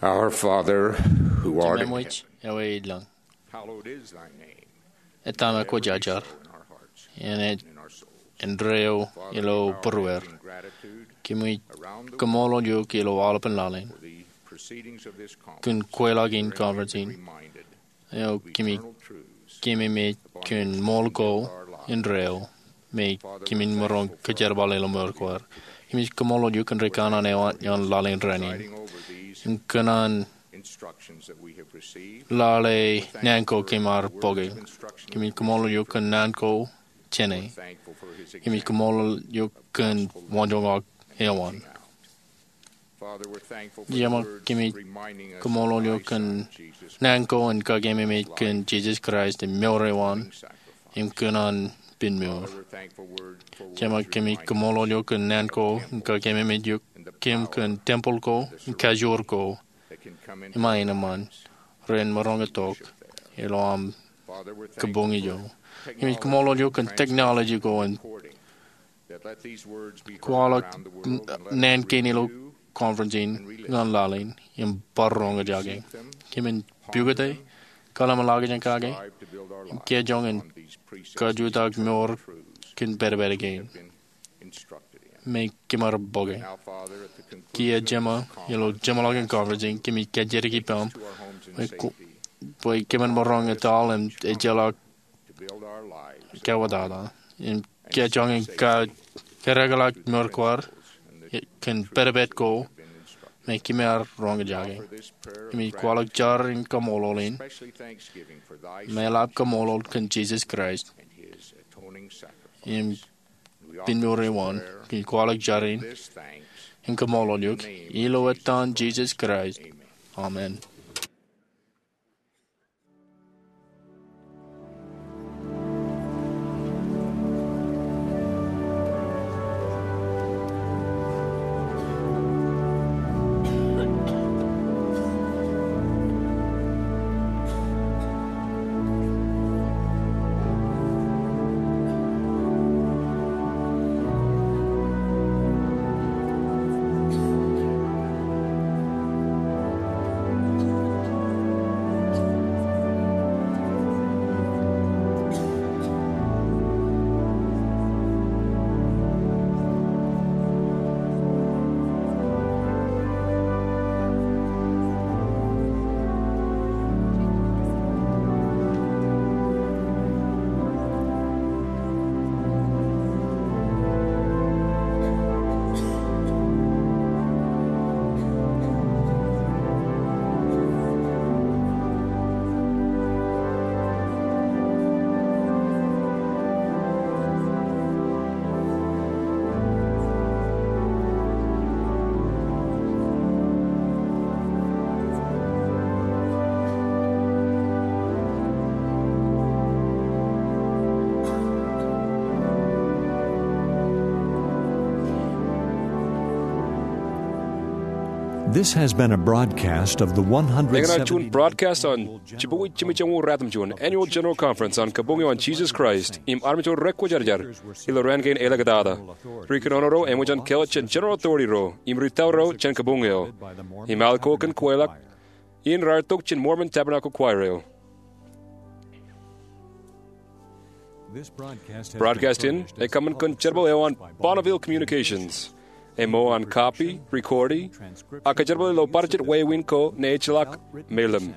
Our Father, who art in heaven, Jememwōj eo ej ilọk, hallowed is thy name. Etaṃ ekwōjarjar, iien ej indeeo ilo būrueir. Kōmij kaṃṃoolol eok ilo aolepān laḷ in kōn kweilọk in conference in. Eo kōmij keememej kōn ṃool ko indeeo me kōmin maroñ kōjerbal ilo mour ko ad. Kōmij kaṃṃoolol eok kōn ri kanaan eo an ioon laḷ in rainin. Im kōn an lale naan ko kōm ar bōke. Kōmij kaṃṃoolol eok kōn naan ko jāne. Kōmij kaṃṃoolol eok kōn waanjoñak eo an. Jeṃḷọk, kōmij kaṃṃoolol eok kōn naan ko in kakeememej kōn Jisōs Kraist im mour eo an im kōn an pinmour. Jeṃḷọk, kōmij kaṃṃoolol eok kōn naan ko in kakeememej eok kōm kōn tempel ko im kajoor ko im aenōṃṃan ren maroñ itok ilo aṃ kabuñ ijo. Kōmij kaṃṃoolol eok kōn technology ko in kwaḷọk naan kein ilo conference in ñan laḷ in im bar roñjake. Kōmin pukot e, kalimjek kake, im kijoñ in kajutak mour kōn pedped kein me kōm ar bōke. Kiiō Jeṃḷọk, ilo jeṃḷọkin conference in kōmij kajjitōk ippaṃ bwe kōmin maroñ etal im ejjeḷọk kawōtata im kijoñ in kōrōkḷọk mour ko ad kōn pedped ko me kōm ar roñjake. Kōmij kwaḷọk jar in kaṃṃoolol in im eḷap kaṃṃoolol kōn Jisōs Kraist im pinmour eo an. Kōmij kwaḷọk jar in im kaṃṃoolol eok ilo etan Jisōs Kraist, amen. This has been a broadcast of the one hundred seventy. Eñṇaaj juon broadcast an jibukwi jimjuonñoul ruatimjuon Annual General Conference an Kabuñ eo an Jisōs Kraist im Armej eo Rekwōjarjar ilo raan kein elōñ tata. Ri kōnono ro eṃōj an kelọt jān General Authority ro im ri tawro jān kabuñ eo. Im al ko kōn kweilọk in raar tok jān Mormon Tabernacle Choir eo. Broadcast in ekōṃṃan kōn jerbal eo an Bonneville Communications. Emo an copy, recordi, ak kōjerbali ilo bar jet wāween ko ṇe ejjeḷọk me lōñ.